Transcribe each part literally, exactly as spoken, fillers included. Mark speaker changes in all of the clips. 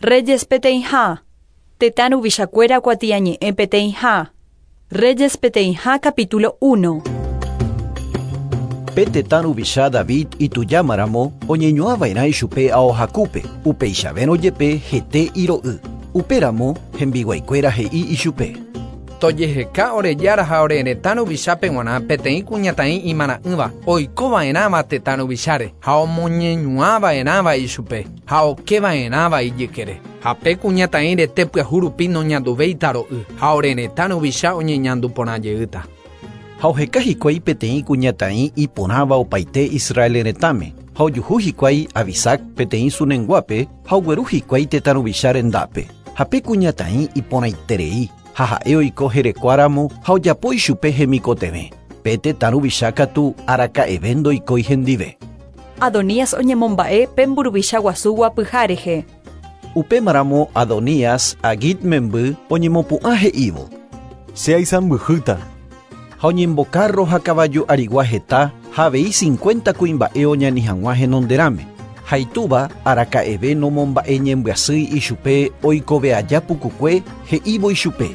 Speaker 1: Reyes peteĩha, Tetã ruvichakuéra kuatiañe'ẽ peteĩha. Reyes peteĩha capítulo uno.
Speaker 2: Pe tetã ruvicha David itujámaramo oñeñuãva'erã ichupe aohakúpe, upeichavérõ jepe hete iro'y. Upéramo hembiguaikuéra he'i ichupe.
Speaker 3: Tojeheka ore jára ha ore retã ruvichápe g̃uarã peteĩ kuñataĩ imarã'ỹva oikova'erãva tetã ruvicháre ha omoñeñuãva'erãva ichupe ha okeva'erãva ijykére. Ha pe kuñataĩ rete pyahu rupi noñanduvéita ro'y ha ore retã ruvicha oñeñandu porã jeýta.
Speaker 2: Ha oheka hikuái peteĩ kuñataĩ iporãva opaite Israel retãme ha ojuhu hikuái Abisac peteĩ Sunenguápe ha ogueru hikuái tetã ruvicha rendápe. Ha pe kuñataĩ iporãiterei ha ha'e oiko herekuáramo ha ojapo ichupe hemikotevẽ. Pe tetã ruvicha katu araka'eve ndoikói hendive.
Speaker 1: Adonías oñemomba'e pe mburuvicha guasu guapyha rehe.
Speaker 2: Upémaramo Adonías Agit memby oñemopu'ã he'ívo.
Speaker 4: Che aisãmbyhýta.
Speaker 2: Ha oñembokarro ha kavaju arigua heta ha avei cincuenta kuimba'e oñani hag̃ua henonderãme. Ha itúva araka'eve nomomba'e ñembyasýi ichupe oikove aja pukukue he'ívo ichupe.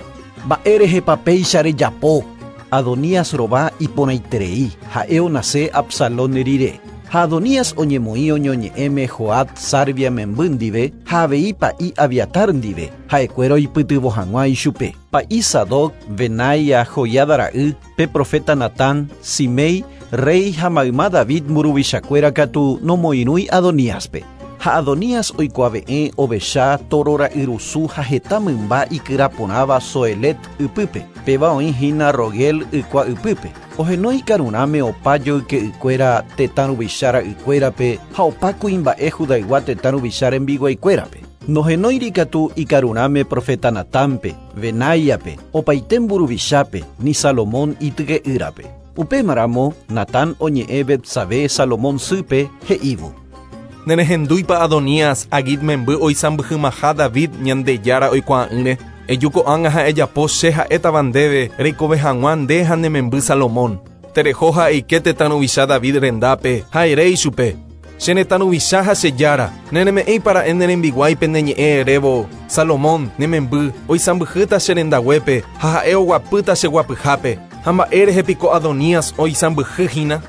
Speaker 2: Mba'érehepa péicha rejapo. Adonías rova iporãiterei ha'e onase Absalón rire. Ha Adonías oñemoĩ oñoñe'ẽme Joab Sarvia memby ndive ha avei pa'i Abiatar ndive ha'ekuéra oipytyvõ hag̃ua ichupe. Pa'i Sadoc, Benaia, Joiada ra'y, pe profeta Natán, Simei, rey ha mayma David mburuvichakuéra katu nomoirũi Adoníaspe. Ha Adonías oikuave'ẽ ovecha toro ra'yrusu ha heta mymba ikyraporãva Zoelet ypýpe. Péva oĩ hína Rogel ykua ypýpe. Ohenói karurãme opa joyke'ykuéra tetã ruvicha ra'ykuérape ha opa kuimba'e Judaygua tetã ruvicha rembiguaikuérape. Nohenóiri katu ikarurãme profeta Natánpe, Benáiape, opaite mburuvichápe, ni Salomón ityke'ýrape. Upémaramo Natán oñe'ẽ Betsabé Salomón sýpe he'ívo.
Speaker 5: Nerehendúipa Adonías Agit memby oisãmbyhymaha David Ñandejára oikuaa'ỹre. Eju ko'ág̃a ha ejapo che ha'étava ndéve reikove hag̃ua nde ha ne memby Salomón. Tereho ha eike tetã ruvicha David rendápe ha ere ichupe. Che retã ruvicha ha che jára, nereme'ẽipara'e ne rembiguáipe ne ñe'ẽ erévo. Salomón ne memby oisãmbyhýta che rendaguépe ha ha'e oguapýta che guapyhápe. Ha mba'érehe piko Adonías oisãmbyhyhína.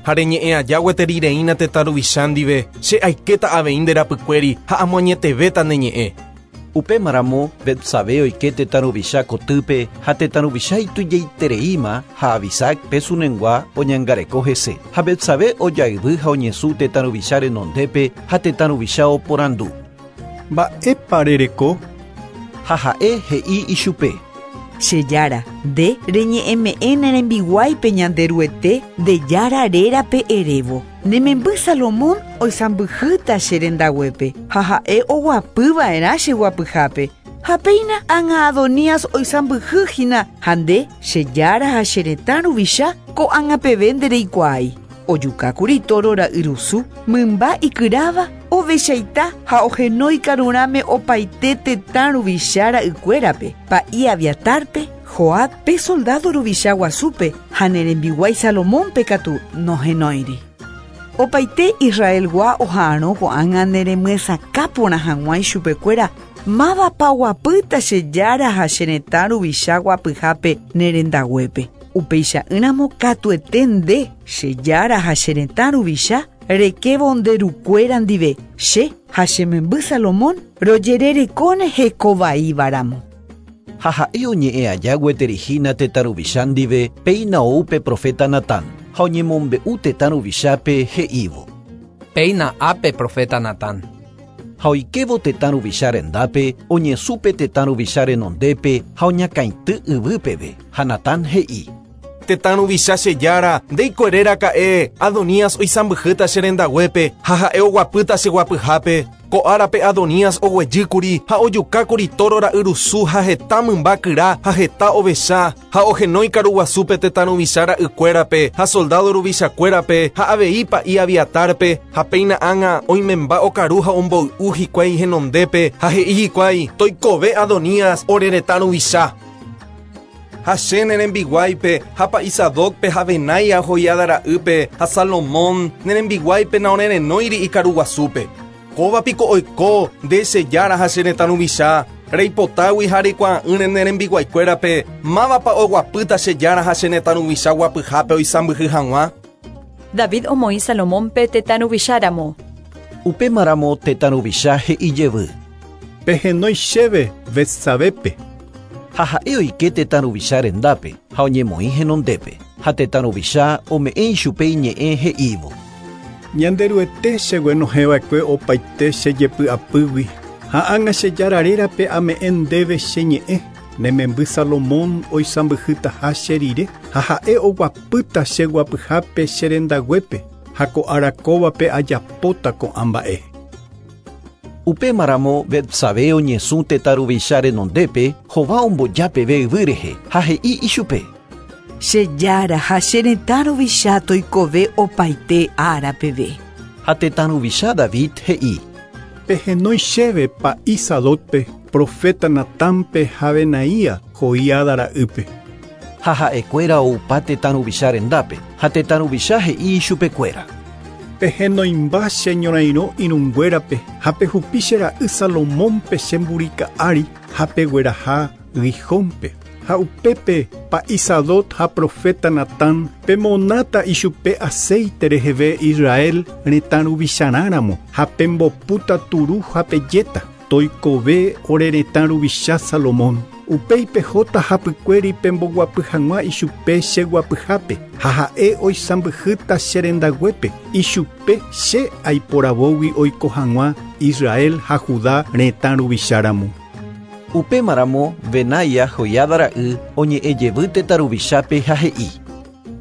Speaker 5: Ha reñe'ẽ aja gueterireína tetã ruvicha ndive che aikéta avei nde rapykuéri ha amoañetevéta ne ñe'ẽ.
Speaker 2: Upémaramo Betsabé oike tetã ruvicha kotýpe ha tetã ruvicha itujaitereíma ha Abisac pe Sunengua oñangareko hese. Ha Betsabé ojayvy ha oñesũ tetã ruvicha renondépe ha tetã ruvicha oporandu.
Speaker 4: Mba'épa rereko?
Speaker 2: Ha ha'e he'i ichupe.
Speaker 6: Che jára, nde reñe'ẽme'ẽ ne rembiguáipe Ñanderuete nde jára rérape erévo. Ne memby Salomón oisãmbyhýta che rendaguépe ha ha'e oguapyva'erã che guapyhápe. Ha péina ág̃a Adonías oisãmbyhyhína ha nde che jára ha che retã ruvicha ko'ág̃a peve ndereikuaái. Ojukákuri toro ra'yrusu, mymba ikyráva, ovechaita ha ohenói karurãme opaite tetã ruvicha ra'ykuérape, pa'i Abiatarpe, Joab pe soldado ruvicha guasúpe ha ne rembiguái Salomónpe katu nohenóiri. Opaite Israelgua oha'arõ ko'ág̃a neremyesakã porã hag̃ua ichupekuéra mávapa oguapýta che jára ha che retã ruvicha guapyhápe ne rendaguépe. Upeicha'ỹramo katuete nde che jára ha che retã ruvicha rekévo nde rukuéra ndive che ha che memby Salomón rojererekóne hekovaívaramo.
Speaker 2: Ha ha'e oñe'ẽ aja gueterihína tetã ruvicha ndive péina ou pe profeta Natán ha oñemombe'u tetã ruvichápe he'ívo.
Speaker 3: Péina ápe profeta Natán.
Speaker 2: Ha oikévo tetã ruvicha rendápe oñesũ pe tetã ruvicha renondépe ha oñakãity yvýpeve. Ha Natán he'i.
Speaker 5: Tetã ruvicha che jára, ndéiko eréraka'e Adonías oisãmbyhýta che rendaguépe ha ha'e oguapýta che guapyhápe. Ko árape Adonías oguejýkuri ha ojukákuri toro ra'yrusu ha heta mymba kyra ha heta ovecha ha ohenói karuguasúpe tetã ruvicha ra'ykuérape ha soldado ruvichakuérape ha avei pa'i Abiatarpe ha péina ág̃a oimemba okaru ha omboy'u hikuái henondépe ha he'i hikuái toikove Adonías ore retã ruvicha. Ha che ne rembiguáipe ha pa'i Sadocpe ha Benaia Joiada ra'ýpe ha Salomón ne rembiguáipe naorerenóiri ikaruguasúpe. Kóva piko oiko nde che jára ha che retã ruvicha reipotágui ha reikuaa'ỹre ne rembiguaikuérape mávapa oguapýta che jára ha che retã ruvicha guapyhápe oisãmbyhy hag̃ua.
Speaker 1: David omoĩ Salomónpe tetã ruvicháramo.
Speaker 2: Upémaramo tetã ruvicha he'i jevy.
Speaker 4: Pehenói chéve Betsabepe.
Speaker 2: Ha ha'e oike tetã ruvicha rendápe ha oñemoĩ henondépe. Ha tetã ruvicha ome'ẽ ichupe iñe'ẽ he'ívo.
Speaker 4: Ñanderuete cheguenohẽva'ekue opaite chejepy'apýgui ha ág̃a che jára rérape ame'ẽ ndéve che ñe'ẽ ne memby Salomón oisãmbyhytaha che rire ha ha'e oguapýta che guapyhápe che rendaguépe ha ko'ára kóvape ajapóta ko'ã mba'e.
Speaker 2: Upémaramo Betsabe oñesũ tetã ruvicha renondépe hova ombojápeve yvy rehe ha he'i ichupe.
Speaker 6: Che jára ha che retã ruvicha toikove opaite ára peve.
Speaker 2: Ha tetã ruvicha David he'i.
Speaker 4: Pehenói chéve pa'i Sadocpe, profeta Natánpe ha Benaía Joiada ra'ýpe.
Speaker 2: Ha ha'ekuéra oupa tetã ruvicha rendápe ha tetã ruvicha he'i ichupekuéra.
Speaker 4: Pehenoimba che ñorairõ irũnguérape ha pehupi che ra'y Salomónpe che mburika ári ha pegueraha Gijónpe. Ha upépe pa'i Sadoc ha profeta Natán pemonáta ichupe aceite reheve Israel retã ruvicharãramo ha pembopúta turu ha pejéta toikove ore retã ruvicha Salomón. Upéi pehóta hapykuéri pemboguapy hag̃ua ichupe che guapyhápe ha ha'e oisãmbyhýta che rendaguépe ichupe che aiporavógui oiko hag̃ua Israel ha Judá retã ruvicháramo.
Speaker 2: Upémaramo Benaía Joiada ra'y oñe'ẽ jevy tetã ruvichápe ha he'i.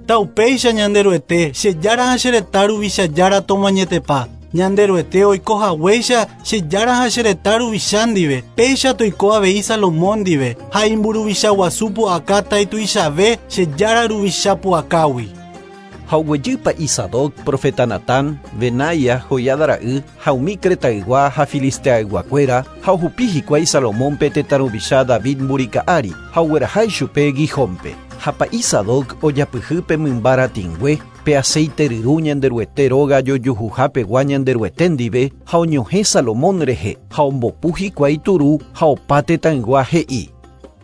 Speaker 7: Taupéicha Ñanderuete che jára ha che retã ruvicha jára tomoañetepa. Ñanderuete oiko haguéicha che jára ha che retã ruvicha ndive. Péicha toiko avei Salomón ndive ha imburuvicha guasu pu'akáta ituichave che jára ruvicha pu'akágui.
Speaker 2: Ha oguejy pa'i Sadoc, profeta Natán, Benaía Joiada ra'y ha umi Cretaygua ha Filisteayguakuéra ha ohupi hikuái Salomónpe tetã ruvicha David mburika ári ha ogueraha ichupe Gijónpe. Ha pa'i Sadoc ojapyhy pe mymba ratĩngue pe aceite ryru Ñanderuete róga jojuhuhápegua Ñanderuete ndive ha oñohẽ Salomón rehe ha ombopu hikuái turu ha opa tetãygua he'i.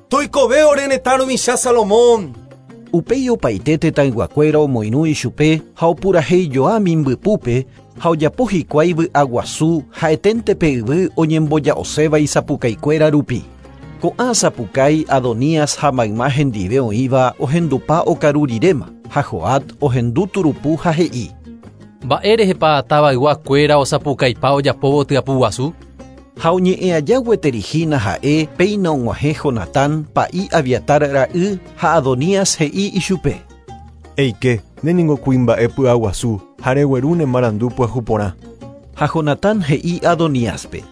Speaker 5: Toikove ore retã ruvicha Salomón.
Speaker 2: Upéi opaite tetãyguakuéra omoirũ ichupe ha opurahéijoa mimbypúpe ha ojapo hikuái vy'aguasu ha'eténte pe yvy oñemboja'oséva isapukaikuéra rupi. Ko'ã sapukái Adonías ha mayma hendive oĩva ohendupa okaru riréma ha Joab ohendu turupu ha he'i.
Speaker 8: Mba'érehepa tavayguakuéra osapukaipa ojapóvo tyapuguasu?
Speaker 2: Ha oñe'ẽ aja gueterihína ha'e péina og̃uahẽ Jonatán pa'i Abiatar ra'y ha Adonías he'i ichupe.
Speaker 4: Eike, ne ningo kuimba'e py'aguasu ha regueru ne marandu pyahu porã.
Speaker 2: Ha Jonatán he'i Adoníaspe.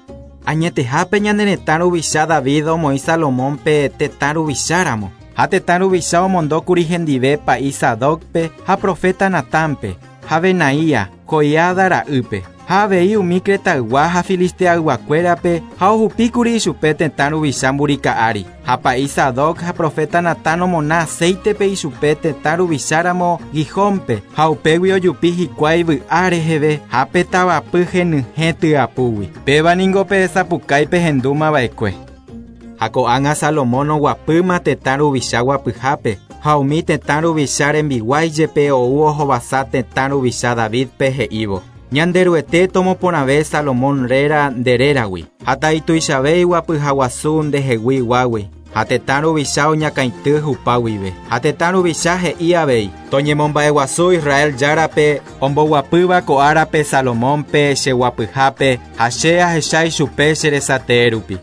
Speaker 9: Añetehápe ñane retã ruvicha David omoĩ Salomónpe tetã ruvicháramo. Ha tetã ruvicha omondókuri hendive pa'i Sadocpe ha profeta Natánpe ha Benaía Joiada ra'ýpe. Ha avei umi Cretaygua ha Filisteayguakuérape ha ohupíkuri ichupe tetã ruvicha mburika ári. Ha pa'i Sadoc ha profeta Natán omona aceitepe ichupe tetã ruvicháramo Gijónpe ha upégui ojupi hikuái vy'a reheve ha pe tavapy henyhẽ tyapúgui. Péva ningo pe sapukái pehendúmava'ekue. Ha ko'ág̃a Salomón oguapýma tetã ruvicha guapyhápe ha umi tetã ruvicha rembiguái jepe ou ohovasa tetã ruvicha Davidpe he'ívo. Ñanderuete tomoporãve Salomón réra nde réragui ha taituichave iguapyhaguasu ndehegui guágui ha tetã ruvicha oñakãity hupáguive. Ha tetã ruvicha he'i avei toñemomba'eguasu Israel járape omboguapýva ko'árape Salomónpe cheguapyhápe ha che ahecha ichupe che resatee rupi.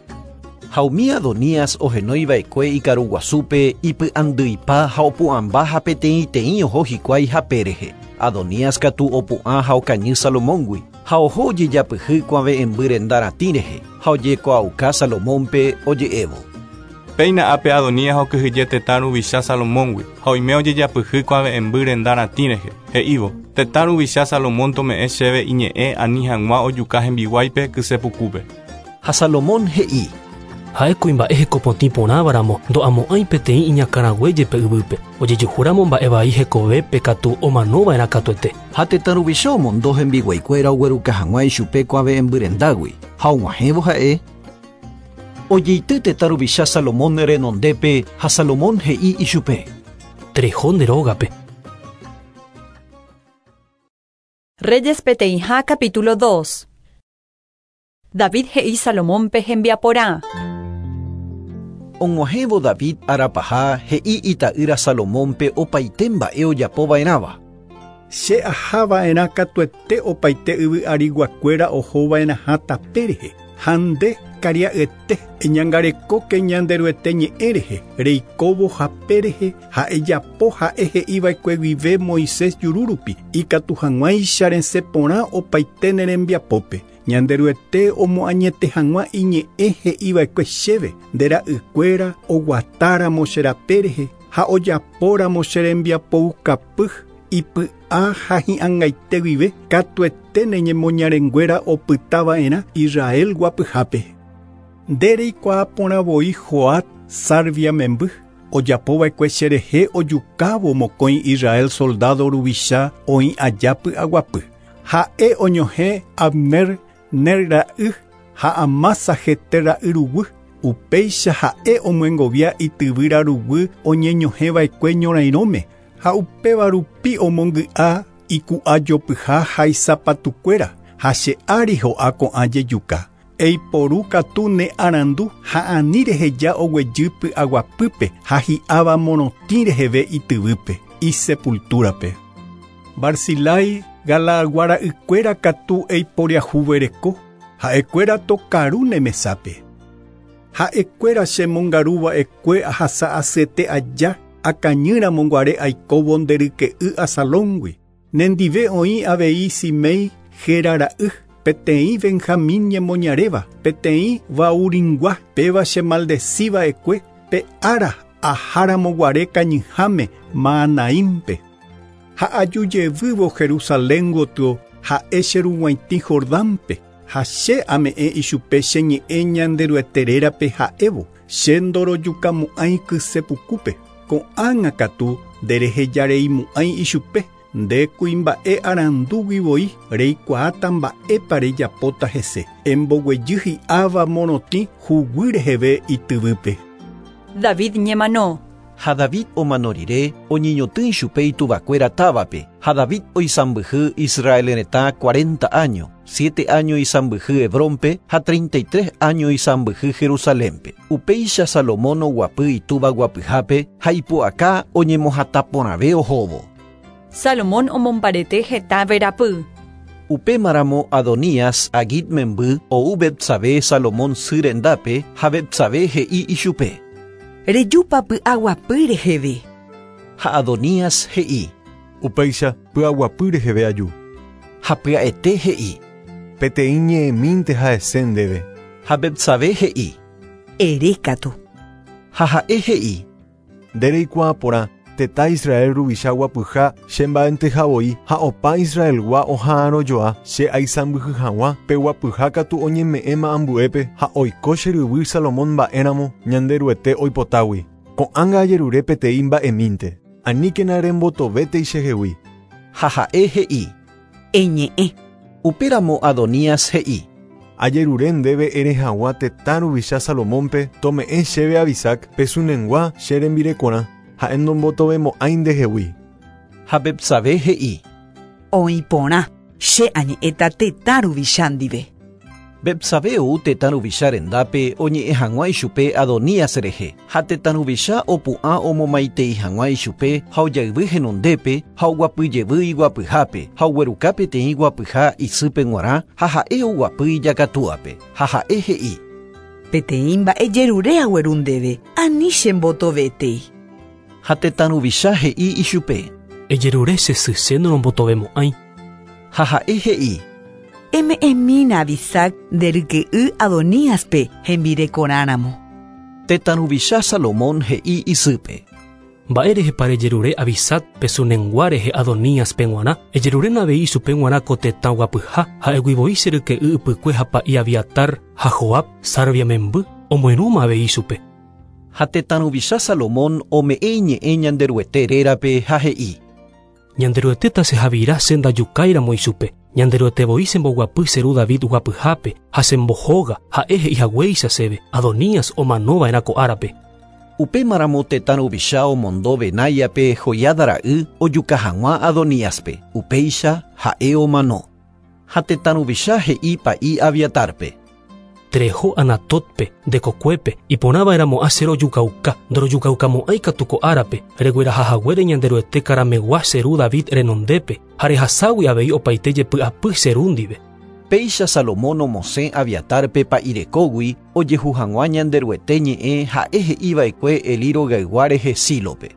Speaker 2: Ha umi Adonías ohenóiva'ekue ikaruguasúpe ipy'andýipa ha opu'ãmba ha peteĩteĩ oho hikuái hape rehe. Adonías katu opu'ã ha okañy Salomóngui ha oho ojejapyhy kuave'ẽmby renda ratĩ rehe ha ojekuaauka Salomónpe oje'évo.
Speaker 5: Péina ápe Adonías okyhyje tetã ruvicha Salomóngui ha oime ojejapyhy kuave'ẽmby renda ratĩ rehe he'ívo tetã ruvicha Salomón tome'ẽ chéve iñe'ẽ ani hag̃ua ojuka hembiguáipe kysepukúpe.
Speaker 2: Ha Salomón he'i.
Speaker 8: Ha'e kuimba'e hekopotĩ porãvaramo ndo'amo'ãi peteĩ iñakãraguéjepe yvýpe. Ojejuhúramo mba'e vai hekovépe katu omanova'erã katuete.
Speaker 2: Ha tetã ruvicha omondo hembiguaikuéra ogueruka hag̃ua ichupe kuave'ẽmbyrendágui ha og̃uahẽvo ha'e ojeity tetã ruvicha Salomón renondépe ha Salomón he'i ichupe.
Speaker 8: Tereho nde rógape.
Speaker 1: Reyes peteĩha capítulo dos. David he'i Salomónpe hembiaporã.
Speaker 2: Og̃uahẽvo David arapaha he'i ita'ýra Salomónpe opaite mba'e ojapova'erãva.
Speaker 4: Che ahava'erã katuete opaite yvy ariguakuéra ohova'erãha tape rehe. Ha nde karia'yete eñangarekóke Ñanderuete ñe'ẽ rehe, reikóvo hape rehe ha ejapo ha'e he'iva'ekue guive Moisés juru rupi ikatu hag̃uáicha resẽ porã opaite ne rembiapópe. Ñanderuete omoañete hag̃ua iñe'ẽ he'iva'ekue chéve nde ra'ykuéra oguatáramo che rape rehe ha ojapóramo che rembiapoukapy ipy'a ha hi'ag̃aite guive katuete ne ñemoñarenguéra opytava'erã Israel guapyhápe. Nde reikuaa porã voi Joab Sarvia memby ojapova'ekue cherehe ojukávo mokõi Israel soldado ruvicha oĩ aja py'aguapy. Ha'e oñohẽ Abner Ner ra'y ha Amasa Jeter ra'y ruguy. Upéicha ha'e omyengovia ityvýra ruguy oñeñohẽva'ekue ñorairõme ha upéva rupi omongy'a iku'ajopyha ha isapatukuéra ha che ári ho'a ko'ã jejuka. Eiporu katu ne arandu ha ani reheja oguejy py'aguapýpe ha hi'áva morotĩ reheve ityvýpe isepultúrape. Barzilai Galaagua ra'ykuéra katu eiporiahuvereko ha'ekuéra tokaru ne mesápe. Ha'ekuéra chemongaruva'ekue ahasa asyete aja akañýramo guare aikóvo nde ryke'y Asalóngui. Nendive oĩ avei Simei Gera ra'y peteĩ Benjamín ñemoñaréva peteĩ Bauringua péva chemaldeciva'ekue pe ára aháramo guare kañyháme Mahanaímpe. Ha ajujevývo Jerusalén gotyo ha'e cherug̃uaitĩ Jordánpe ha che ame'ẽ ichupe che ñe'ẽ Ñanderuete rérape ha'évo che ndorojukamo'ãi kysepukúpe. Ko'ág̃a katu nderehejareimo'ãi ichupe nde kuimba'e arandúgui voi reikuaáta mba'épa rejapóta hese. Emboguejy hi'áva morotĩ huguy reheve ityvýpe.
Speaker 1: David ñemano.
Speaker 2: Ha David omano rire oñeñotỹ ichupe ituvakuéra távape. Ha David oisãmbyhy Israel retã cuarenta años, siete años isãmbyhy Hebrónpe ha treinta y tres años isãmbyhy Jerusalénpe. Upéicha Salomón oguapy itúva guapyhápe ha ipu'aka oñemohatãporãve ohóvo.
Speaker 1: Salomón omombarete heta verapy.
Speaker 2: Upémaramo Adonías Agit memby ou Betsabé Salomón sy rendápe ha Betsabé he'i ichupe.
Speaker 6: Rejúpa py'aguapy reheve.
Speaker 2: Ha Adonías he'i.
Speaker 5: Upéicha py'aguapy reheve aju.
Speaker 2: Ha pya'ete he'i.
Speaker 5: Peteĩ ñe'ẽmínte ha'ese ndéve.
Speaker 2: Ha Betsabé he'i.
Speaker 6: Erékatu.
Speaker 2: Ha ha'e he'i.
Speaker 5: Nde reikuaa porã tetã Israel ruvicha guapyha che mba'enteha voi ha opa Israelgua oha'arõjoa che aisãmbyhy hag̃ua pe guapyha katu oñeme'ẽma ambuépe ha oiko che ryvy Salomón mba'éramo Ñanderuete oipotágui. Ko'ág̃a ajerure peteĩ mba'emínte. Aníkena rembotovétei chehegui.
Speaker 2: Ha ha'e he'i.
Speaker 6: Eñe'ẽ.
Speaker 2: Upéramo Adonías he'i.
Speaker 5: Ajerure ndéve ere hag̃ua tetã ruvicha Salomónpe tome'ẽ chéve Abisac pe sunengua che rembirekorã ha'e ndombotovemo'ãi ndehegui.
Speaker 2: Ha Betsabé he'i.
Speaker 6: Oĩ porã che añe'ẽta tetã ruvicha ndive.
Speaker 2: Betsabé ou tetã ruvicha rendápe oñe'ẽ hag̃ua ichupe Adonías rehe. Ha tetã ruvicha opu'ã omomaitei hag̃ua ichupe ha ojayvy henondépe ha oguapyjevy iguapyhápe ha ogueruka peteĩ guapyha isýpe g̃uarã ha ha'e oguapy ijakatúape. Ha ha'e he'i.
Speaker 6: Peteĩ mba'e jerure agueru ndéve ani chembotovétei.
Speaker 2: Ha tetã ruvicha he'i ichupe.
Speaker 8: Ejerure che sy che norombotovemo'ãi.
Speaker 2: Ha ha'e he'i.
Speaker 6: Eme'ẽmína Abisac nde ryke'y Adoníaspe hembirekorãramo.
Speaker 2: Tetã ruvicha Salomón he'i isýpe.
Speaker 8: Mba'érehepa rejerure Abisac pe sunengua rehe Adoníaspe g̃uarã ejeruréna avei ichupe g̃uarã ko tetã guapyha ha'égui voi che ryke'y ypykue ha pa'i Abiatar ha Joab Sarvia memby omoirũma avei ichupe.
Speaker 2: Ha tetã ruvicha Salomón ome'ẽ iñe'ẽ Ñanderuete rérape ha he'i.
Speaker 8: Ñanderuete tasehavira che ndajukáiramo ichupe. Ñanderuete voi chemboguapy che ru David guapyhápe ha chembohóga ha'e he'ihaguéicha chéve Adonías omanova'erã ko árape.
Speaker 2: Upémaramo tetã ruvicha omondo Benáiape Joiada ra'y ojuka hag̃ua Adoníaspe. Upéicha ha'e omano. Ha tetã ruvicha he'i pa'i Abiatarpe.
Speaker 8: Tereho Anatotpe, ndekokuépe, iporãva'erãmo'ã che rojukauka, ndorojukaukamo'ãi katu ko árape, reguerahahaguére Ñanderuete karamegua che ru David renondépe, ha rehaságui avei opaite jepy'apy che ru ndive.
Speaker 2: Péicha Salomón omosẽ Abiatarpe pa'irekógui ojehu hag̃ua Ñanderuete ñe'ẽ ha'e he'iva'ekue Elí rogaygua rehe Sílope.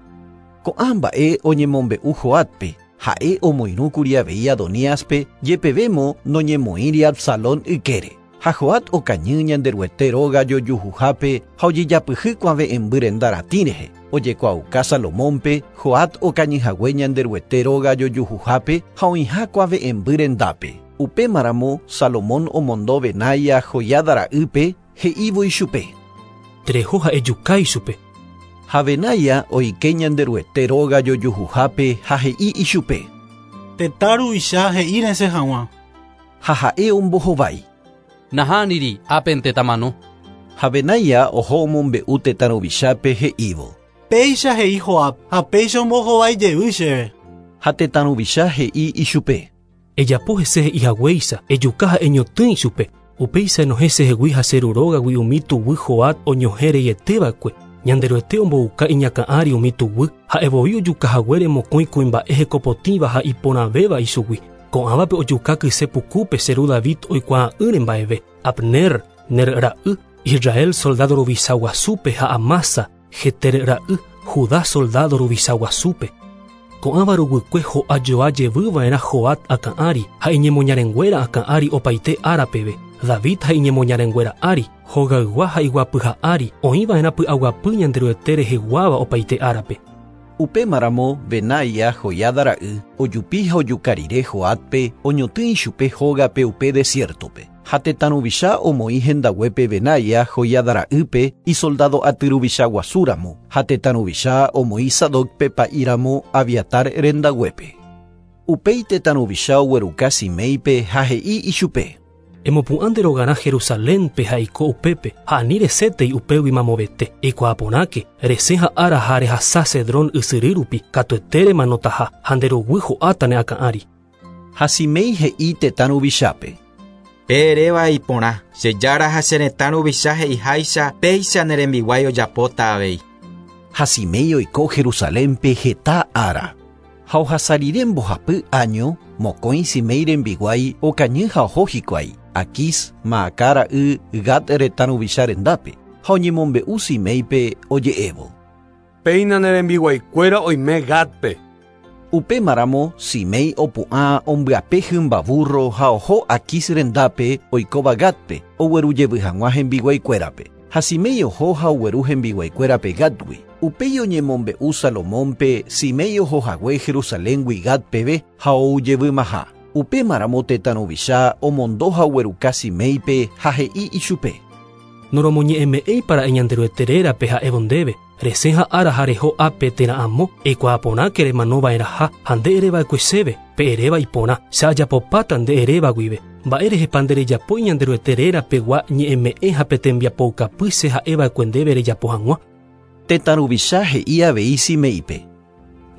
Speaker 2: Ko'ã mba'e oñemombe'u Joabpe, ha'e omoirũkuri avei Adoníaspe jepevémo noñemoĩri Absalón ykére. Ha Joab okañy Ñanderuete róga jojuhuhápe ha ojejapyhy kuave'ẽmby renda ratĩ rehe. Ojekuaauka Salomónpe Joab okañyhague Ñanderuete róga jojuhuhápe ha oĩha kuave'ẽmby rendápe. Upémaramo Salomón omondo Benaia Joiada ra'ýpe he'ívo ichupe.
Speaker 8: Tereho ha ejuka ichupe.
Speaker 2: Ha Benaia oike Ñanderuete róga jojuhuhápe ha he'i ichupe.
Speaker 7: Tetã ruvicha he'i resẽ hag̃ua.
Speaker 2: Ha ha'e ombohovái.
Speaker 10: Nahániri ápente tamano.
Speaker 2: Ha Benaia oho omombe'u tetã ruvichápe he'ívo.
Speaker 7: Péicha he'i Joab ha péicha ombohovái jey chéve.
Speaker 2: Ha tetã ruvicha he'i ichupe.
Speaker 8: Ejapo hese he'ihaguéicha, ejuka ha eñotỹ ichupe. Upéicha enohẽ chehegui ha che ru rógagui umi tuguy Joab oñohẽ reieteva'ekue. Ñanderuete ombouka iñakã'ári umi tuguy, ha'evoi ojukahaguére mokõi kuimba'e hekopotĩva ha iporãvéva ichugui. Ko'ãvape ojuka kyse pukúpe che ru David oikuaa'ỹre mba'eve. Abner, Ner ra'y, Israel soldado ruvicha guasúpe ha Amasa, Jeter ra'y, Judá soldado ruvicha guasúpe. Ko'ãva ruguykue ho'ajoa jevyva'erã Joab akã'ári ha iñemoñarenguéra akã'ári opaite árapeve. David ha iñemoñarenguéra ári, hogaygua ha iguapyha ári, oĩva'erã py'aguapy Ñanderuete reheguáva opaite árape.
Speaker 2: Upémaramo Benaia Joiada ra'y ojupi ha ojuka rire Joabpe oñotỹ ichupe hógape upe desiertope. Ha tetã ruvicha omoĩ hendaguépe Benaia Joiada ra'ýpe isoldado aty ruvicha guasúramo ha tetã ruvicha omoĩ Sadocpe pa'íramo Abiatar rendaguépe. Upéi tetã ruvicha ogueruka Siméipe ha he'i ichupe.
Speaker 8: Emopu'ã nde rogarã Jerusalénpe ha eiko upépe ha ani resétei upégui mamovete. Eikuaaporãke resẽ ha ára ha rehasa Cedrón ysyry rupi katuete remanotaha ha nde ruguy ho'áta ne akã'ári.
Speaker 2: Ha Siméi he'i tetã ruvichápe.
Speaker 9: Pe eréva iporã, che jára ha che retã ruvicha he'iháicha péicha ne rembiguái ojapóta avei.
Speaker 2: Ha Siméi oiko Jerusalénpe heta ára. Ha ohasa rire mbohapy año, mokõi Siméi rembiguái okañy ha oho hikuái. Aquís, Maacá ra'y Gat retã ruvicha rendápe ha oñemombe'u Siméipe oje'évo.
Speaker 11: Péina ne rembiguaikuéra oime Gatpe.
Speaker 2: Upémaramo Siméi opu'ã ombyape hymba burro ha oho Aquís rendápe oikóva Gatpe oguerujevy hag̃ua hembiguaikuérape. Ha Siméi oho ha ogueru hembiguaikuérape Gatgui. Upéi oñemombe'u Salomónpe Siméi ohohague Jerusaléngui Gatpeve ha oujevymaha. Upémaramo tetã ruvicha omondo ha ogueruka Siméipe ha he'i ichupe.
Speaker 8: Noromoñe'ẽme'ẽipara'e Ñanderuete rérape ha'évo ndéve, resẽ ha ára ha reho ápe térã amo, eikuaaporãke remanova'erãha ha nde ereva'ekue chéve, pe eréva iporã, che ajapopáta nde eréva guive. Mba'érehepa nderejapói Ñanderuete rérapegua ñe'ẽme'ẽ ha pe tembiapoukapy che ha'eva'ekue ndéve rejapo hag̃ua.
Speaker 2: Tetã ruvicha he'i avei Siméipe.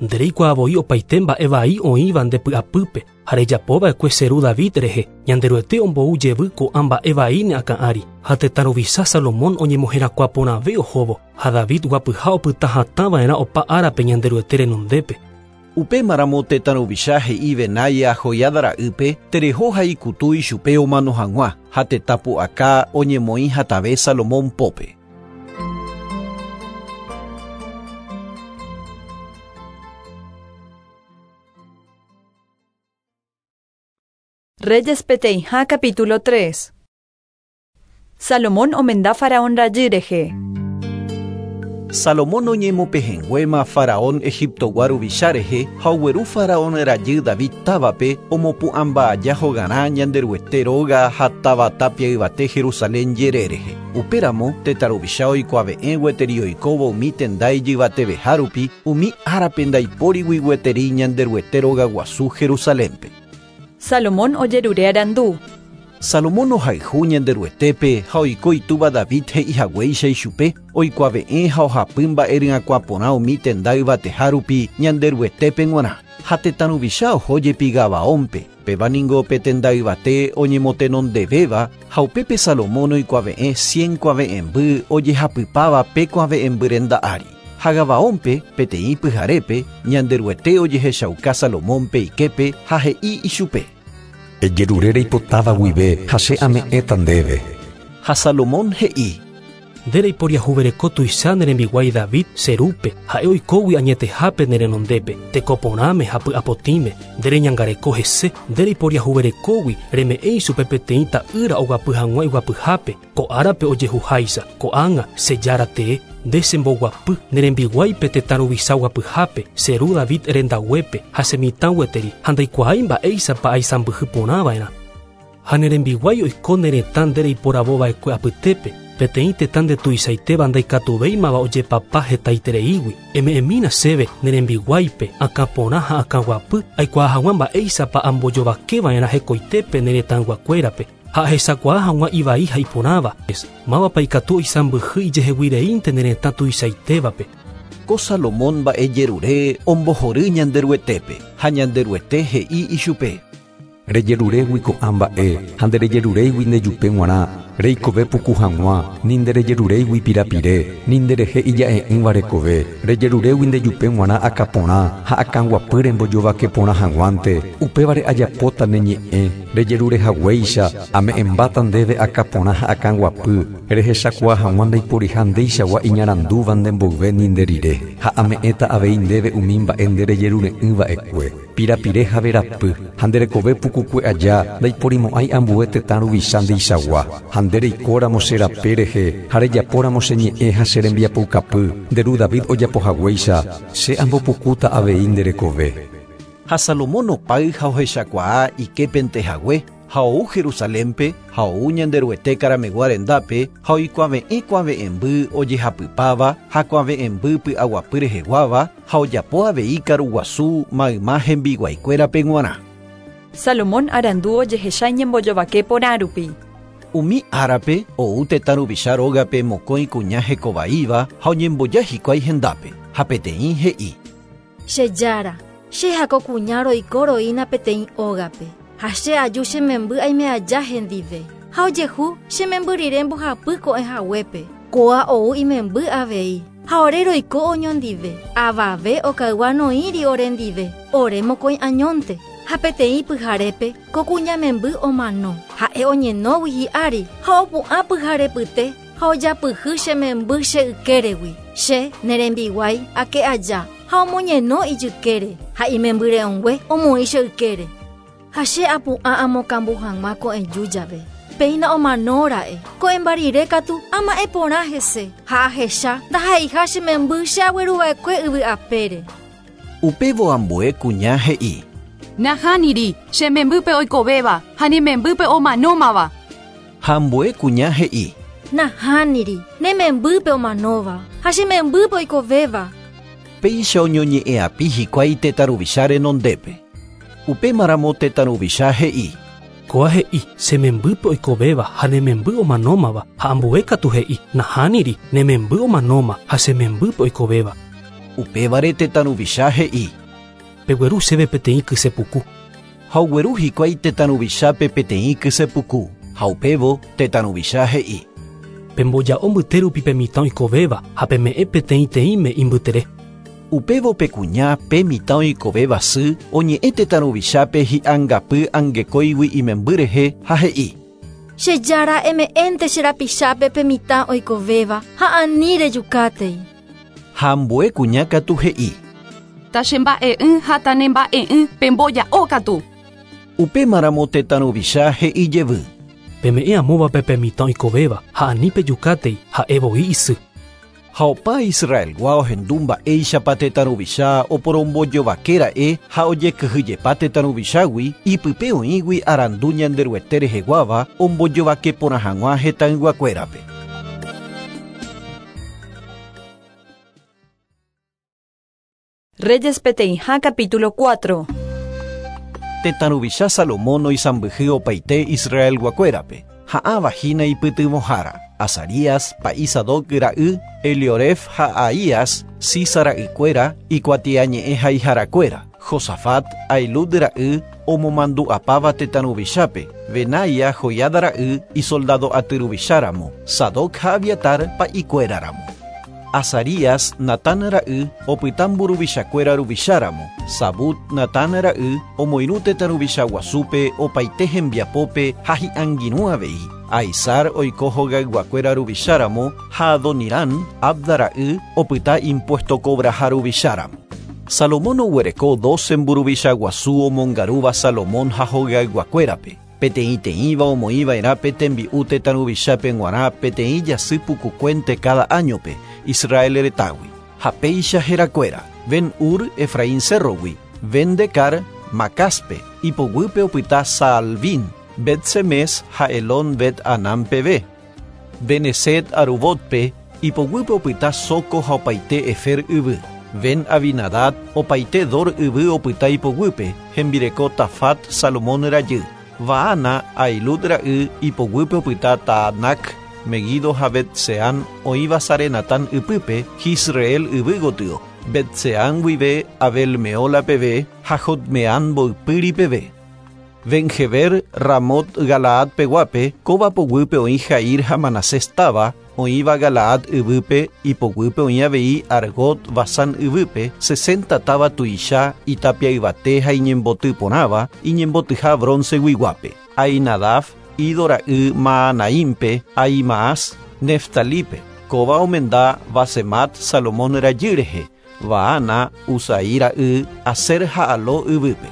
Speaker 8: Ndereikuaavoi opaite mba'e vai oĩva nde py'apýpe ha rejapova'ekue che ru David rehe, Ñanderuete ombou jevy ko'ã mba'e vai ne akã'ári. Ha tetã ruvicha Salomón oñemoherakuãporãve ohóvo ha David guapyha opyta hatãva'erã opa árape Ñanderuete renondépe.
Speaker 2: Upémaramo tetã ruvicha he'i Benaia Joiada ra'ýpe tereho ha ikutu ichupe omano hag̃ua ha tetã pu'aka oñemoĩ hatãve Salomón pópe.
Speaker 1: Reyes peteĩha capítulo tres. Salomón omenda faraón rajy rehe.
Speaker 2: Salomón oñemopehẽnguéma Faraón Egiptogua ruvicha rehe ha ogueru Faraón rajy David távape omopu'ãmba aja hogarã Ñanderuete róga ha táva tapia yvate Jerusalén jere rehe. Upéramo tetã ruvicha oikuave'ẽ gueteri oikóvo umi tenda ijyvateveha rupi umi árape ndaipórigui gueteri Ñanderuete róga guasu Jerusalénpe.
Speaker 1: Salomón ojerure arandu.
Speaker 2: Salomón ohayhu Ñanderuetépe ha oiko itúva David he'ihaguéicha ichupe oikuave'ẽ ha ohapy mba'e ryakuã porã umi tenda yvateha rupi Ñanderuetépe g̃uarã. Ha tetã ruvicha oho jepi Gabaónpe, péva ningo pe tenda yvate oñemotenondevéva ha upépe Salomón oikuave'ẽ cien kuave'ẽmby ojehapypáva pe kuave'ẽmby renda ári. Ha Gabaónpe peteĩ pyharépe Ñanderuete ojehechauka Salomónpe iképe ha he'i ichupe.
Speaker 12: Ejerure reipotáva guive ha che ame'ẽta ndéve.
Speaker 2: Ha Salomón he'i.
Speaker 8: Nde reiporiahuvereko tuicha ne rembiguái David che rúpe ha'e oikógui añetehápe ne renondépe tekoporãme ha py'apotĩme nde reñangareko hese nde reiporiahuverekógui reme'ẽ ichupe peteĩ ta'ýra oguapy hag̃ua iguapyhápe ko árape ojehuháicha ko'ág̃a che jára tee nde chemboguapy ne rembiguáipe tetã ruvicha guapyhápe che ru David rendaguépe ha che mitã gueteri ha ndaikuaái mba'éichapa aisãmbyhy porãva'erã. Ha ne rembiguái oiko ne retã nde reiporavova'ekue apytépe peteĩ tetã ndetuichaitéva ndaikatuvéimava ojepapa hetaitereígui eme'ẽmína chéve ne rembiguáipe akãporã ha akãguapy aikuaa hag̃ua mba'éichapa ambojovakeva'erã hekoitépe ne retãyguakuérape ha ahechakuaa hag̃ua ivai ha iporãva mávapa ikatu oisãmbyhy ijeheguireínte ne retã tuichaitévape.
Speaker 2: Ko Salomón mba'ejerure ombohory Ñanderuetépe ha Ñanderuete he'i ichupe.
Speaker 12: Rejeruregui ko'ã mba'e ha nderejeruréigui ndejupe g̃uarã reikove puku hag̃ua ni nderejeruréigui pirapire ni nderehe ija'e'ỹva rekove rejeruregui ndejupe g̃uarã akãporã ha akãguapy rembojovake porã hag̃uánte upévare ajapóta ne ñe'ẽ rejerurehaguéicha ame'ẽmbáta ndéve akãporã ha akãguapy rehechakuaa hag̃ua ndaiporiha ndeichagua iñarandúva nde mboyve ni nde rire ha ame'ẽta avei ndéve umi mba'e nderejerure'ỹva'ekue pirapire ha verapy ha nderekove pukukue aja ndaiporimo'ãi ambue tetã ruvicha ndeichagua ha nde reikóramo che rape rehe ha rejapóramo che ñe'ẽ ha che rembiapoukapy nde ru David ojapohaguéicha che ambopukúta avei nde rekove.
Speaker 2: Ha Salomón opáy ha ohechakuaa iképente hague ha ou Jerusalénpe ha ou Ñanderuete karamegua rendápe ha oikuave'ẽ kuave'ẽmby ojehapypáva ha kuave'ẽmby py'aguapy reheguáva ha ojapo avei karuguasu mayma hembiguaikuérape g̃uarã.
Speaker 1: Salomón arandu ojehecha iñembojovake porã rupi.
Speaker 2: Umi árape ou tetã ruvicha rógape mokõi kuña hekovaíva ha oñemboja hikuái hendápe ha peteĩ he'i.
Speaker 13: Che jára, che hako kuña roiko roína peteĩ ógape ha che aju che memby aime aja hendive ha ojehu che memby rire mbohapy ko'ẽ haguépe kóa ou imemby avei ha ore roiko oñondive avave okaygua noĩri orendive ore mokõi añónte ha peteĩ pyharépe ko kuña memby omano ha'e oñenógui hi'ári ha opu'ã pyharepyte ha ojapyhy che memby che ykéregui che ne rembiguái ake aja ha omoñeno ijykére ha imembyre'õngue omoĩ che ykére ha che apu'ã amokambu hag̃ua ko'ẽju jave péina omanóra'e ko'ẽmba rire katu ama'ẽ porã hese ha ahecha ndaha'eiha che memby che agueruva'ekue yvy apére.
Speaker 2: Upévo ambue kuña he'i.
Speaker 14: Nahániri, che membýpe oikovéva ha ne membýpe omanómava.
Speaker 2: Ha ambue kuña he'i.
Speaker 13: Nahániri, ne membýpe omanóva ha che membýpe oikovéva.
Speaker 2: Péicha oñoñe'ẽapi hikuái tetã ruvicha renondépe. Upémaramo tetã ruvicha he'i.
Speaker 8: Kóa he'i che membýpe oikovéva ha ne memby omanómava ha ambue katu he'i nahániri ne memby omanóma ha che membýpe oikovéva.
Speaker 2: Upévare tetã ruvicha he'i.
Speaker 8: Pegueru chéve peteĩ kysepuku.
Speaker 2: Ha ogueru hikuái tetã ruvichápe peteĩ kysepuku ha upévo tetã ruvicha he'i.
Speaker 8: Pemboja'o mbyte rupi pe mitã oikovéva ha peme'ẽ peteĩteĩme imbytere.
Speaker 2: Upévo pe kuña pe mitã oikovéva sy oñe'ẽ tetã ruvichápe hi'angapy angekóigui imemby rehe ha he'i.
Speaker 13: Che jára eme'ẽnte che rapichápe pe mitã oikovéva ha ani rejukátei.
Speaker 2: Ha ambue kuña katu he'i.
Speaker 14: Tachemba'e'ỹ ha tanemba'e'ỹ pemboja'o katu.
Speaker 2: Upémaramo tetã ruvicha he'i jevy.
Speaker 8: Peme'ẽ amóvape pe mitã oikovéva ha ani pejukátei ha'e voi isy.
Speaker 2: Ha opa Israelgua ohendu mba'éichapa tetã ruvicha oporombojovakéra'e ha ojekyhyjepa tetã ruvichágui ipype oĩgui arandu Ñanderuete reheguáva ombojovake porã hag̃ua hetãyguakuérape.
Speaker 1: Reyes peteĩha capítulo cuatro.
Speaker 2: Tetã ruvicha Salomón oisãmbyhy opaite Israelguakuérape. Ha'ãva hína ipytyvõhára. Azarías, pa'i Sadoc ra'y, Elioref ha Ahías, Sisa ra'ykuéra, ikuatiañe'ẽ haiharakuéra. Josafat, Ailud ra'y, omomandu'apáva tetã ruvichápe. Benaia, Joiada ra'y, isoldado aty ruvicháramo. Sadoc ha Abiatar pa'ikuéraramo. Azarías, Natán ra'y, opyta mburuvichakuéra ruvicháramo. Sabut, Natán ra'y, omoirũ tetã ruvicha guasúpe opaite hembiapópe ha hi'angirũ avei. Aizar oiko hogayguakuéra ruvicháramo ha Adonirán, Abda ra'y, opyta impuesto cobraha ruvicháramo. Salomón oguereko doce mburuvicha guasu omongarúva Salomón ha hogayguakuérape. Peteĩteĩva omoĩva'erã pe tembi'u tetã ruvichápe g̃uarã peteĩ jasy pukukuénte cada áñope Israel retãgui. Ha péicha herakuéra, Ben-Ur Efraín cerrogui, Ben-Decar Macaspe, ipoguýpe opyta Saalbín, Bet-Semes ha Elón Bet-Anán peve, Beneset Arubotpe, ipoguýpe opyta Soco ha opaite Efer yvy, Ben-Abinadad opaite Dor yvy opyta ipoguýpe, hembireko Tafat Salomón rajy, Baana Ailud ra'y ipoguýpe opyta Taanac, Megido ha Bet-Seán oĩva Sarenatán ypýpe Jisreel yvy gotyo, Bet-Seán guive Abel-Meola peve ha Jotmeán mboypýri peve. Ben-Heber Ramot Galaad peguápe, kóva poguýpe oĩ Jair ha Manasés táva, oĩva Galaad yvýpe, ipoguýpe oĩ avei Argot Basán yvýpe, sesenta táva tuicha, itapia yvate ha iñemboty porãva, iñembotyha bronceguiguápe. Ainadaf, Ido ra'y Maanaímpe, Ahimaas, Neftalípe. Kóva omenda Basemat Salomón rajy rehe, Baana, Usai ra'y, Aser ha Aló yvýpe.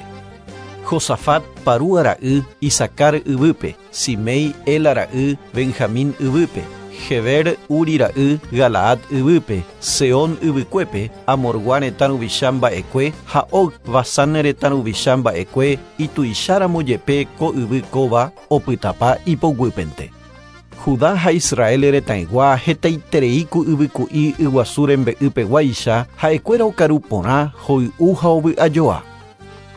Speaker 2: Josafat Parúa ra'y, Isacar yvýpe, Simei Ela ra'y, Benjamín yvýpe, Heber Uri ra'y, Galaad yvýpe, Seón yvykuépe, Amorgua retã ruvicha mba'ekue ha Og Basán retã ruvicha mba'ekue ituicháramo jepe ko yvy kóva opytapa ipoguýpente. Judá ha Israel retãygua hetaiterei ku yvyku'i yguasu rembe'ypeguáicha ha'ekuéra okaru porã hoy'u ha ovy'ajoa.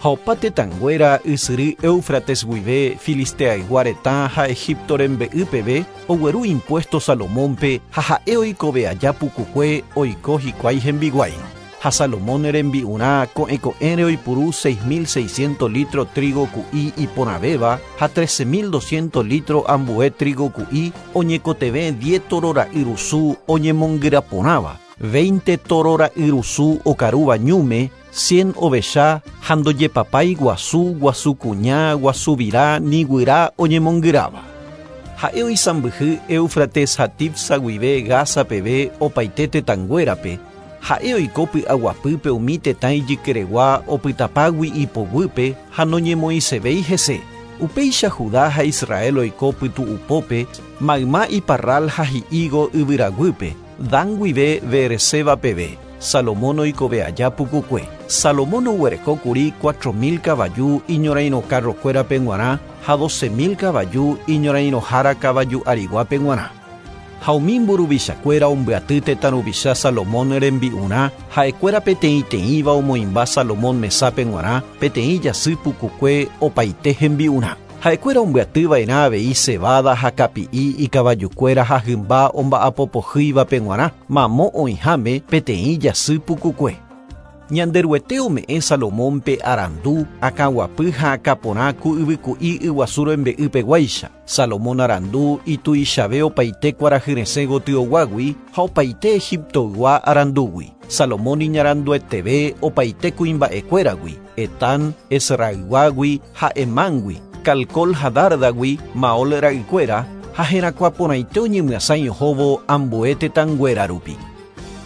Speaker 2: Ha opa tetãnguéra ysyry Éufrates guive Filisteaygua retã ha Egipto rembe'y peve ogueru impuesto Salomónpe ha ha'e oikove aja pukukue oiko hikuái hembiguáirõ. Ha Salomón rembi'urã ko'ẽko'ẽre oipuru seis mil seiscientos litro trigo ku'i iporãvéva ha trece mil doscientos litro ambue trigo ku'i oñekotevẽ diez toro ra'yrusu oñemongyraporãva, veinte toro ra'yrusu okarúva ñúme, cien ovecha ha ndojepapái guasu, guasu kuña, guasu virá, ni guyra oñemongyráva. Ha'e oisãmbyhy Éufrates ha Tifsa guive Gaza peve opaite tetãnguérape. Ha'e oiko py'aguapýpe umi tetã ijykeregua opytapágui ipoguýpe ha noñemoĩsevéi hese. Upéicha Judá ha Israel oiko pytu'upópe, mayma iparral ha hi'ígo yvyraguýpe, Dan guive Beerseba peve. Salomón oikove aja pukukue. Salomón oguereko kuri cuatro mil kavaju iñorairõ carrokuérape g̃uarã ha doce mil kavaju iñorairõhára kavaju ariguápe g̃uarã. Ha umi mburuvichakuéra ombyaty tetã ruvicha Salomón rembi'urã ha'ekuéra peteĩteĩva omoĩmba Salomón mesápe g̃uarã peteĩ jasy pukukue opaite hembi'urã. Ha'ekuéra ombyatyva'erã avei cebada ha kapi'i ikavajukuéra ha hymba omba'apopohýivape g̃uarã mamo oĩháme peteĩ jasy pukukue. Ñanderuete ome'ẽ Salomónpe arandu, akãguapy ha akãporã ku yvyku'i yguasu rembe'ypeguáicha. Salomón arandu ituichave opaite kuarahyresẽ gotyoguágui ha opaite Egiptoygua arandúgui. Salomón iñarandueteve opaite kuimba'ekuéragui, Etán, Esrayguágui ha Emángui, Calcol ha Dárdagui, Maol ra'ykuéra ha herakuãporãite oñemyasãi ohóvo ambue tetãnguéra rupi.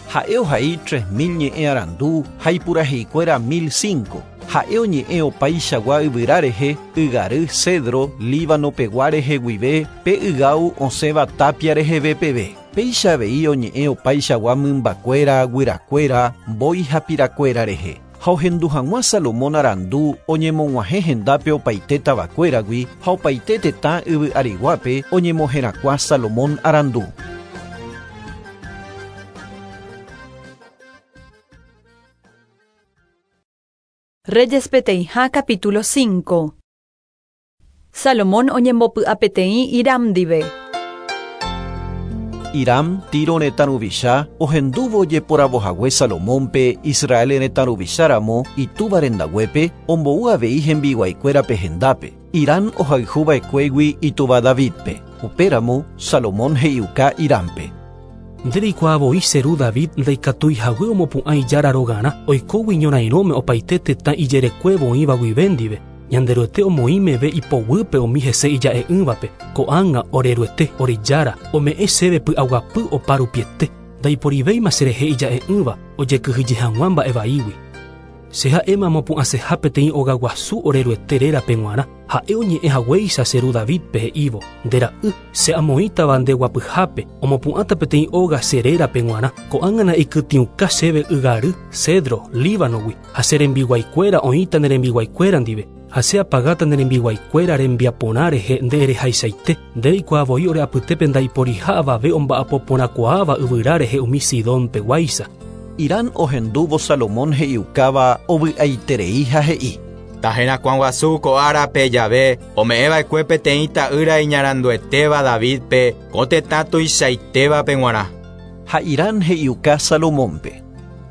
Speaker 2: Ha'e ohai tres mil ñe'ẽ arandu ha ipuraheikuéra mil cinco. Ha'e oñe'ẽ opaichagua yvyra rehe, ygary, cedro, Líbano pegua rehe guive, pe ygáu osẽva tapia reheve peve. Upéicha avei oñe'ẽ opaichagua mymbakuéra, guyrakuéra, mbói ha pirakuéra rehe. Ha ohendu hag̃ua Salomón arandu oñemog̃uahẽ hendápe opaite tavakuéragui ha opaite tetã yvy ariguápe oñemoherakuã Salomón arandu.
Speaker 1: Reyes peteĩha capítulo cinco. Salomón oñembopy'a peteĩ Hiram ndive.
Speaker 2: Hiram, Tiro retã ruvicha, ohendúvo ojeporavohague Salomónpe Israel retã ruvicháramo itúva rendaguépe ombou avei hembiguaikuérape hendápe. Hiram ohayhuva'ekuégui itúva Davidpe. Upéramo Salomón he'iuka Hirampe.
Speaker 8: Ndereikuaavoi che ru David ndaikatuihague omopu'ã ijára rogarã oikógui ñorairõme opaite tetã ijerekuévo oĩva guive ndive. Ñanderuete omoĩmeve ipoguýpe umi hese ija'e'ỹvape. Ko'ág̃a oreruete orejára ome'ẽ chéve py'aguapy oparupiete. Ndaiporivéima cherehe ija'e'ỹva ojekyhyje hag̃ua mba'evaígui. Che ha'éma amopu'ãseha peteĩ ogaguasu oreruete rérape g̃uarã. Ha'e oñe'ẽ haguéicha che ru Davidpe he'ívo: Nde ra'y, che amoĩtava nde guapyhápe, omopu'ãta peteĩ óga che rérape g̃uarã. Ko'ág̃a na'ikytĩuka chéve ygary, cedro, Líbanogui, ha che rembiguaikuéra oĩta ne rembiguaikuéra ndive. Ha che apagáta ne rembiguaikuéra rembiaporã rehe nde erehaichaite. Ndereikuaavoi ore apytépe ndaiporiha avave omba'apoporãkuaáva yvyra rehe umi Sidónpeguáicha.
Speaker 2: Hiram ohendúvo Salomón he'iukáva ovy'aiterei ha he'i:
Speaker 9: Taherakuã guasu ko árape jave ome'ẽva'ekue peteĩ ta'ýra iñaranduetéva Davidpe ko tetã tuichaitévape g̃uarã.
Speaker 2: Ha Hiram he'iuka Salomónpe: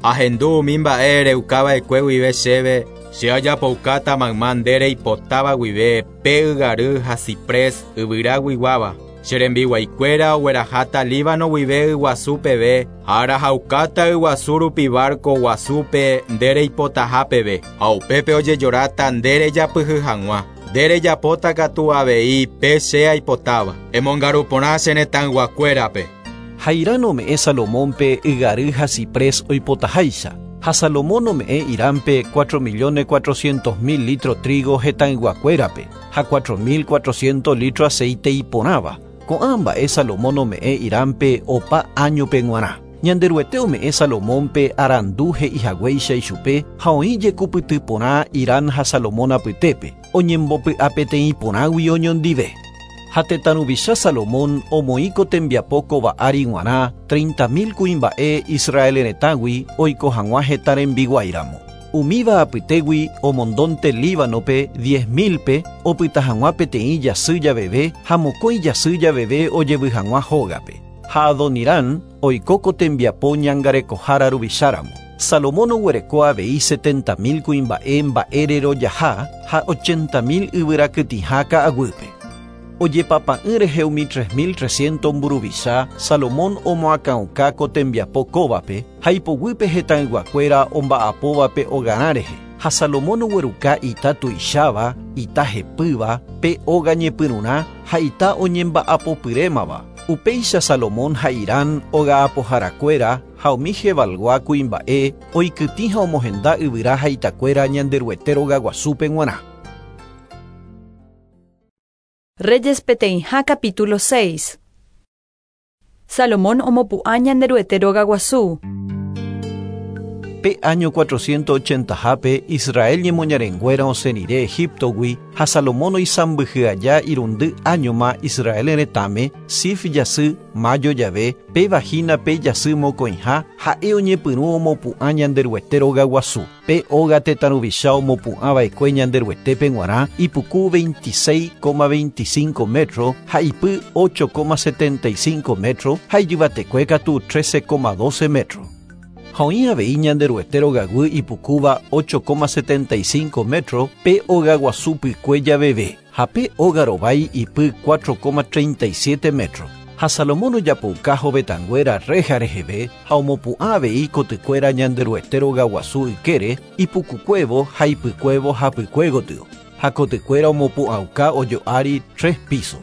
Speaker 9: Ahendu umi mba'e ereukava'ekue guive chéve, che ajapoukáta mayma nde reipotáva guive pe ygary ha ciprés yvyraguiguáva. Che rembiguaikuéra ogueraháta Líbano guive yguasu peve ha arahaukáta yguasu rupi barco guasúpe nde reipotaha peve ha upépe ojejoráta nde rejapyhy hag̃ua. Nde rejapóta katu avei pe che aipotáva. Emongaru porã che retãyguakuérape.
Speaker 2: Ha Hiram ome'ẽ Salomónpe ygary ha ciprés oipotaháicha. Ha Salomón ome'ẽ Hirampe cuatro millones cuatrocientos mil litro trigo hetãyguakuérape ha cuatro mil cuatrocientos litro aceite iporãva. Ko'ã mba'e Salomón ome'ẽ Hirampe opa áñope g̃uarã. Ñanderuete ome'ẽ Salomónpe arandu he'ihaguéicha ichupe ha oĩ jekupyty porã Hiram ha Salomón apytépe, oñembopy'a peteĩ porãgui oñondive. Ha tetã ruvicha Salomón omoĩko tembiapo kóva ári g̃uarã treinta mil kuimba'e Israel retãgui oiko hag̃ua heta rembiguáiramo. Umíva apytégui omondónte Líbanope diez milpe opyta hag̃ua peteĩ jasy javeve ha mokõi jasy javeve ojevy hag̃ua hógape. Ha Adoniram oikóko tembiapo ñangarekohára ruvicháramo. Salomón oguereko avei setenta mil kuimba'e mba'ererojaha ha ochenta mil yvyrakytĩha ka'aguýpe. Ojepapa'ỹ rehe umi tres mil trescientos mburuvicha, Salomón omoakãuka ko tembiapo kóvape ha ipoguýpe hetãyguakuéra omba'apóvape hogarã rehe. Ha Salomón ogueruka ita tuicháva, ita hepýva, pe óga ñepyrũrã ha ita oñemba'apopyrémava. Upéicha Salomón ha Hiram oga'apoharakuéra ha umi Jebalgua kuimba'e oikytĩ ha omohenda yvyra ha itakuéra Ñanderuete rogaguasúpe g̃uarã.
Speaker 1: Reyes peteĩha capítulo seis. Salomón omopu'ã Ñanderuete rogaguasu.
Speaker 2: Pe año cuatrocientos ochentahápe Israel ñemoñarenguéra osẽrire Egiptogui ha Salomón oisãmbyhy aja irundy áñoma Israel retãme Sif jasy mayo jave péva hína pe jasy mokõiha ha'e oñepyrũ omopu'ã Ñanderuete rogaguasu. Pe óga tetã ruvicha omopu'ãva'ekue Ñanderuetépe g̃uarã ipuku veintiséis coma veinticinco metro ha ipy ocho coma setenta y cinco metro ha ijyvatekue katu trece coma doce metro. Ha oĩ avei Ñanderuete rogaguy ipukúva ocho coma setenta y cinco metro pe ogaguasu pykue javeve ha pe óga rovái ipy cuatro coma treinta y siete metro. Ha Salomón ojapouka hovetãnguéra reja reheve ha omopu'ã avei kotykuéra Ñanderuete rogaguasu ykére ipukukuévo ha ipykuévo hapykue gotyo. Ha kotykuéra omopu'ãuka ojo'ári tres piso.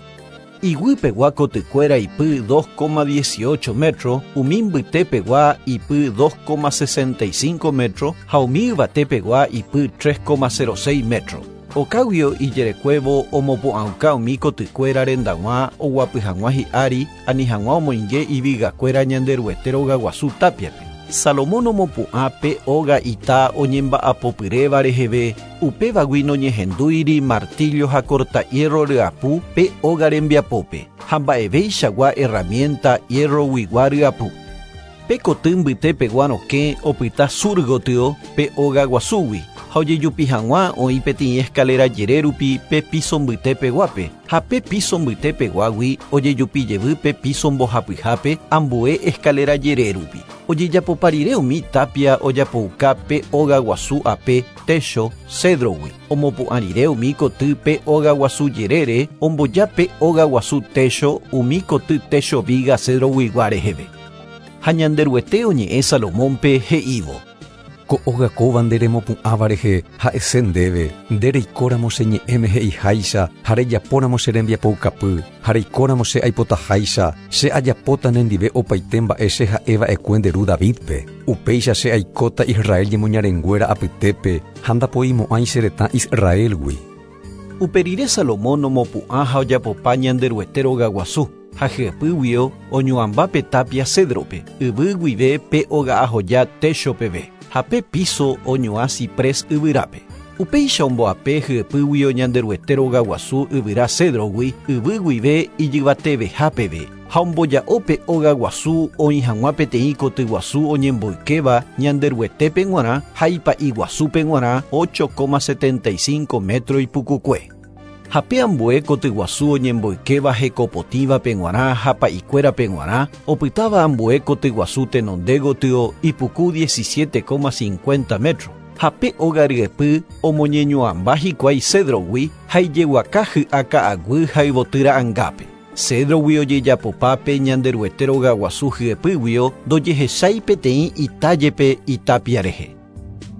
Speaker 2: Iguýpegua kotykuéra ipy dos coma dieciocho metro, umi mbytépegua ipy dos coma sesenta y cinco metro ha umi yvatépegua ipy tres coma cero seis metro. Okáguio ijerekuévo omopu'ãuka umi kotykuéra rendag̃ua oguapy hag̃ua hi'ári ani hag̃ua omoinge ivigakuéra Ñanderuete rogaguasu tápiape. Salomón omopu'ã pe óga ita oñemba'apopyréva reheve, upévagui noñehendúiri martillo ha cortahierro ryapu pe óga rembiapópe, ha mba'evéichagua herramienta hierroguigua ryapu. Pe koty mbytépegua rokẽ opyta sur gotyo pe óga guasúgui, ha ojejupi hag̃ua oĩ peteĩ escalera jere rupi pe piso mbytépeguápe, ha pe piso mbytépeguágui ojejupi jevy pe piso mbohapyhápe ambue escalera jere rupi. Ojejapopa rire umi tapia ojapouka pe óga guasu ape techo cedrogui. Omopu'ã rire umi koty pe óga guasu jerére omboja pe óga guasu techo umi koty techo viga cedroguigua reheve. Ha Ñanderuete oñe'ẽ Salomónpe he'ívo:
Speaker 12: Ko óga kóva nde remopu'ãva rehe ha'ese ndéve, nde reikóramo che ñe'ẽme he'iháicha ha rejapóramo che rembiapoukapy, ha reikóramo che aipotaháicha, che ajapóta nendive opaite mba'e che ha'eva'ekue nde ru Davidpe. Upéicha che aikóta Israel ñemoñarenguéra apytépe ha ndapoimo'ãi che retã Israelgui.
Speaker 2: Upe rire Salomón omopu'ã ha ojapopa Ñanderuete rogaguasu, ha hyepýguio oñuãmba pe tapia cedrope, yvy guive pe oga'ahoja techo peve, ha pe piso oñuã ciprés yvyrápe. Upéicha omboape hyepýguio Ñanderuete rogaguasu yvyra cedrogui, yvy guive ijyvateveha peve, ha omboja'o pe óga guasu oĩ hag̃ua peteĩ kotyguasu oñemboykéva Ñanderuetépe g̃uarã ha ipa'iguasúpe g̃uarã ocho coma setenta y cinco metro ipukukue. Ha pe ambue kotyguasu oñemboykéva hekopotĩvape g̃uarã ha pa'ikuérape g̃uarã, opytáva ambue kotyguasu tenonde gotyo ipuku diecisiete coma cincuenta metro. Ha pe óga ryepy omoñeñuãmba hikuái cedrogui ha ijeguaka hy'a ka'aguy ha yvoty ra'angápe. Cedrogui ojejapopa pe Ñanderuete rogaguasu hyepýguio ndojehechái peteĩ itajepe itapia rehe.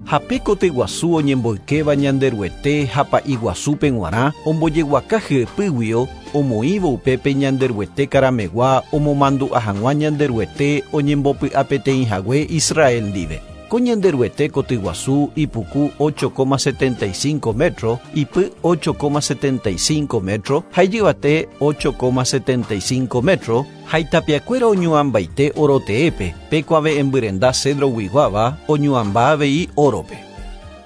Speaker 2: Ha pe kotyguasu oñemboykéva Ñanderuete ha pa'iguasúpe g̃uarã ombojeguaka hyepýguio omoĩvo upépe Ñanderuete karamegua omomandu'a hag̃ua Ñanderuete oñembopy'apeteĩ hague Israel ndive. Ko Ñanderuete kotyguasu ipuku ocho coma setenta y cinco metro, ipy ocho coma setenta y cinco metro, ha ijyvate ocho coma setenta y cinco metro, ha itapiakuéra oñuãmbaite oroteépe, pe kuave'ẽmbyrenda cedroguiguáva oñuãmba avei órope.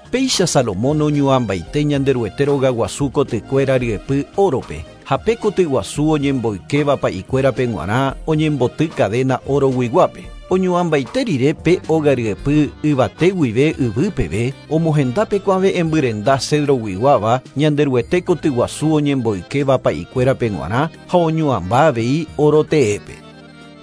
Speaker 2: Péicha Salomón oñuãmbaite Ñanderuete rogaguasu kotykuéra ryepy órope, ha pe kotyguasu oñemboykéva pa'ikuérape g̃uarã oñemboty cadena oroguiguápe. Oñuãmbaite rire pe óga ryepy yvate guive yvy peve, omohenda pe kuave'ẽmbyrenda cedroguiguáva Ñanderuete kotyguasu oñemboykéva pa'ikuérape g̃uarã ha oñuãmba avei oroteépe.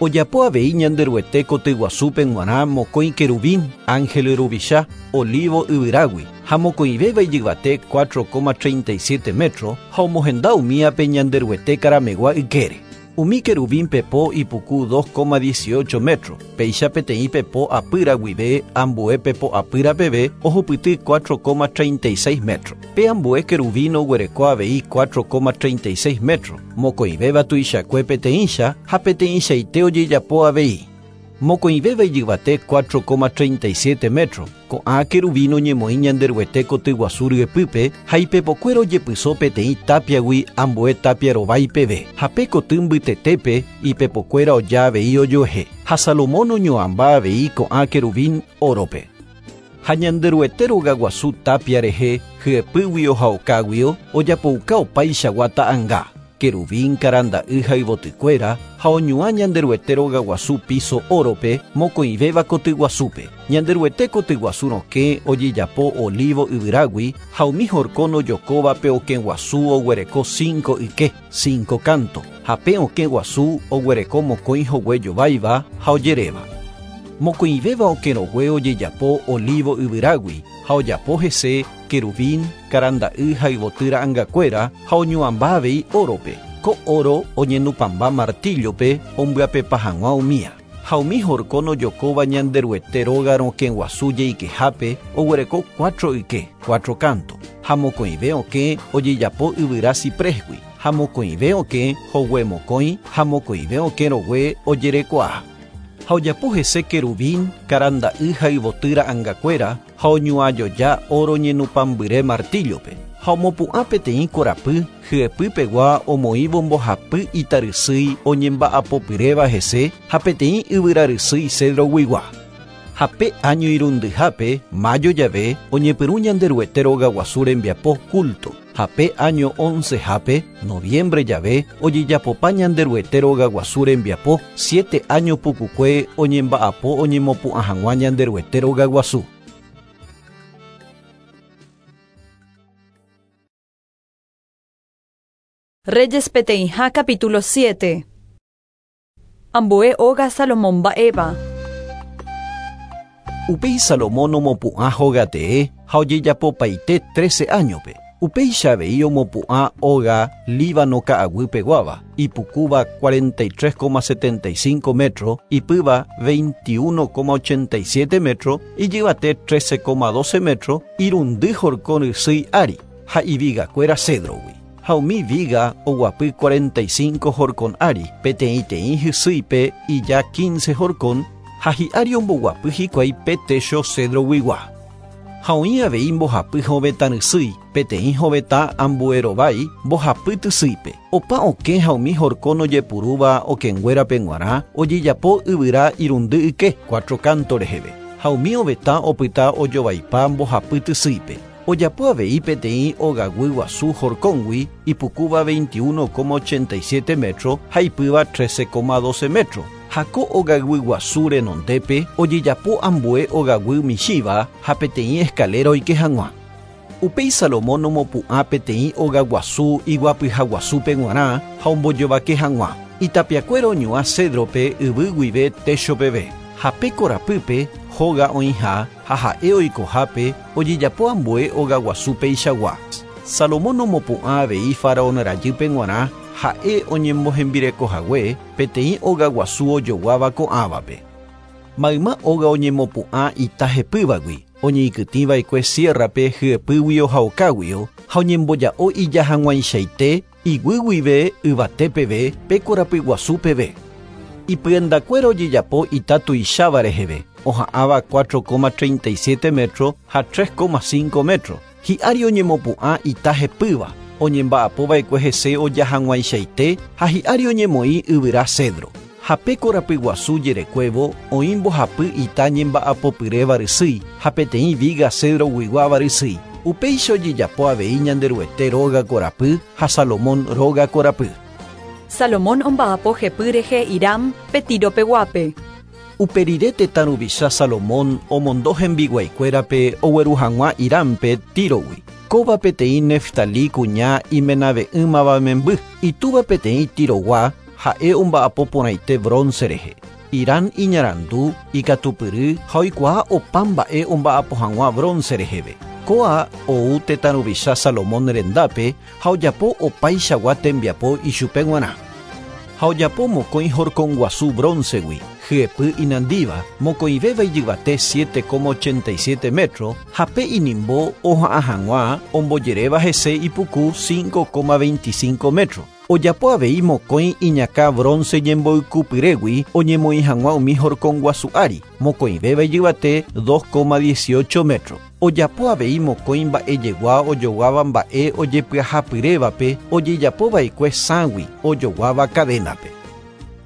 Speaker 2: Ojapo avei Ñanderuete kotyguasúpe g̃uarã mokõi querubín, ángel ruvicha, olivo yvyrágui, ha mokõivéva ijyvate cuatro coma treinta y siete metro ha omohenda umíape Ñanderuete karamegua ykére. Umi querubín pepo ipuku dos coma dieciocho metro, péicha peteĩ pepo apýra guive ambue pepo apýra peve ohupyty cuatro coma treinta y seis metro. Pe ambue querubín oguereko avei cuatro coma treinta y seis metro, mokõivéva tuichakue peteĩcha ha peteĩchaite ojejapo avei. Mokõivéva ijyvate cuatro coma treinta y siete metro, ko'ã querubín oñemoĩ Ñanderuete kotyguasu ryepýpe ha ipepokuéra ojepyso peteĩ tápiagui ambue tapia rovái peve, ha pe koty mbytetépe ipepokuéra oja avei ojoehe, ha Salomón oñoãmba avei ko'ã querubín órope. Ha Ñanderuete rogaguasu tapia rehe hyepýguio ha okáguio ojapouka opaichagua ta'ãnga, querubín karanda'y ha yvotykuéra ha oñuã Ñanderuete rogaguasu piso órope mokõivéva kotyguasúpe. Ñanderuete kotyguasu rokẽ ojejapo olivo yvyrágui ha umi horkón ojokóva pe okẽ guasu oguereko cinco yke, cinco canto, ha pe okẽ guasu oguereko mokõi hogue jováiva ha ojeréva. Mokõivéva okẽ rogue ojejapo olivo yvyrágui ha ojapo hese querubín, karanda'y ha yvoty ra'angakuéra ha oñuãmba avei órope. Ko oro oñenupãmba martillope ombyapepa hag̃ua umía. Ha umi horkón ojokóva Ñanderuete róga rokẽ guasu jeikehápe oguereko cuatro yke, cuatro canto, ha mokõive okẽ ojejapo yvyra ciprésgui, ha mokõive okẽ hogue mokõi ha mokõive okẽ rogue ojerekuaa. Ha ojapo hese querubín, karanda'y ha yvoty ra'angakuéra ha oñuãjoja oro ñenupãmbyre martillope, Ha omopu'ã peteĩ korapy hyepypegua omoĩvo mbohapy itarysýi oñemba'apopyréva hese ha peteĩ yvyrarysýi cedroguigua. Ha pe año irundyhápe, mayo jave, oñepyrũ Ñanderuete rogaguasu rembiapo culto. Ha pe año oncehápe, noviembre jave, ojejapopa Ñanderuete rogaguasu rembiapo, siete año pukukue oñemba'apo oñemopu'ã hag̃ua Ñanderuete rogaguasu.
Speaker 1: Reyes peteĩha capítulo siete. Ambue óga Salomón mba'éva.
Speaker 2: Upéi Salomón omopu'ã hógatee ha ojejapopaite trece añope. Upéicha avei omopu'ã óga Líbano ka'aguýpeguáva, ipukúva cuarenta y tres coma setenta y cinco metro, ipýva veintiuno coma ochenta y siete metro, ijyvate trece coma doce metro, irundy horkon ysýi ári ha ivigakuéra cedrogui. Ha umi viga oguapy cuarenta y cinco horkon ári, peteĩteĩ hysýipe ija quince horkon, ha hi'ári omboguapy hikuái pe techo cedroguigua. Ha oĩ avei mbohapy hovetã rysýi, peteĩ hovetã ambuerovái mbohapy tysýipe. Opa okẽ ha umi horkon ojepurúva okẽnguérape g̃uarã ojejapo yvyra irundy yke, cuatro canto reheve. Ha umi ovetã opyta ojovaipa mbohapy tysýipe. Ojapo avei peteĩ ogaguy guasu horkóngui ipukúva veintiuno coma ochenta y siete metro ha ipýva trece coma doce metro. Ha ko ogaguy guasu renondépe ojejapo ambue ogaguy michĩva ha peteĩ escalera oike hag̃ua. Upéi Salomón omopu'ã peteĩ ogaguasu iguapyhaguasúpe g̃uarã ha ombojovake hag̃ua. Itapiakuéra oñuã cedrope yvy guive techo peve. Ha pe korapýpe hóga oĩha ha ha'e oikohápe ojejapo ambue ogaguasúpe ichagua. Salomón omopu'ã avei faraón rajýpe g̃uarã ha'e oñembohembirekohague peteĩ ogaguasu ojoguáva ko'ãvape. Mayma óga oñemopu'ã ita hepývagui, oñeikytĩva'ekue sierrape hyepýgui ohaokáguio ha oñemboja'o ija hag̃uaichaite iguy guive yvate peve pe korapyguasu peve. Ipyendakuéra ojejapo ita tuicháva reheve, oha'ãva cuatro coma treinta y siete metro ha tres coma cinco metro. Hi'ári oñemopu'ã ita hepýva, oñemba'apova'ekue hese oja hag̃uaichaite ha hi'ári oñemoĩ yvyra cedro. Ha pe korapyguasu jerekuévo oĩ mbohapy ita ñemba'apopyréva rysýi ha peteĩ viga cedroguiguáva rysýi. Upéicha ojejapo avei Ñanderuete róga korapy ha Salomón róga korapy.
Speaker 1: Salomón omba'apo jepy rehe Hiram pe Tiropeguápe.
Speaker 2: Uperire tetã ruvicha Salomón omondo hembiguaikuérape ogueru hag̃ua Hirampe Tírogui. Kóva peteĩ Neftalí kuña imenave'ỹmava memby, itúva peteĩ Tirogua ha'e omba'apo porãite bronce rehe. Hiram iñarandu, ikatupyry ha oikuaa opa mba'e omba'apo hag̃ua bronce reheve. Kóa ou tetã ruvicha Salomón rendápe ha ojapo opaichagua tembiapo ichupe g̃uarã. Ha ojapo mokõi horkon guasu broncegui, hyepy inandíva, mokõivéva ijyvate siete coma ochenta y siete metro, ha pe inimbo oha'ã hag̃ua ombojeréva hese ipuku cinco coma veinticinco metro. Ojapo avei mokõi iñakã bronce ñemboykupyrégui oñemoĩ hag̃ua umi horkon guasu ári, mokõivéva ijyvate dos coma dieciocho metro. Ojapo avei mokõi mba'ejegua ojoguáva mba'e ojepyahapyrévape ojejapova'ekue sãgui ojoguáva cadenape.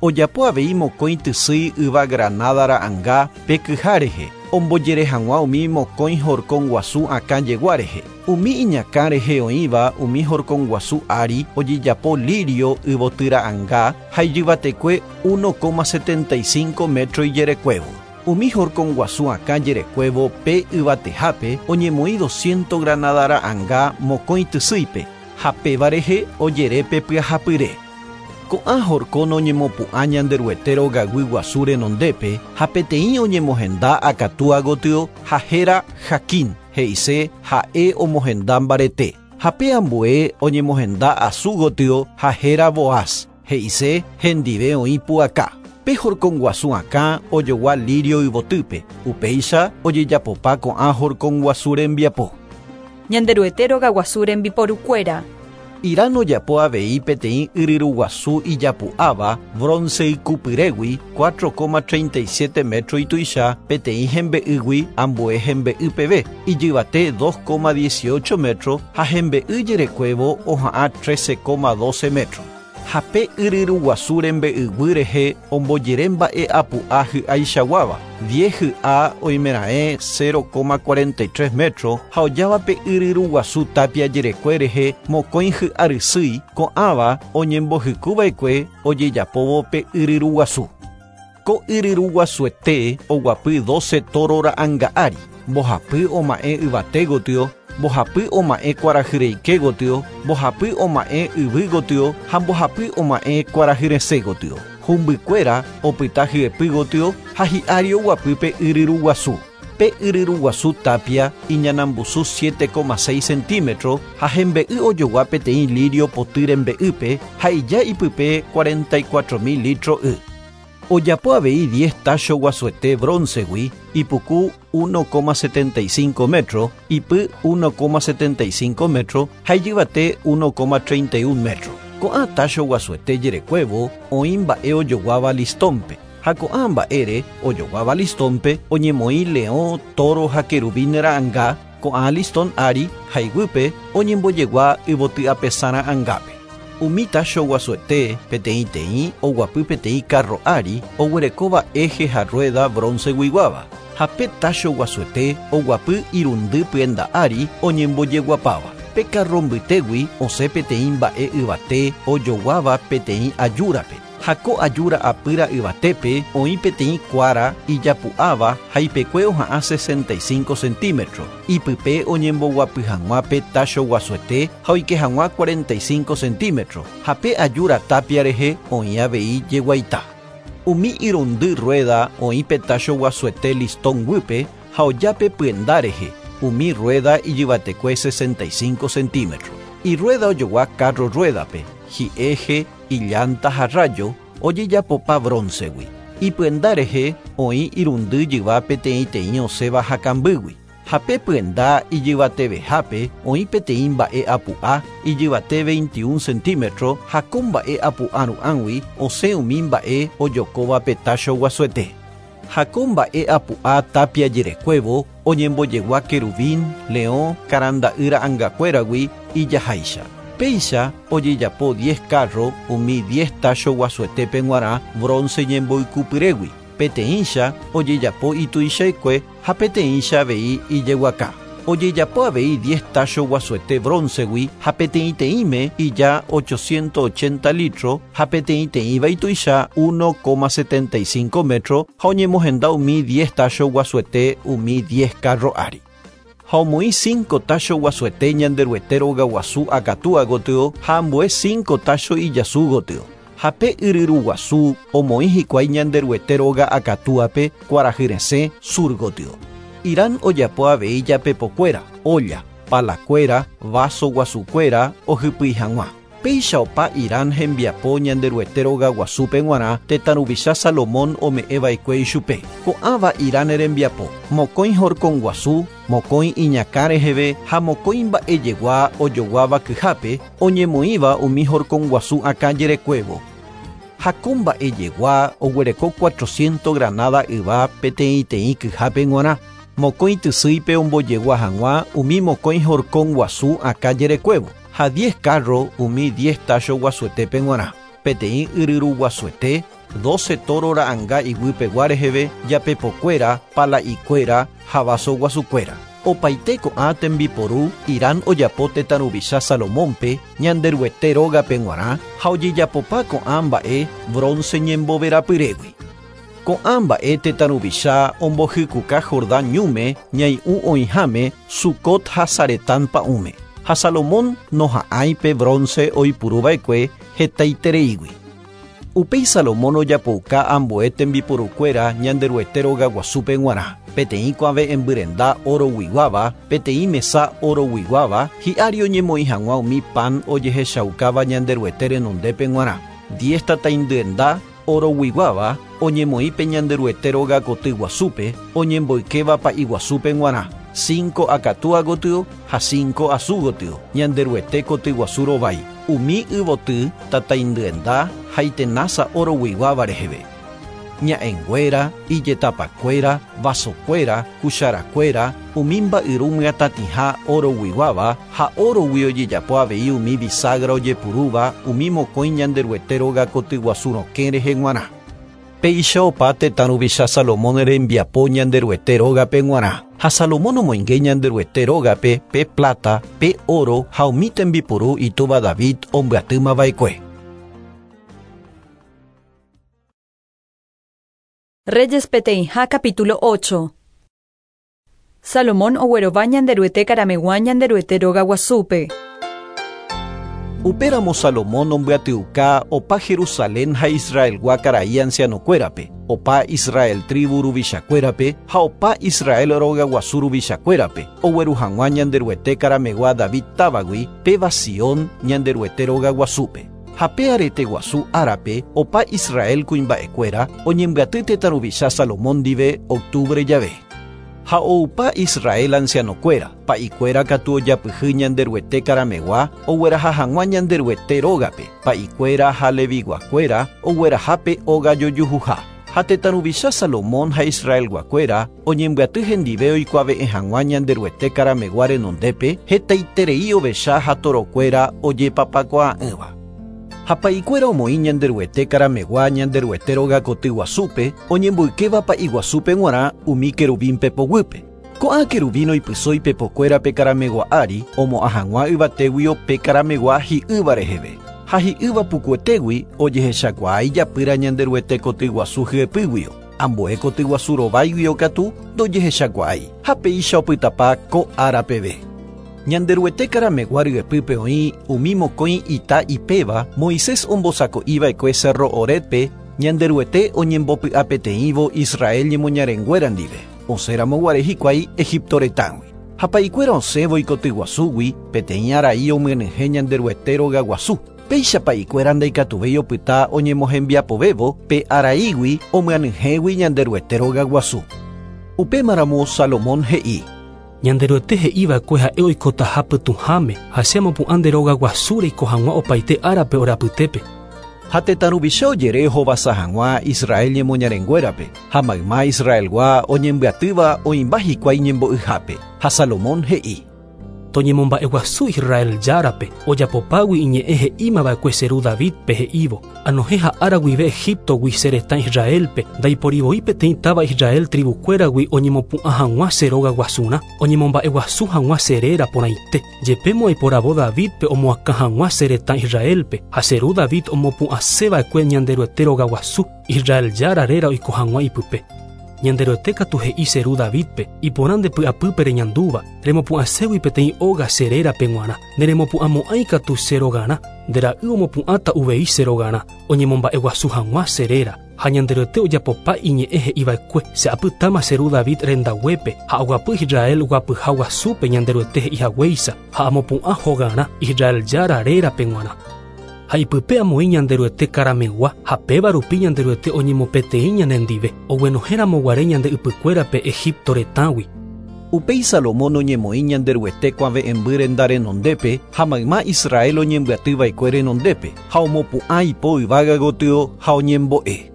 Speaker 2: Ojapo avei mokõi tysýi yva granada ra'ãnga pe kyha rehe, ombojere hag̃ua umi mokõi horkon guasu akã jegua rehe. Umi iñakã rehe oĩva umi horkon guasu ári ojejapo lirio yvoty ra'ãnga ha ijyvatekue uno coma setenta y cinco metro ijerekuévo. Umi horkon guasu akã jerekuévo pe yvatehápe oñemoĩ doscientos granada ra'ãnga mokõi tysýipe ha péva rehe ojere pe pyahapyre. Ko'ã horkon oñemopu'ã Ñanderuete rogaguy guasu renondépe ha peteĩ oñemohenda akatúa gotyo ha héra Jaquín, he'ise ha'e omohenda mbarete. Ha pe ambue oñemohenda asu gotyo ha héra Boaz, he'ise hendive oĩ pu'aka. Pe horkon guasu akã ojogua lirio yvotýpe, upéicha ojejapopa ko'ã horkon guasu rembiapo.
Speaker 1: Ñanderuete rogaguasu rembiporukuéra.
Speaker 2: Irán ojapo avei peteĩ yryruguasu ijapu'áva bronce ikupyrégui cuatro coma treinta y siete metro ituicha peteĩ hembe'ýgui ambue hembe'y peve ijyvate dos coma dieciocho metro ha hembe'y jerekuévo oha'ã trece coma doce metro. Ha pe yryruguasu rembe'yguy rehe ombojere mba'e apu'a hy'aichaguáva diez hy'a oimeraẽ cero coma cuarenta y tres metro ha ojáva pe yryruguasu tapia jerekue rehe mokõi hy'arysýi ko'ãva oñembohykuva'ekue ojejapóvo pe yryruguasu. Ko yryruguasuete oguapy doce toro ra'ãnga ári, mbohapy oma'ẽ yvate gotyo, mbohapy oma'ẽ kuarahyreike gotyo, mbohapy oma'ẽ yvy gotyo ha mbohapy oma'ẽ kuarahyresẽ gotyo. Humbykuéra opyta hyepy gotyo ha hi'ári oguapy pe yryruguasu. Pe yryruguasu tapia iñanambusu siete coma seis centímetro ha hembe'y ojogua peteĩ lirio poty rembe'ýpe ha ija ipype cuarenta y cuatro mil litro y. Ojapo avei diez tacho guasuete broncegui ipuku uno coma setenta y cinco metro, ipy uno coma setenta y cinco metro ha ijyvate uno coma treinta y uno metro. Ko'ã tacho guasuete jerekuévo oĩ mba'e ojoguáva listónpe ha ko'ã mba'ére ojoguáva listónpe oñemoĩ leõ, toro ha querubín ra'ãnga ko'ã listón ári ha iguýpe oñembojegua yvoty apesã ra'ãngápe. Umi tacho guasuete peteĩteĩ oguapy peteĩ carro ári oguerekóva eje ha rueda bronceguiguáva ha pe tacho guasuete oguapy irundy pyenda ári oñembojeguapáva. Pe carro mbytégui osẽ peteĩ mba'e yvate ojoguáva peteĩ ajúrape. Ha ko ajúra apýra yvatépe oĩ peteĩ kuára ijapu'áva ha ipekue oha'ã sesenta y cinco centímetro. Ipype oñemboguapy hag̃ua pe tacho guasuete ha oike hag̃ua cuarenta y cinco centímetro. Ha pe ajúra tapia rehe oĩ avei jeguaita. Umi irundy rueda oĩ pe tacho guasuete listón guýpe ha ojápe pyenda rehe. Umi rueda ijyvatekue sesenta y cinco centímetro. Irrueda ojogua carro ruedape, hi'eje, illanta ha rayo ojejapopa broncegui. Ipyenda rehe oĩ irundy jyva peteĩteĩ osẽva hakambýgui. Ha pe pyenda ijyvatevehápe oĩ peteĩ mba'e apu'a ijyvate veintiuno centímetro ha ko mba'e apu'a ru'ãgui osẽ umi mba'e ojokóva pe tacho guasuete. Ha ko mba'e apu'a tapia jerekuévo oñembojegua querubín, leõ, karanda'y ra'ãngakuéragui ijaháicha. Péicha ojejapo diez carro umi diez tacho guasuetépe g̃uarã bronce ñemboykupyrégui. Peteĩcha ojejapo ituichaikue ha peteĩcha avei ijeguaka. Ojejapo avei diez tacho guasuete broncegui ha peteĩteĩme ija ochocientos ochenta litro ha peteĩteĩva ituicha uno coma setenta y cinco metro ha oñemohenda umi diez tacho guasuete umi diez carro ári. Ha omoĩ cinco tacho guasuete Ñanderuete rogaguasu akatúa gotyo ha ambue cinco tacho ijasu gotyo. Ha pe yryruguasu omoĩ hikuái Ñanderuete róga akatúape kuarahyresẽ sur gotyo. Irán ojapo avei japepokuéra, olla, palakuéra, vaso guasukuéra ohypýi hag̃ua. Péicha opa Irán hembiapo Ñanderuete rogaguasúpe g̃uarã tetã ruvicha Salomón ome'ẽva'ekue ichupe. Ko'ãva Irán rembiapo, mokõi horconguasu, mokõi iñakã reheve ha mokõi mba'ejegua ojoguáva kyhápe oñemoĩva umi horconguasu akã jerekuévo. Ha ko mba'ejegua oguereko cuatrocientos granada yva peteĩteĩ kyhápe g̃uarã. Mokõi tysýipe ombojegua hag̃ua umi mokõi horconguasu akã jerekuévo. Ha diez carro umi diez tacho guasuetépe g̃uarã. Peteĩ yryruguasuete, doce toro ra'ãnga iguýpegua reheve, japepokuéra, pala'ikuéra ha vaso guasukuéra. Opaite ko'ã tembiporu Irán ojapo tetã ruvicha Salomónpe Ñanderuete rógape g̃uarã ha ojejapopa ko'ã mba'e bronce ñemboverapyrégui. Ko'ã mba'e tetã ruvicha ombohykuka Jordán ñúme ñai'ũ oĩháme Sucot ha Saretán pa'ũme. Ha Salomón noha'ãi pe bronce oipuruva'ekue hetaitereígui. Upéi Salomón ojapouka ambue tembiporukuéra Ñanderuete rogaguasúpe g̃uarã. Peteĩ kuave'ẽmbyrenda oroguiguáva, peteĩ mesa oroguiguáva, hi'ári oñemoĩ hag̃ua umi pan ojehechaukáva Ñanderuete renondépe g̃uarã. Diez tataindyenda oroguiguáva oñemoĩ pe Ñanderuete róga koty guasúpe, oñemboykéva pa'i guasúpe g̃uarã. cinco akatúa gotyo ha cinco asu gotyo, Ñanderuete kotyguasu rovái, umi yvoty tataindyenda ha itenása oroguiguáva reheve. Ña'ẽnguéra, ijetapakuéra, vasokuéra, cucharakuéra, umi mba'yru myatatĩha oroguiguáva ha orogui ojejapo avei umi bisagra ojepurúva umi mokõi Ñanderuete róga kotyguasu rokẽ rehe g̃uarã. Péicha opa tetã ruvicha Salomón rembiapo Ñanderuete rógape g̃uarã. Ha Salomón omoinge Ñanderuete rógape pe plata, pe oro ha umi tembipuru itúva David ombyatýmava'ekue.
Speaker 1: Reyes peteĩha capítulo ocho. Salomón oguerova Ñanderuete karamegua Ñanderuete róga guasúpe.
Speaker 2: Upéramo Salomón ombyatyuka opa Jerusalén ha Israelgua karai ancianokuérape, opa Israel tribu ruvichakuérape ha opa Israel róga guasu ruvichakuérape, ogueru hag̃ua Ñanderuete karamegua David távagui péva Sion Ñanderuete róga guasúpe. Ha pe arete guasu árape opa Israel kuimba'ekuéra oñembyaty tetã ruvicha Salomón ndive octubre jave. Ha oupa Israel ancianokuéra, pa'ikuéra katu ojapyhy Ñanderuete karamegua ogueraha hag̃ua Ñanderuete rógape, pa'ikuéra ha leviguakuéra oguerahápe óga jojuhuha. Ha tetã ruvicha Salomón ha Israelguakuéra oñembyaty hendive oikuave'ẽ hag̃ua Ñanderuete karamegua renondépe hetaiterei ovecha ha torokuéra ojepapakuaa'ỹva. Ha pa'ikuéra omoĩ Ñanderuete karamegua Ñanderuete róga kotyguasúpe oñemboykéva pa'iguasúpe g̃uarã umi querubín pepoguýpe. Ko'ã querubín oipysói pepokuérape karamegua ári omo'ã hag̃ua yvatéguio pe karamegua hi'ýva reheve. Ha hi'ýva pukuetégui ojehechakuaa ijapýra Ñanderuete kotyguasu hyepýguio, ambue kotyguasu rováiguio katu ndojehechakuaái ha péicha opytapa ko ára peve. Ñanderuete karamegua ryepýpe oĩ umi mokõi ita ipéva Moisés ombosako'iva'ekue Cerro Horebpe Ñanderuete oñembopy'apeteĩvo Israel ñemoñarenguéra ndive, osẽramo guare hikuái Egipto retãgui. Ha pa'ikuéra osẽvo ikotyguasúgui peteĩ arai omyenyhẽ Ñanderuete róga guasu. Péicha pa'ikuéra ndaikatuvéi opyta oñemohembiapovévo pe araígui omyenyhẽgui Ñanderuete róga guasu. Upémaramo Salomón he'i:
Speaker 8: Ñanderuete he'iva'ekue ha'e oikotaha pytũháme ha che amopu'ã nde róga guasu reiko hag̃ua opaite árape orapytépe.
Speaker 2: Ha tetã ruvicha ojere hovasa hag̃ua Israel ñemoñarenguérape ha mayma Israelgua oñembyatýva oĩmba hikuái ñembo'yhápe. Ha Salomón he'i:
Speaker 8: Toñemomba'eguasu Israel járape ojapopágui iñe'ẽ he'ímava'ekue che ru Davidpe he'ívo anohẽ ha'ára guive Egiptogui che retã Israelpe ndaiporivoi peteĩ táva Israel tribukuéragui oñemopu'ã hag̃ua che róga guasurã oñemomba'eguasu hag̃ua che réra porãite jepémo aiporavo Davidpe omoakã hag̃ua che retã Israelpe ha che ru David omopu'ãseva'ekue Ñanderuete róga guasu Israel jára réra oiko hag̃ua ipype. Ñanderuete katu he'i che ru Davidpe iporã nde py'apýpe reñandúva remopu'ãségui peteĩ óga che rérape g̃uarã neremopu'ãmo'ãi katu che rogarã nde ra'y omopu'ãta uvei che rogarã oñemomba'eguasu hag̃ua che réra ha Ñanderuete ojapopa iñe'ẽ he'iva'ekue che apytáma che ru David rendaguépe ha aguapy Israel guapyha guasúpe Ñanderuete he'ihaguéicha ha amopu'ã hogarã Israel jára rérape g̃uarã. Ha ipype amoĩ Ñanderuete karamegua ha péva rupi Ñanderuete oñemopeteĩ ñanendive oguenohẽramo guare ñande ypykuérape Egipto retãgui.
Speaker 2: Upéi Salomón oñemoĩ Ñanderuete kuave'ẽmby renda renondépe ha mayma Israel oñembyatyva'ekue renondépe ha omopu'ã ipo yvága gotyo ha oñembo'e.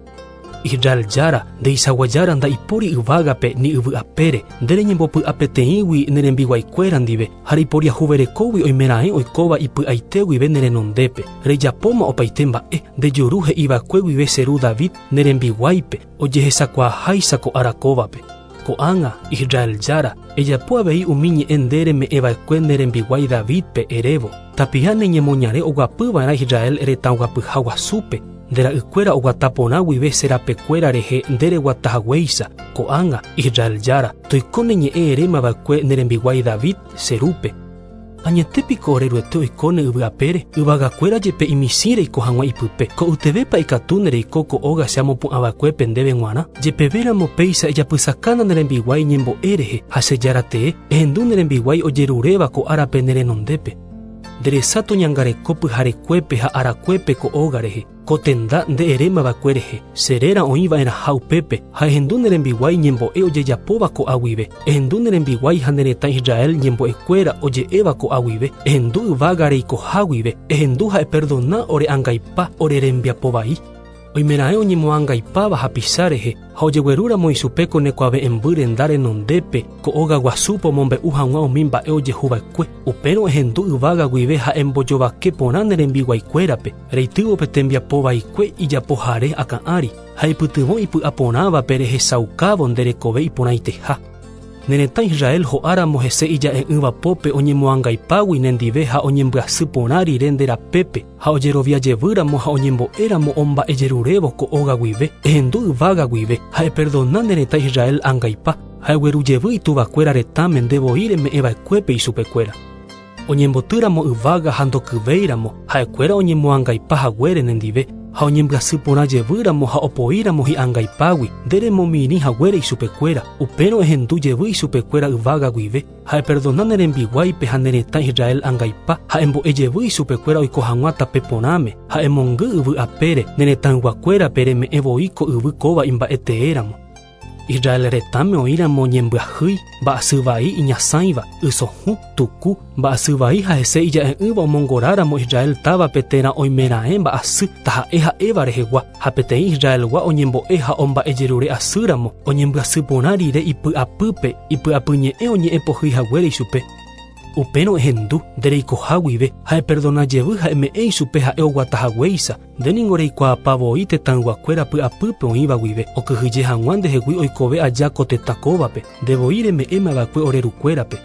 Speaker 8: Israel jára ndeichaguajára ndaipóri yvágape ni yvy'apére nde reñembopy'apeteĩgui ne rembiguaikuéra ndive ha reiporiahuverekógui oimeraẽ oikóva ipy'aite guive ne renondépe rejapóma opaite mba'e nde juru he'iva'ekue guive che ru David ne rembiguáipe ojehechakuaaháicha ko ára kóvape. Ko'ág̃a Israel jára ejapo avei umi ñe'ẽ nde reme'ẽva'ekue ne rembiguái Davidpe erévo tapiha ne ñemoñare oguapyva'erã Israel retãguapyha guasúpe nde ra'ykuéra oguata porã guive che rapekuéra rehe nde reguatahaguéicha ko'ág̃a Israel jára toiko ne ñe'ẽ erémava'ekue ne rembiguái David che rúpe. Añetépiko oreruete oikóne yvy'apére yvagakuéra jepe imisĩ reiko hag̃ua ipype ko'ytevépa ikatúne reiko ko óga che amopu'ãva'ekuépe ndéve g̃uarã jepevéramo péicha ejapysakána ne rembiguái ñembo'e rehe ha che jára tee ehendu ne rembiguái ojeruréva ko árape ne renondépe. Nde resa toñangareko pyharekuépe ha arakuépe ko óga rehe. Ko tenda nde erémava'ekue rehe. Che réra oĩva'erãha upépe ha ehendu ne rembiguái ñembo'e ojejapóva ko'a guive. Ehendu ne rembiguái ha ne retã Israel ñembo'ekuéra oje'éva ko'a guive. Ehendu yvága reikoha guive. Ehendu ha eperdona ore angaipa ore rembiapo vai. Oimeraẽ oñemoangaipáva hapicha rehe ha ojeguerúramo ichupe ko nekuave'ẽmby renda renondépe ko óga guasúpe omombe'u hag̃ua umi mba'e ojehuva'ekue. Upérõ ehendu yvága guive ha embojovake porã ne rembiguaikuérape reitývo pe tembiapo vaikue ijapohare akã ári ha ipytyvõ ipy'aporãvape rehechaukávo nde rekove iporãiteha. Ne retã Israel ho'áramo hese ija'e'ỹva pópe oñemoangaipágui nendive ha oñembyasy porã rire nde rapépe ha ojeroviajevýramo ha oñembo'éramo omba'ejerurévo ko óga guive ehendu yvága guive ha eperdona ne retã Israel angaipa ha eguerujevy ituvakuéra retãme nde voi reme'ẽva'ekuépe ichupekuéra. Oñembotýramo yvága ha ndokyvéiramo ha'ekuéra oñemoangaipa haguére nendive ha oñembyasy porã jevýramo ha opoíramo hi'angaipágui nde remomirĩ haguére ichupekuéra upérõ ehendu jevy ichupekuéra yvága guive ha eperdona ne rembiguáipe ha ne retã Israel angaipa ha embo'e jevy ichupekuéra oiko hag̃ua tape porãme ha emongy yvy apére ne retãyguakuérape reme'ẽ voi ko yvy kóva imba'eteéramo. Israel retãme oĩramo ñembyahýi, mba'asy vai iñasãiva, ysohũ, tuku, mba'asy vai ha hese ija'e'ỹva omongoráramo Israel távape térã oimeraẽ mba'asy taha'e ha'éva rehegua ha peteĩ Israelgua oñembo'e ha omba'ejerure asýramo oñembyasy porã rire ipy'apýpe ipy'apyñe'ẽ oñe'ẽpohýi haguére ichupe. Upérõ ehendu nde reikoha guive ha eperdona jevy ha eme'ẽ ichupe ha'e oguatahaguéicha nde ningo reikuaapa voi tetãyguakuéra py'apýpe oĩva guive okyhyje hag̃ua ndehegui oikove aja ko tetã kóvape nde voi reme'ẽmava'ekue ore rukuérape.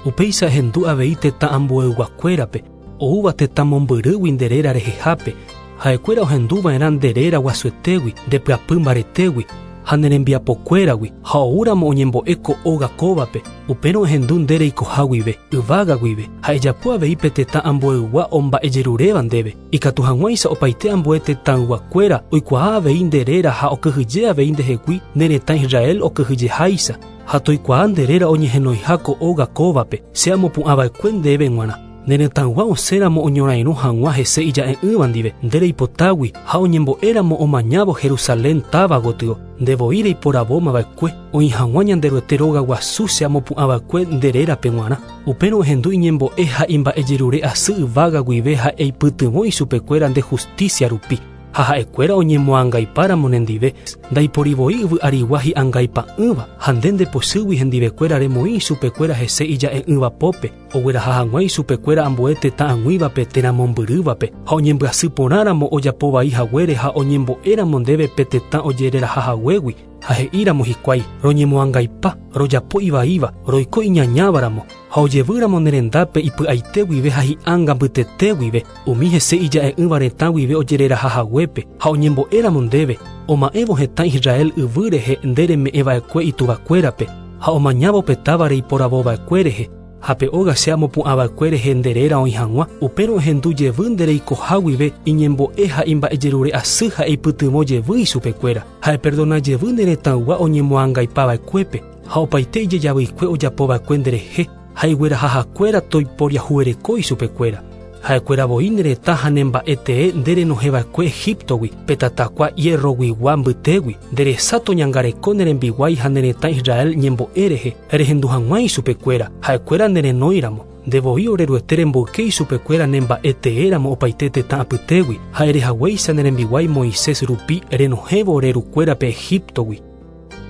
Speaker 8: Upéicha ehendu avei tetã ambueyguakuérape oúva tetã mombyrýgui nde réra rehehápe ha'ekuéra ohenduva'erã nde réra guasuetégui nde pyapy mbaretégui ha ne rembiapokuéragui ha oúramo oñembo'e ko óga kóvape upérõ ehendu nde reikoha guive yvága guive ha ejapo avei pe tetã ambueygua omba'ejeruréva ndéve ikatu hag̃uáicha opaite ambue tetãyguakuéra oikuaa avei nde réra ha okyhyje avei ndehegui ne retã Israel okyhyjeháicha ha toikuaa nde réra oñehenoiha ko óga kóvape che amopu'ãva'ekue ndéve g̃uarã. Ne retãygua osẽramo oñorairõ hag̃ua hese ija'e'ỹva ndive nde reipotágui ha oñembo'éramo omañávo Jerusalén táva gotyo nde voi reiporavómava'ekue oĩ hag̃ua Ñanderuete róga guasu che amopu'ãva'ekue nde rérape g̃uarã. Upérõ ehendu iñembo'e ha imba'ejerure asy yvága guive ha eipytyvõ ichupekuéra nde justicia rupi ha ha'ekuéra oñemoangaipáramo nendive ndaiporivoi yvy arigua hi'angaipa'ỹva ha nde ndepochýgui hendivekuéra remoĩ ichupekuéra hese ija'e'ỹva pópe ogueraha hag̃ua ichupekuéra ambue tetã ag̃uívape térã mombyrývape ha oñembyasy porãramo ojapo vai haguére ha oñembo'éramo ndéve pe tetã ojereraha haguégui ha he'íramo hikuái roñemoangaipa rojapo ivaíva roiko iñañávaramo ha ojevýramo ne rendápe ipy'aite guive ha hi'ánga mbytete guive umi hese ija'e'ỹva retã guive ojereraha haguépe ha oñembo'éramo ndéve oma'ẽvo hetã Israel yvy rehe nde reme'ẽva'ekue ituvakuérape ha omañávo pe táva reiporavova'ekue rehe ha pe óga che amopu'ãva'ekue rehe nde réra oĩ hag̃ua upérõ ehendu jevy nde reikoha guive iñembo'e ha imba'ejerure asy ha eipytyvõ jevy ichupekuéra ha eperdona jevy ne retãygua oñemoangaipava'ekuépe ha opaite ijejavyikue ojapova'ekue nderehe ha iguerahahakuéra toiporiahuvereko ichupekuéra. Ha'ekuéra voi ne retã ha ne mba'e tee nde renohẽva'ekue Egiptogui pe tatakua hierroguigua mbytégui nde resa toñangareko ne rembiguái ha ne retã Israel ñembo'e rehe rehendu hag̃ua ichupekuéra ha'ekuéra nerenóiramo nde voi ore Ruete remboyke ichupekuéra ne mba'e teéramo opaite tetã apytégui ha erehaguéicha ne rembiguái Moisés rupi renohẽvo ore rukuérape Egiptogui.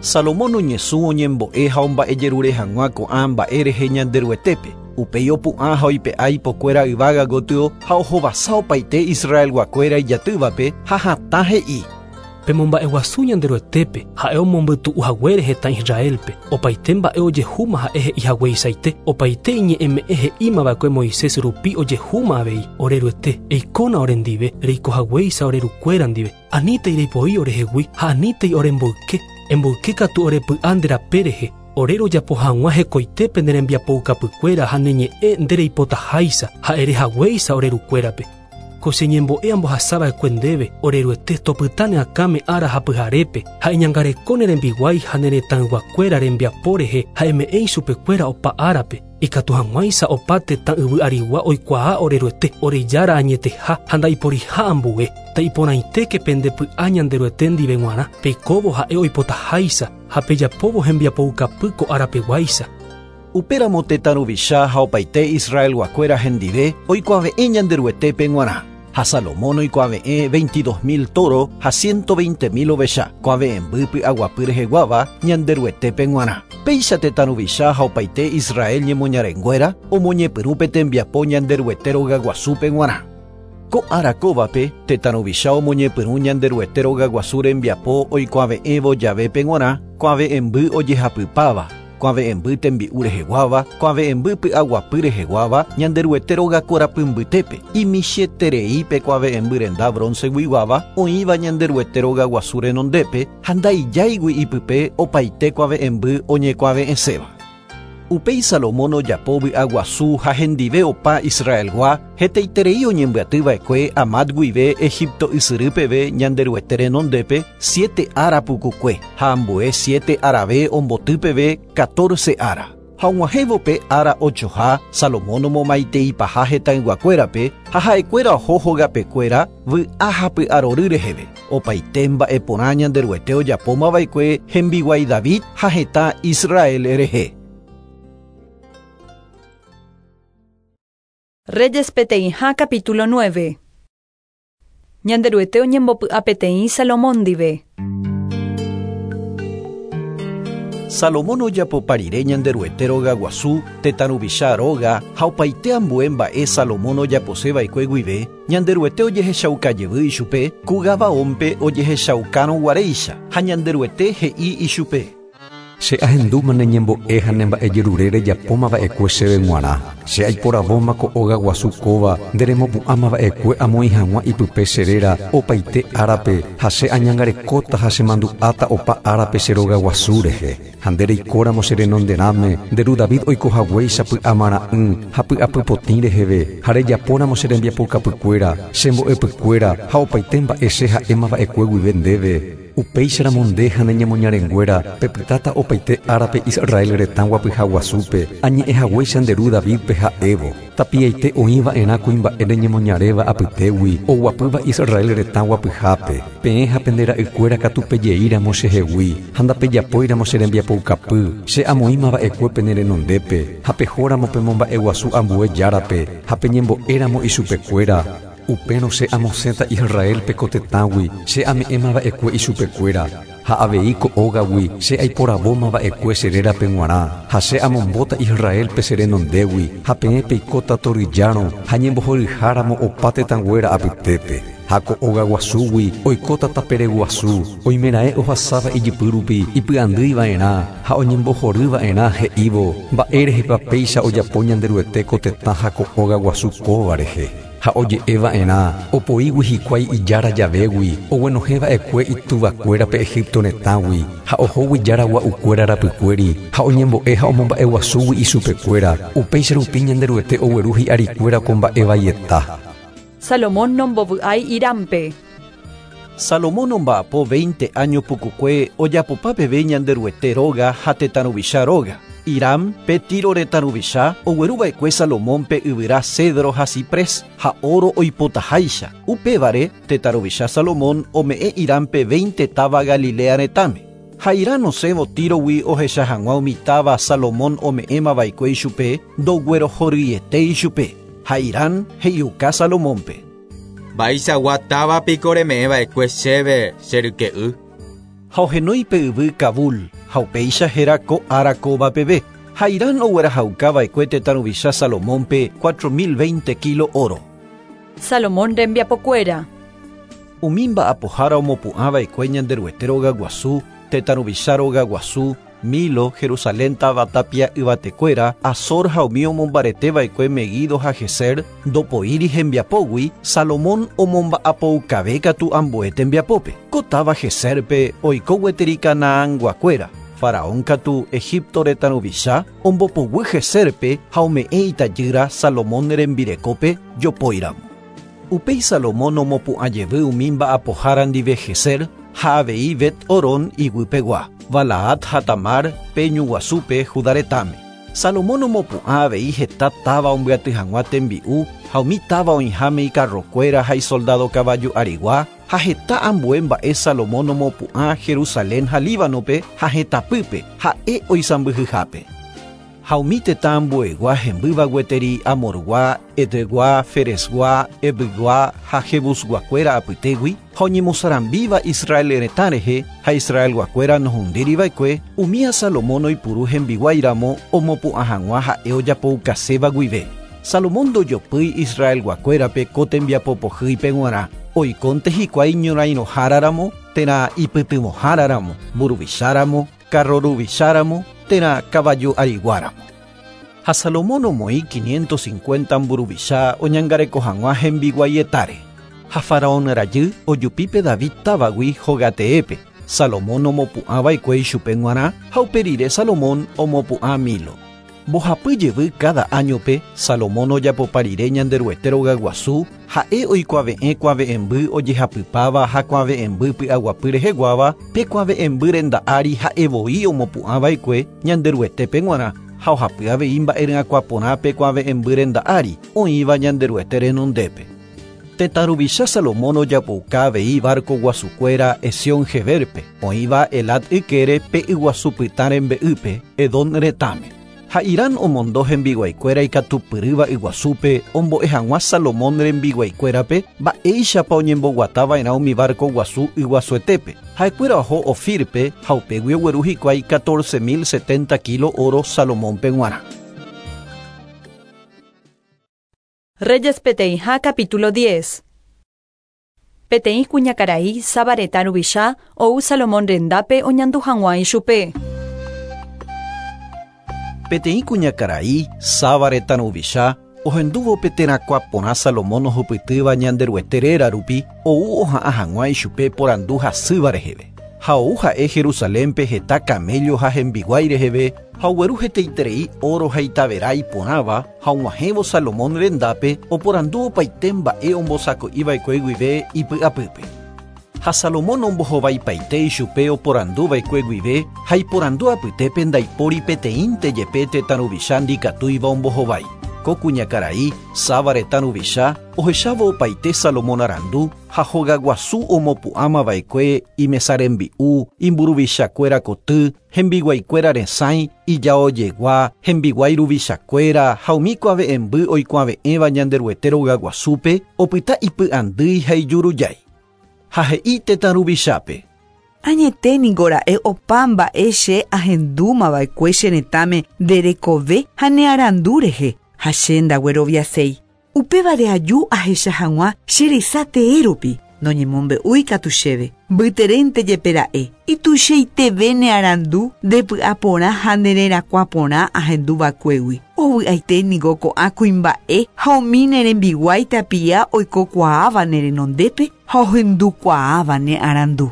Speaker 2: Salomón oñesũ oñembo'e ha omba'ejerure hag̃ua ko'ã mba'e rehe Ñanderuetépe. Upéi opu'ã ha oipe'a ipokuéra yvága gotyo ha ohovasa opaite Israelguakuéra ijatývape ha hatã he'i.
Speaker 8: Pemomba'eguasu Ñanderuetépe ha'e omombytu'u haguére hetã Israelpe opaite mba'e ojehúma ha'e he'i hagueichaite opaite iñe'ẽme'ẽ he'ímava'ekue Moisés rupi ojehúma avei ore Ruete eikóna orendive reiko haguéicha ore rukuéra ndive anítei reipoi orehegui ha anítei oremboyke emboyke katu orepy'a nde rape rehe ore rojapo hag̃ua hekoitépe ne rembiapoukapykuéra ha ne ñe'ẽ nde reipotaháicha ha ere haguéicha ore rukuérape. Ko che ñembo'e ambohasava'ekue ndéve ore Ruete topyta ne akãme ára ha pyharépe ha iñangareko ne rembiguái ha ne retãyguakuéra rembiapo rehe ha eme'ẽ ichupekuéra opa árape ikatu hag̃uáicha opa tetã yvy arigua oikuaa ore Ruete ore Jára añeteha ha ndaiporiha ambue taiporãitéke pendepy'a Ñanderuete ndive g̃uarã peikóvo ha'e oipotaháicha ha pejapóvo hembiapoukapy ko árapeguáicha.
Speaker 2: Upéramo tetã ruvicha ha opaite Israelguakuéra hendive oikuave'ẽ Ñanderuetépe g̃uarã. Ha Salomón oikuave'ẽ veintidós mil toro ha ciento veinte mil ovecha kuave'ẽmby py'aguapy reheguáva Ñanderuetépe g̃uarã. Péicha tetã ruvicha ha opaite Israel ñemoñarenguéra omoñepyrũ pe tembiapo Ñanderuete rogaguasúpe g̃uarã. Ko ára kóvape tetã ruvicha omoñepyrũ Ñanderuete rogaguasu rembiapo oikuave'ẽvo javépe g̃uarã kuave'ẽmby ojehapypáva, kuave'ẽmby tembi'u reheguáva, kuave'ẽmby py'aguapy reheguáva Ñanderuete rogakorapy mbytépe, imichieterei pe kuave'ẽmby renda bronceguiguáva oĩva Ñanderuete rogaguasu renondépe ha ndaijáigui ipype opaite kuave'ẽmby oñekuave'ẽséva. Upéi Salomón ojapo vy'aguasu ha hendive opa Israelgua hetaiterei oñembyatyva'ekue Amat guive Egipto ysyry peve Ñanderuete renondépe siete ára pukukue ha ambue siete árave omboty peve catorce ára. Ha og̃uahẽvo ára ochoha Salomón omomaiteipaha hetãyguakuérape ha ha'ekuéra oho hogapekuéra vy'a ha py'arory reheve. Opaite mba'eporã Ñanderuete ojapómava'ekue hembiguái David ha hetã Israel rehe.
Speaker 1: Reyes peteĩha capítulo nueve. Ñanderuete oñembopy'a peteĩ Salomón ndive.
Speaker 2: Salomón ojapopa rire Ñanderuete rogaguasu, tetã ruvicha róga ha opaite ambue mba'e Salomón ojaposeva'ekue guive, Ñanderuete ojehechaukajevy ichupe, ku Gabaónpe ojehechaukárõguaréicha ha Ñanderuete he'i ichupe.
Speaker 12: Che ahendúma ne ñembo'e ha ne mba'ejerure rejapómava'ekue chéve g̃uarã. Che aiporavóma ko óga guasu kóva nderemopu'ãmava'ekue amoĩ hag̃ua ipype che réra opaite árape ha che añangarekóta ha chemandu'áta opa árape che róga guasu rehe. Ha nde reikóramo che renonderãme nde ru David oikohaguéicha py'amara'ỹ ha py'apypotĩ reheve ha rejapóramo che rembiapokapykuéra, che mbo'epykuéra ha opaite mba'e che ha'émava'ekue guive ndéve. Upéicharamo nde ha ne ñemoñarenguéra pepytáta opaite árape Israel retã guapyhaguasúpe añe'ẽhaguéicha nde ru Davidpe ha'évo. Tapiaite oĩva'erã kuimba'e reñemoñaréva apytégui oguapýva Israel retã guapyhápe. Peẽ ha pende ra'ykuéra katu pejeíramo chehegui ha ndapejapóiramo che rembiapoukapy che amoĩmava'ekue pene renondépe ha pehóramo pemomba'eguasu ambue járape ha peñembo'éramo ichupekuéra. Upérõ che amosẽta Israelpe ko tetãgui che ame'ẽmava'ekue ichupekuéra ha avei ko ógagui che aiporavómava'ekue che rérape g̃uarã ha che amombóta Israelpe che renondégui ha peẽ peikóta toryjárõ ha ñembohoryháramo opa tetãnguéra apytépe. Ha ko óga guasúgui oikóta tapere guasu oimeraẽ ohasáva ijypýrupi ipy'andýiva'erã ha oñembohoryva'erã he'ívo mba'érehepa péicha ojapo Ñanderuete ko tetã ha ko óga guasu kóva rehe. Ha oje'eva'erã opoígui hikuái ijára javégui oguenohẽva'ekue ituvakuérape Egipto retãgui ha ohógui jára gua'ukuéra rapykuéri ha oñembo'e ha omomba'eguasúgui ichupekuéra upéicha rupi Ñanderuete ogueru hi'arikuéra ko mba'evaieta.
Speaker 1: Salomón nombovy'ái Hirampe.
Speaker 2: Salomón omba'apo veinte año pukukue ojapopa peve Ñanderuete róga ha tetã ruvicha róga. Hiram pe Tiro retã ruvicha ogueruva'ekue Salomónpe yvyra cedro ha ciprés ha oro oipotaháicha. Upévare tetã ruvicha Salomón ome'ẽ Hirampe veinte táva Galilea retãme. Ha Hiram osẽvo Tírogui ohecha hag̃ua umi táva Salomón ome'ẽmava'ekue ichupe ndoguerohoryete ichupe. Ha Hiram he'iuka Salomónpe.
Speaker 9: Mba'eichagua táva piko reme'ẽva'ekue chéve che ryke'y.
Speaker 2: Ha ohenói pe yvy Kabul ha upéicha héra ko ára kóva peve. Ha Hiram oguerahaukava'ekue tetã ruvicha Salomónpe cuatro mil veinte kilo oro.
Speaker 1: Salomón rembiapokuéra.
Speaker 2: Umi mba'apohára omopu'ãva'ekue Ñanderuete rogaguasu, tetã ruvicha rogaguasu, Milo, Jerusalén táva tapia yvatekuéra, Azor ha umi omombareteva'ekue Meguido ha Geser, ndopoíri hembiapógui, Salomón omomba'apoukave katu ambue tembiapópe. Ko táva Geserpe oiko gueteri Canaanguakuéra. Faraón katu Egipto retã ruvicha ombopoguy Geserpe ha ome'ẽ itajýra Salomón rembirekópe jopóiramo. Upéi Salomón omopu'ã jevy umi mba'apohára ndive Geser ha avei Bet-Horón iguypegua, Balaat ha Tamar pe ñuguasúpe Judá retãme. Salomón omopu'ã avei heta táva ombyaty hag̃ua tembi'u ha umi táva oĩháme ikarrokuéra ha isoldado kavaju arigua ha heta ambue mba'e Salomón omopu'ã Jerusalén ha Líbanope ha hetãpýpe ha'e oisãmbyhyhápe. Ha umi tetã ambuegua hembýva gueteri Amorgua, Etgua, Feresgua, Evygua ha Jebusguakuéra apytégui ha oñemosarambíva Israel retã rehe ha Israelguakuéra nohundíriva'ekue umía Salomón oipuru hembiguáiramo omopu'ã hag̃ua ha'e ojapoukaséva guive. Salomón ndojopýi Israelguakuérape ko tembiapopohýipe g̃uarã oikónte hikuái ñorairõháraramo térã ipytyvõháraramo, mburuvicháramo, karroruvicháramo térã kavaju ariguáramo. Ha Salomón omoĩ quinientos cincuenta mburuvicha oñangareko hag̃ua hembiguaietare. Ha Faraón rajy ojupípe David távagui hogateépe. Salomón omopu'ãva'ekue ichupe g̃uarã ha upe rire Salomón omopu'ã Milo. Mbohapy jevy cada áñope Salomón ojapopa rire Ñanderuete rogaguasu ha'e oikuave'ẽ kuave'ẽmby ojehapypáva ha kuave'ẽmby py'aguapy reheguáva pe kuave'ẽmby renda ári ha'evoi omopu'ãva'ekue Ñanderuetépe g̃uarã ha ohapy avei mba'eryakuã porã pe kuave'ẽmby renda ári oĩva Ñanderuete renondépe. Tetã ruvicha Salomón ojapouka avei barco guasukuéra Esión-Geberpe oĩva Elat ykére pe yguasu pytã rembe'ýpe Edom retãme. Ha Irán omondo hembiguaikuéra ikatupyrýva yguasúpe ombo'e hag̃ua Salomón rembiguaikuérape mba'éichapa oñemboguatava'erã umi barco guasu yguasuetépe. Ha'ekuéra oho Ofirpe ha upégui ogueru hikuái catorce mil setenta kilo oro Salomónpe g̃uarã.
Speaker 1: Reyes peteĩha capítulo diez. Peteĩ kuñakarai Saba retã ruvicha ou Salomón rendápe oñandu hag̃ua ichupe.
Speaker 2: Peteĩ kuñakarai Saba retã ruvicha ohendúvo pe terakuã porã Salomón ohupytýva Ñanderuete réra rupi ou oha'ã hag̃ua ichupe porandu hasýva reheve. Ha ou ha'e Jerusalénpe heta camello ha hembiguái reheve ha ogueru hetaiterei oro ha itavera iporãva ha og̃uahẽvo Salomón rendápe oporandu opaite mba'e ombosako'iva'ekue guive ipy'apýpe. Ha Salomón ombohovaipaite ichupe oporanduva'ekue guive ha iporandu apytépe ndaipóri peteĩnte jepe tetã ruvicha ndikatúiva ombohovái. Ko kuñakarai Saba retã ruvicha ohechávo opaite Salomón arandu ha hogaguasu omopu'ãmava'ekue imesarembi'u, imburuvichakuéra koty, hembiguaikuéra resãi, ijaojegua, hembiguái ruvichakuéra ha umi kuave'ẽmby oikuave'ẽva Ñanderuete rogaguasúpe opyta ipy'andýi ha ijurujái. Ha he'i tetã ruvichápe.
Speaker 6: Añete niko ra'e opa mba'e che ahendúmava'ekue che retãme nderekove ha ne arandu rehe ha che ndagueroviaséi. Upévare aju ahecha hag̃ua che resa tee rupi noñemombe'úi katu chéve. Mbyterénte jepe ra'e ituichaiteve ne arandu ndepy'aporã ha ndererakuã porã ahenduva'ekuégui. Ovy'aite niko ko'ã kuimba'e ha umi ne rembiguái tapia oikokuaáva ne renondépe ha ohendukuaáva ne arandu.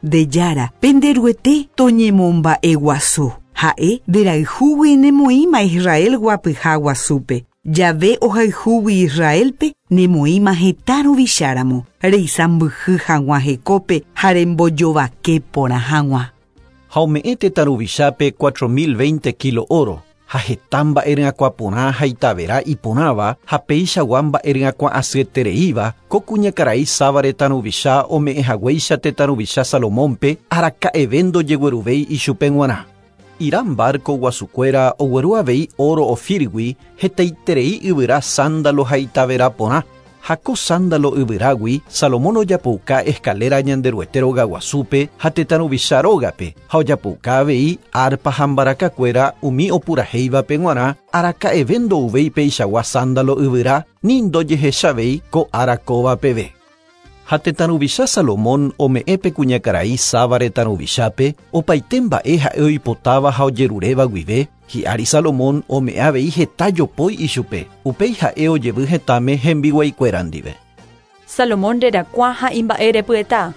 Speaker 6: Nde jára penderuete toñemomba'eguasu. Ha'e nderayhúgui nemoĩma Israel guapyha guasúpe. Jave ohayhúgui Israelpe nemoĩma hetã ruvicháramo reisãmbyhy hag̃ua hekópe ha rembojovake porã hag̃ua.
Speaker 2: Ha ome'ẽ tetã ruvichápe cuatro mil veinte kilo oro ha heta mba'eryakuã porã ha itavera iporãva ha peichagua mba'eryakuã asyetereíva ko kuñakarai Saba retã ruvicha ome'ẽ haguéicha tetã ruvicha Salomónpe araka'eve ndojegueruvéi ichupe g̃uarã. Irán barco guasukuéra ogueru avei oro Ofirgui hetaiterei yvyra sándalo ha itavera porã. Ha ko sándalo yvyrágui Salomón ojapouka escalera Ñanderuete rogaguasúpe ha tetã ruvicha rógape ha ojapouka avei arpa ha mbarakakuéra umi opurahéivape g̃uarã araka'eve ndouvéi peichagua sándalo yvyra ni ndojehechavéi ko ára kóva peve. Ha tetã ruvicha Salomón ome'ẽ pe kuñakarai Saba retã ruvichápe opaite mba'e ha'e oipotáva ha ojeruréva guive hi'ári Salomón ome'ẽ avei heta jopói ichupe upéi ha'e ojevy hetãme hembiguaikuéra ndive.
Speaker 1: Salomón rerakuã ha imba'erepyeta.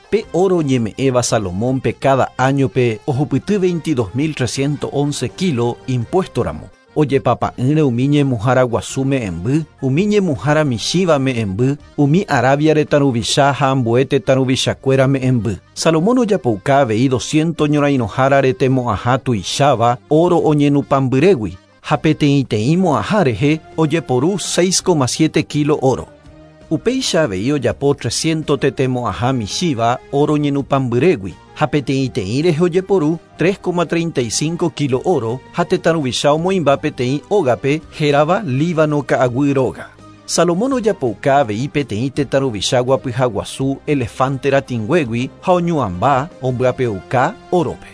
Speaker 2: Pe oro oñeme'ẽva Salomónpe cada áñope ohupyty veintidós mil trescientos once kilo impuesto ramo. Ojepapa'ỹre umi ñemuhára guasu me'ẽmby, umi ñemuhára michĩva me'ẽmby, umi Arabia retã ruvicha ha ambue tetã ruvichakuéra me'ẽmby. Salomón ojapouka avei doscientos ñorairõhára retemo'ãha tuicháva oro oñenupãmbyrégui ha peteĩteĩ mo'ãha rehe ojeporu seis coma siete kilo oro. Upéicha avei ojapo trescientos tetemo'ãha michĩva oro ñenupãmbyrégui ha peteĩteĩ rehe ojeporu tres coma treinta y cinco kilo oro ha tetã ruvicha omoĩmba peteĩ ógape hérava Líbano ka'aguy róga. Salomón ojapouka avei peteĩ tetã ruvicha guapyha guasu elefante ratĩnguégui ha oñuãmba ombyapeuka órope.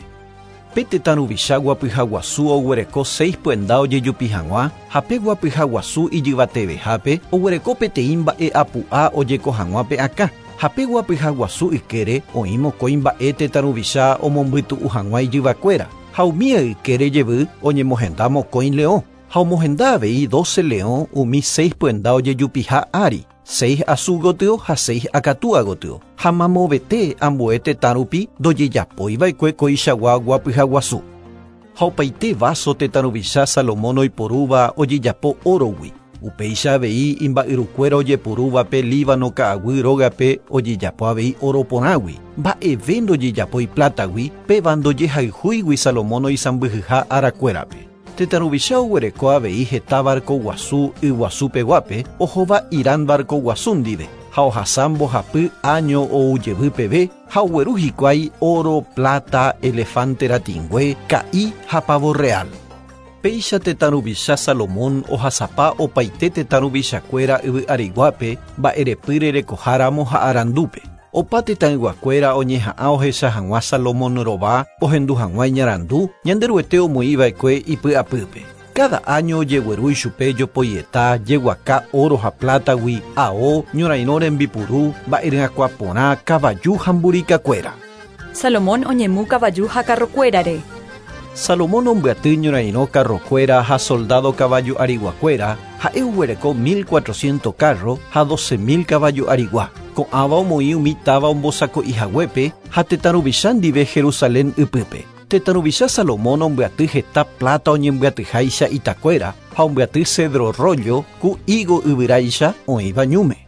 Speaker 2: Pe tetã ruvicha guapyha guasu oguereko seis pyenda ojejupi hag̃ua ha pe guapyha guasu ijyvatevehápe oguereko peteĩ mba'e apu'a ojeko hag̃ua pe akã. Ha pe guapyha guasu ykére oĩ mokõi mba'e tetã ruvicha omombytu'u hag̃ua ijyvakuéra ha umi ykére jevy oñemohenda mokõi leõ ha omohenda avei doce leõ umi seis pyenda ojejupiha ári, seis asu gotyo ha seis akatúa gotyo ha mamovete ambue tetã rupi ndojejapóiva'ekue koichagua guapyha guasu. Ha opaite vaso tetã ruvicha Salomón oiporúva ojejapo órogui. Upéicha avei imba'yrukuéra ojeporúvape Líbano ka'aguy rógape ojejapo avei oro porãgui. Mba'eve ndojejapói plátagui péva ndojehayhúigui Salomón oisãmbyhyha arakuérape. Tetã ruvicha oguereko avei heta barco guasu yguasupeguápe ohóva Irán barco guasu ndive ha ohasa mbohapy año oujevy peve ha ogueru hikuái oro, plata, elefante ratĩngue, ka'i ha pavo real. Péicha tetã ruvicha Salomón ohasapa opaite tetã ruvichakuéra yvy ariguápe mba'erepýre rekoháramo ha arandúpe. Opa tetãyguakuéra oñeha'ã ohecha hag̃ua Salomón rova ohendu hag̃ua iñarandu Ñanderuete omoĩva'ekue ipy'apýpe. Cada año ojegueru ichupe jopoieta, jeguaka oro ha plátagui, ao, ñorairõ rembipuru, mba'eryakuã porã, kavaju ha mburikakuéra.
Speaker 1: Salomón oñemu kavaju ha karrokuérare.
Speaker 2: Salomón ombyaty ñorairõ karrokuéra ha soldado kavaju ariguakuéra ha'e oguereko mil cuatrocientos carro ha doce mil kavaju arigua. Ko'ãva omoĩ umi táva ombosako'i haguépe ha tetã ruvicha ndive Jerusalén ypýpe. Tetã ruvicha Salomón ombyaty heta plata oñembyatyháicha itakuéra ha ombyaty cedro rollo ku higo yvyráicha oĩva ñúme.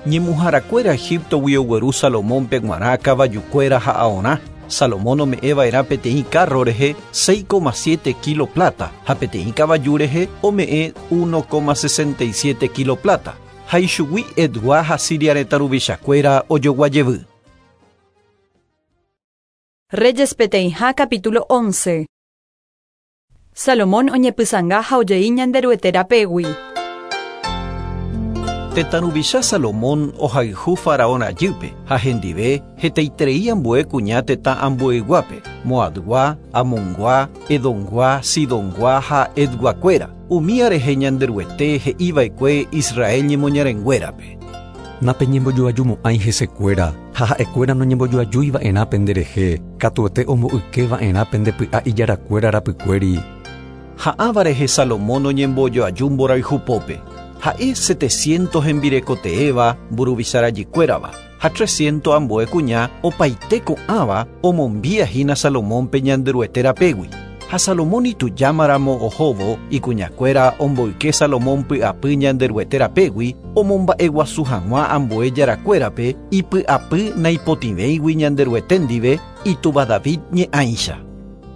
Speaker 2: Ñemuharakuéra Egiptogui ogueru Salomónpe g̃uarã kavajukuéra ha aorã. Salomón ome'ẽva'erã peteĩ carro rehe seis coma siete kilo plata ha peteĩ kavaju rehe ome'ẽ uno coma sesenta y siete kilo plata. Ha ichugui Edgua ha Siria retã ruvichakuéra ojoguajevy.
Speaker 1: Reyes peteĩha capítulo once. Salomón oñepysãnga ha ojei Ñanderuete rapégui.
Speaker 2: Tetã ruvicha Salomón ohayhu faraón rajýpe ha hendive hetaiterei ambue kuña tetã ambueyguápe, Moabgua, Amongua, Edomgua, Sidongua ha Edguakuéra. Umía rehe Ñanderuete he'iva'ekue Israel ñemoñarenguérape.
Speaker 12: Napeñembojoajumo'ãi hesekuéra ha ha'ekuéra noñembojoajúiva'erã penderehe, katuete omboykeva'erã pendepy'a ijarakuéra rapykuéri.
Speaker 2: Ha'ãva rehe Salomón oñembojoaju mborayhupópe. Ha'e setecientos hembirekoteéva mburuvichárajykuérava ha trescientos ambue kuña opaite ko'ãva omombiahína Salomónpe Ñanderuete rapégui. Ha Salomón itujámaramo ohóvo ikuñakuéra omboyke Salomón py'apy Ñanderuete rapégui omomba'eguasu hag̃ua ambue jarakuérape ipy'apy naipotĩvéigui Ñanderuete ndive itúva David ñe'ãicha.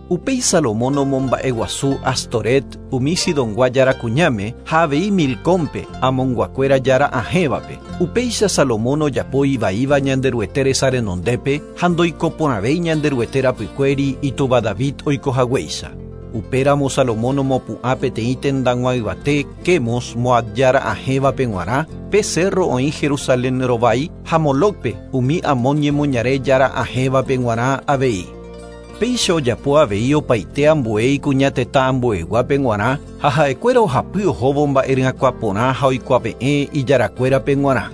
Speaker 2: Upéi Salomón omomba'eguasu Astoret umi Sidongua jára kuñáme ha avei Milcómpe Amonguakuéra jára ahẽvape. Upéicha Salomón ojapo ivaíva Ñanderuete resa renondépe ha ndoikoporãvéi Ñanderuete rapykuéri itúva David oikohaguéicha. Upéramo Salomón omopu'ã peteĩ tendag̃ua yvate Quemos Moab jára ahẽvape g̃uarã, pe cerro oĩ Jerusalén rovái ha Molocpe umi Amón ñemoñare jára ahẽvape g̃uarã avei. Péicha ojapo avei opaite ambue ikuña tetã ambueyguápe g̃uarã ha ha'ekuéra ohapy ohóvo mba'eryakuã porã ha oikuave'ẽ ijarakuérape g̃uarã.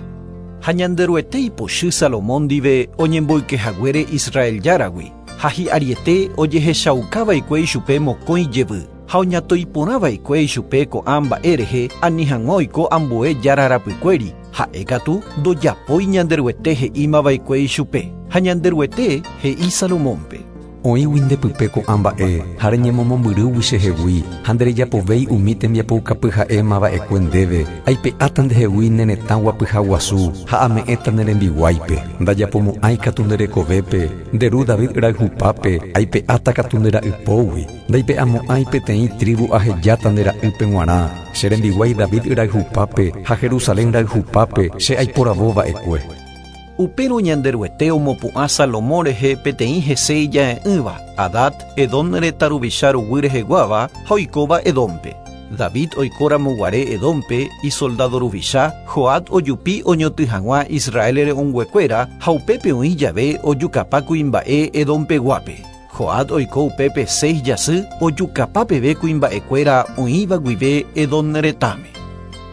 Speaker 2: Ha Ñanderuete ipochy Salomón ndive oñemboykehaguére Israel járagui ha hi'ariete ojehechaukava'ekue ichupe mokõi jevy ha oñatoiporãva'ekue ichupe ko'ã mba'e rehe ani hag̃ua oiko ambue jára rapykuéri ha'e katu ndojapói Ñanderuete he'ímava'ekue ichupe ha Ñanderuete he'i Salomónpe.
Speaker 12: Oĩgui ndepype ko'ã mba'e ha reñemomombyrýgui chehegui ha nderejapovéi umi tembiapoukapy ha'éma va'ekue ndéve aipe'áta ndehegui ne retã guapyha guasu ha ame'ẽta ne rembiguáipe ndajapomo'ãi katu nde rekovépe nde ru David rayhupápe aipe'áta katu nde ra'ypógui ndaipe'amo'ãi peteĩ tribu ahejáta nde ra'ýpe g̃uarã che rembiguái David rayhupápe ha Jerusalén rayhupápe che aiporavo va'ekue.
Speaker 2: Upérõ Ñanderuete omopu'ã Salomón rehe peteĩ hese ija'e'ỹva, Hadad, Edom retã ruvicha ruguy reheguáva ha oikóva Edómpe. David oikóramo guare Edómpe isoldado ruvicha, Joab ojupi oñotỹ hag̃ua Israel re'õnguekuéra ha upépe oĩ jave ojukapa kuimba'e Edompeguápe. Joab oiko upépe seis jasy ojukapa peve kuimba'ekuéra oĩva guive Edom retãme.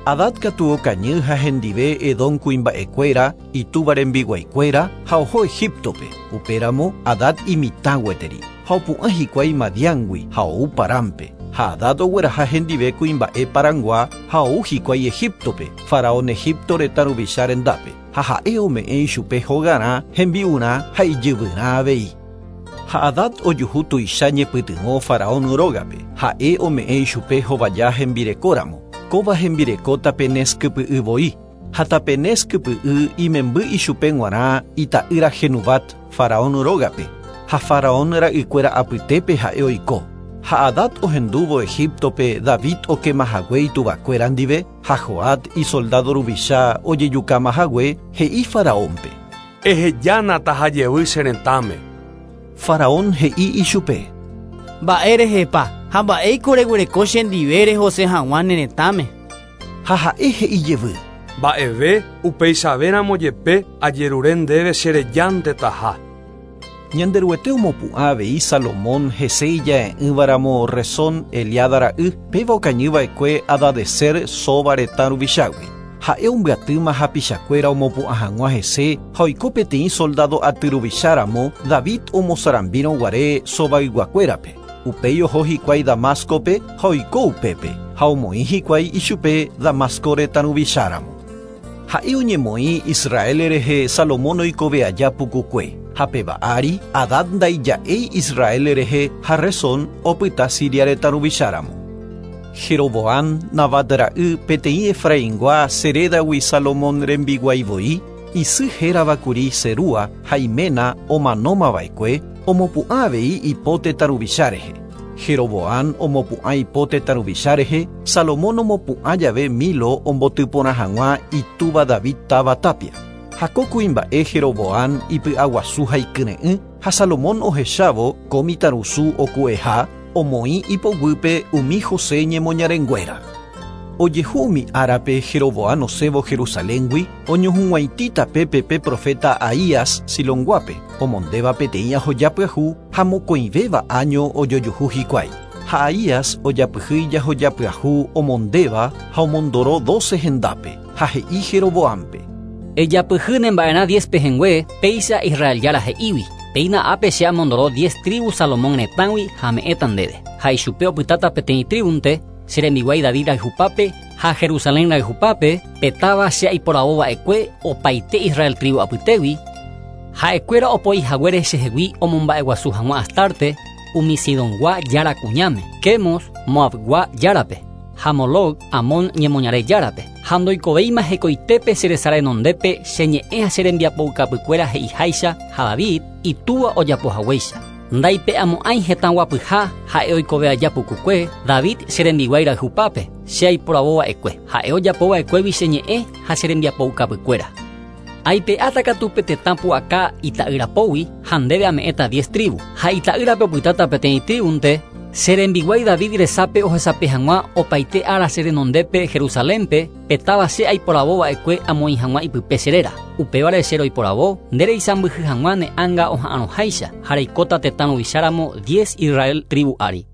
Speaker 2: Hadad katu okañy ha hendive Edom kuimba'ekuéra itúva rembiguaikuéra ha oho Egiptope. Upéramo Hadad imitã gueteri ha opu'ã hikuái Madiángui ha ou Parámpe. Ha Hadad ogueraha hendive kuimba'e Parangua ha ou hikuái Egiptope, faraón Egipto retã ruvicha rendápe. Ha ha'e ome'ẽ ichupe hogarã, hembi'urã ha ijyvyrã avei. Ha Hadad ojuhu tuicha ñepytyvõ faraón rógape. Ha'e ome'ẽ ichupe hovaja hembirekóramo. Kóva hembireko Tapenes kypy'y voi. Ha Tapenes kypy'y imemby ichupe g̃uarã ita'ýra Genubat faraón rógape. Ha faraón ra'ykuéra apytépe ha'e oiko. Ha Hadad ohendúvo Egiptope David okemahague ituvakuéra ndive ha Joab isoldado ruvicha ojejukamahague he'i faraónpe.
Speaker 11: Ehejána tahajevy che retãme.
Speaker 2: Faraón he'i ichupe.
Speaker 15: Mba'érehepa ha mba'éiko reguereko chendive rehose hag̃ua ne retãme.
Speaker 2: Ha ha'e he'i jevy.
Speaker 11: Mba'eve upeichavéramo jepe ajerure ndéve cherejánte taha.
Speaker 2: Ñanderuete omopu'ã avei Salomón hese ija'e'ỹvaramo Rezón Eliada ra'y péva okañyva'ekue Hadadezer Soba retã ruvichágui. Ha'e ombyatýma hapichakuéra omopu'ã hag̃ua hese ha oiko peteĩ soldado aty ruvicháramo David omosarambírõ guare Sobayguakuérape. Upéi oho hikuái Damascope ha oiko upépe ha omoĩ hikuái ichupe Damasco retã ruvicháramo. Ha'e oñemoĩ Israel rehe Salomón oikove aja pukukue. Ha péva ári Hadad ndaija'éi Israel rehe ha Rezón opyta Siria retã ruvicháramo. Jeroboam Nabat ra'y peteĩ Efraingua Seredagui Salomón rembiguái voi, isy héravakuri Serúa ha iména omanómava'ekue omopu'ã avei ipo tetã ruvicha rehe. Jeroboam omopu'ã ipo tetã ruvicha rehe, Salomón omopu'ã jave Milo ombotyporã hag̃ua itúva David táva tapia. Ha ko kuimba'e Jeroboam ipy'aguasu ha ikyre'ỹ ha Salomón ohechávo ko mitãrusu oku'eha omoĩ ipoguýpe umi José ñemoñarenguéra. Ojehu umi árape Jeroboam osẽvo Jerusaléngui oñohug̃uaitĩ tapépe pe profeta Ahías Silonguápe, omondéva peteĩ ahoja pyahu ha mokõivéva año ojojuhu hikuái. Ha Ahías ojapyhy ijahoja pyahu omondéva ha omondoro doce hendápe ha he'i Jeroboámpe.
Speaker 10: Ejapyhy nemba'erã diez pehẽngue péicha Israel jára he'ígui. Péina ápe che amondoro diez tribu Salomón retãgui ha ame'ẽta ndéve. Ha ichupe opytáta peteĩ tribunte che rembiguái David rayhupápe ha Jerusalén rayhupápe petáva che aiporavova'ekue opaite Israel tribu apytégui. Ha'ekuéra opoi haguére chehegui omomba'eguasu hag̃ua Astarte umi Sidongua jára kuñáme, Quemos Moabgua járape, ha Moloc Amón ñemoñare járape. Ha ndoikovéima hekoitépe che resa renondépe che ñe'ẽ ha che rembiapoukapykuéra he'iháicha ha David itúva ojapohaguéicha. Ndaipe'amo'ãi hetã guapyha ha'e oikove aja pukukue David che rembiguái rayhupápe che aiporavova'ekue. Ha'e ojapova'ekuégui che ñe'ẽ ha che rembiapoukapykuéra. Aipe'áta katu pe tetã pu'aka ita'yrapógui ha ndéve ame'ẽta diez tribu. Ha ita'ýrape opytáta peteĩ tribunte che rembiguái David resápe ohesape hag̃ua opaite ára che renondépe Jerusalénpe petáva che aiporavova'ekue amoĩ hag̃ua ipype che réra. Upévare che roiporavo nde reisãmbyhy hag̃ua ne ánga oha'arõháicha ha reikóta tetã ruvicháramo diez Israel tribu ári.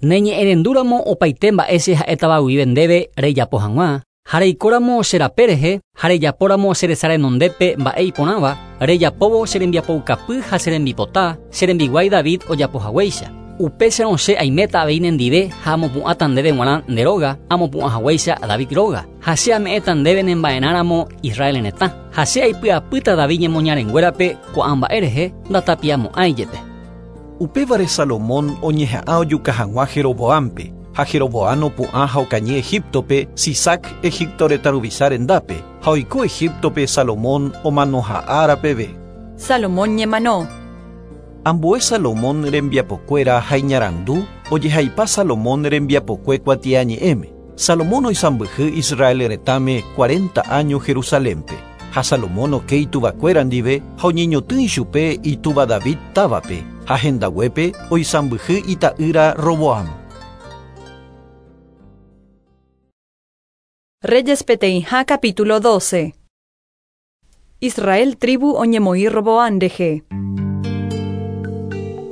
Speaker 10: Ne ñe'ẽrendúramo opaite mba'e che ha'étava guive ndéve rejapo hag̃ua ha reikóramo che rape rehe ha rejapóramo che resa renondépe mba'e iporãva rejapóvo che rembiapoukapy ha che rembipota che rembiguái David ojapohaguéicha. Upéicharõ che aiméta avei nendive ha amopu'ãta ndéve g̃uarã nde róga amopu'ãhaguéicha David róga. Ha che ame'ẽta ndéve nemba'erãramo Israel retã. Ha che aipy'apýta David ñemoñarenguérape ko'ã mba'e rehe ndatapiamo'ãi jepe.
Speaker 2: Upévare Salomón oñeha'ã ojuka hag̃ua Jeroboampe, ha Jeroboam opu'ã ha okañy Egiptope, Sisac Egipto retã ruvicha rendápe, ha oiko Egiptope Salomón omanoha ára peve.
Speaker 1: Salomón ñemano.
Speaker 2: Ambue Salomón rembiapokuéra ha iñarandu ojehaipa Salomón rembiapokue kuatiañe'ẽme. Salomón oisãmbyhy Israel retãme cuarenta años Jerusalénpe. Ha Salomón oke ituvakuéra ndive ha oñeñotỹ ichupe itúva David távape, ha hendaguépe oisãmbyhy ita'ýra Roboam.
Speaker 1: Reyes peteĩha capítulo doce. Israel tribu oñemoĩ Roboam rehe.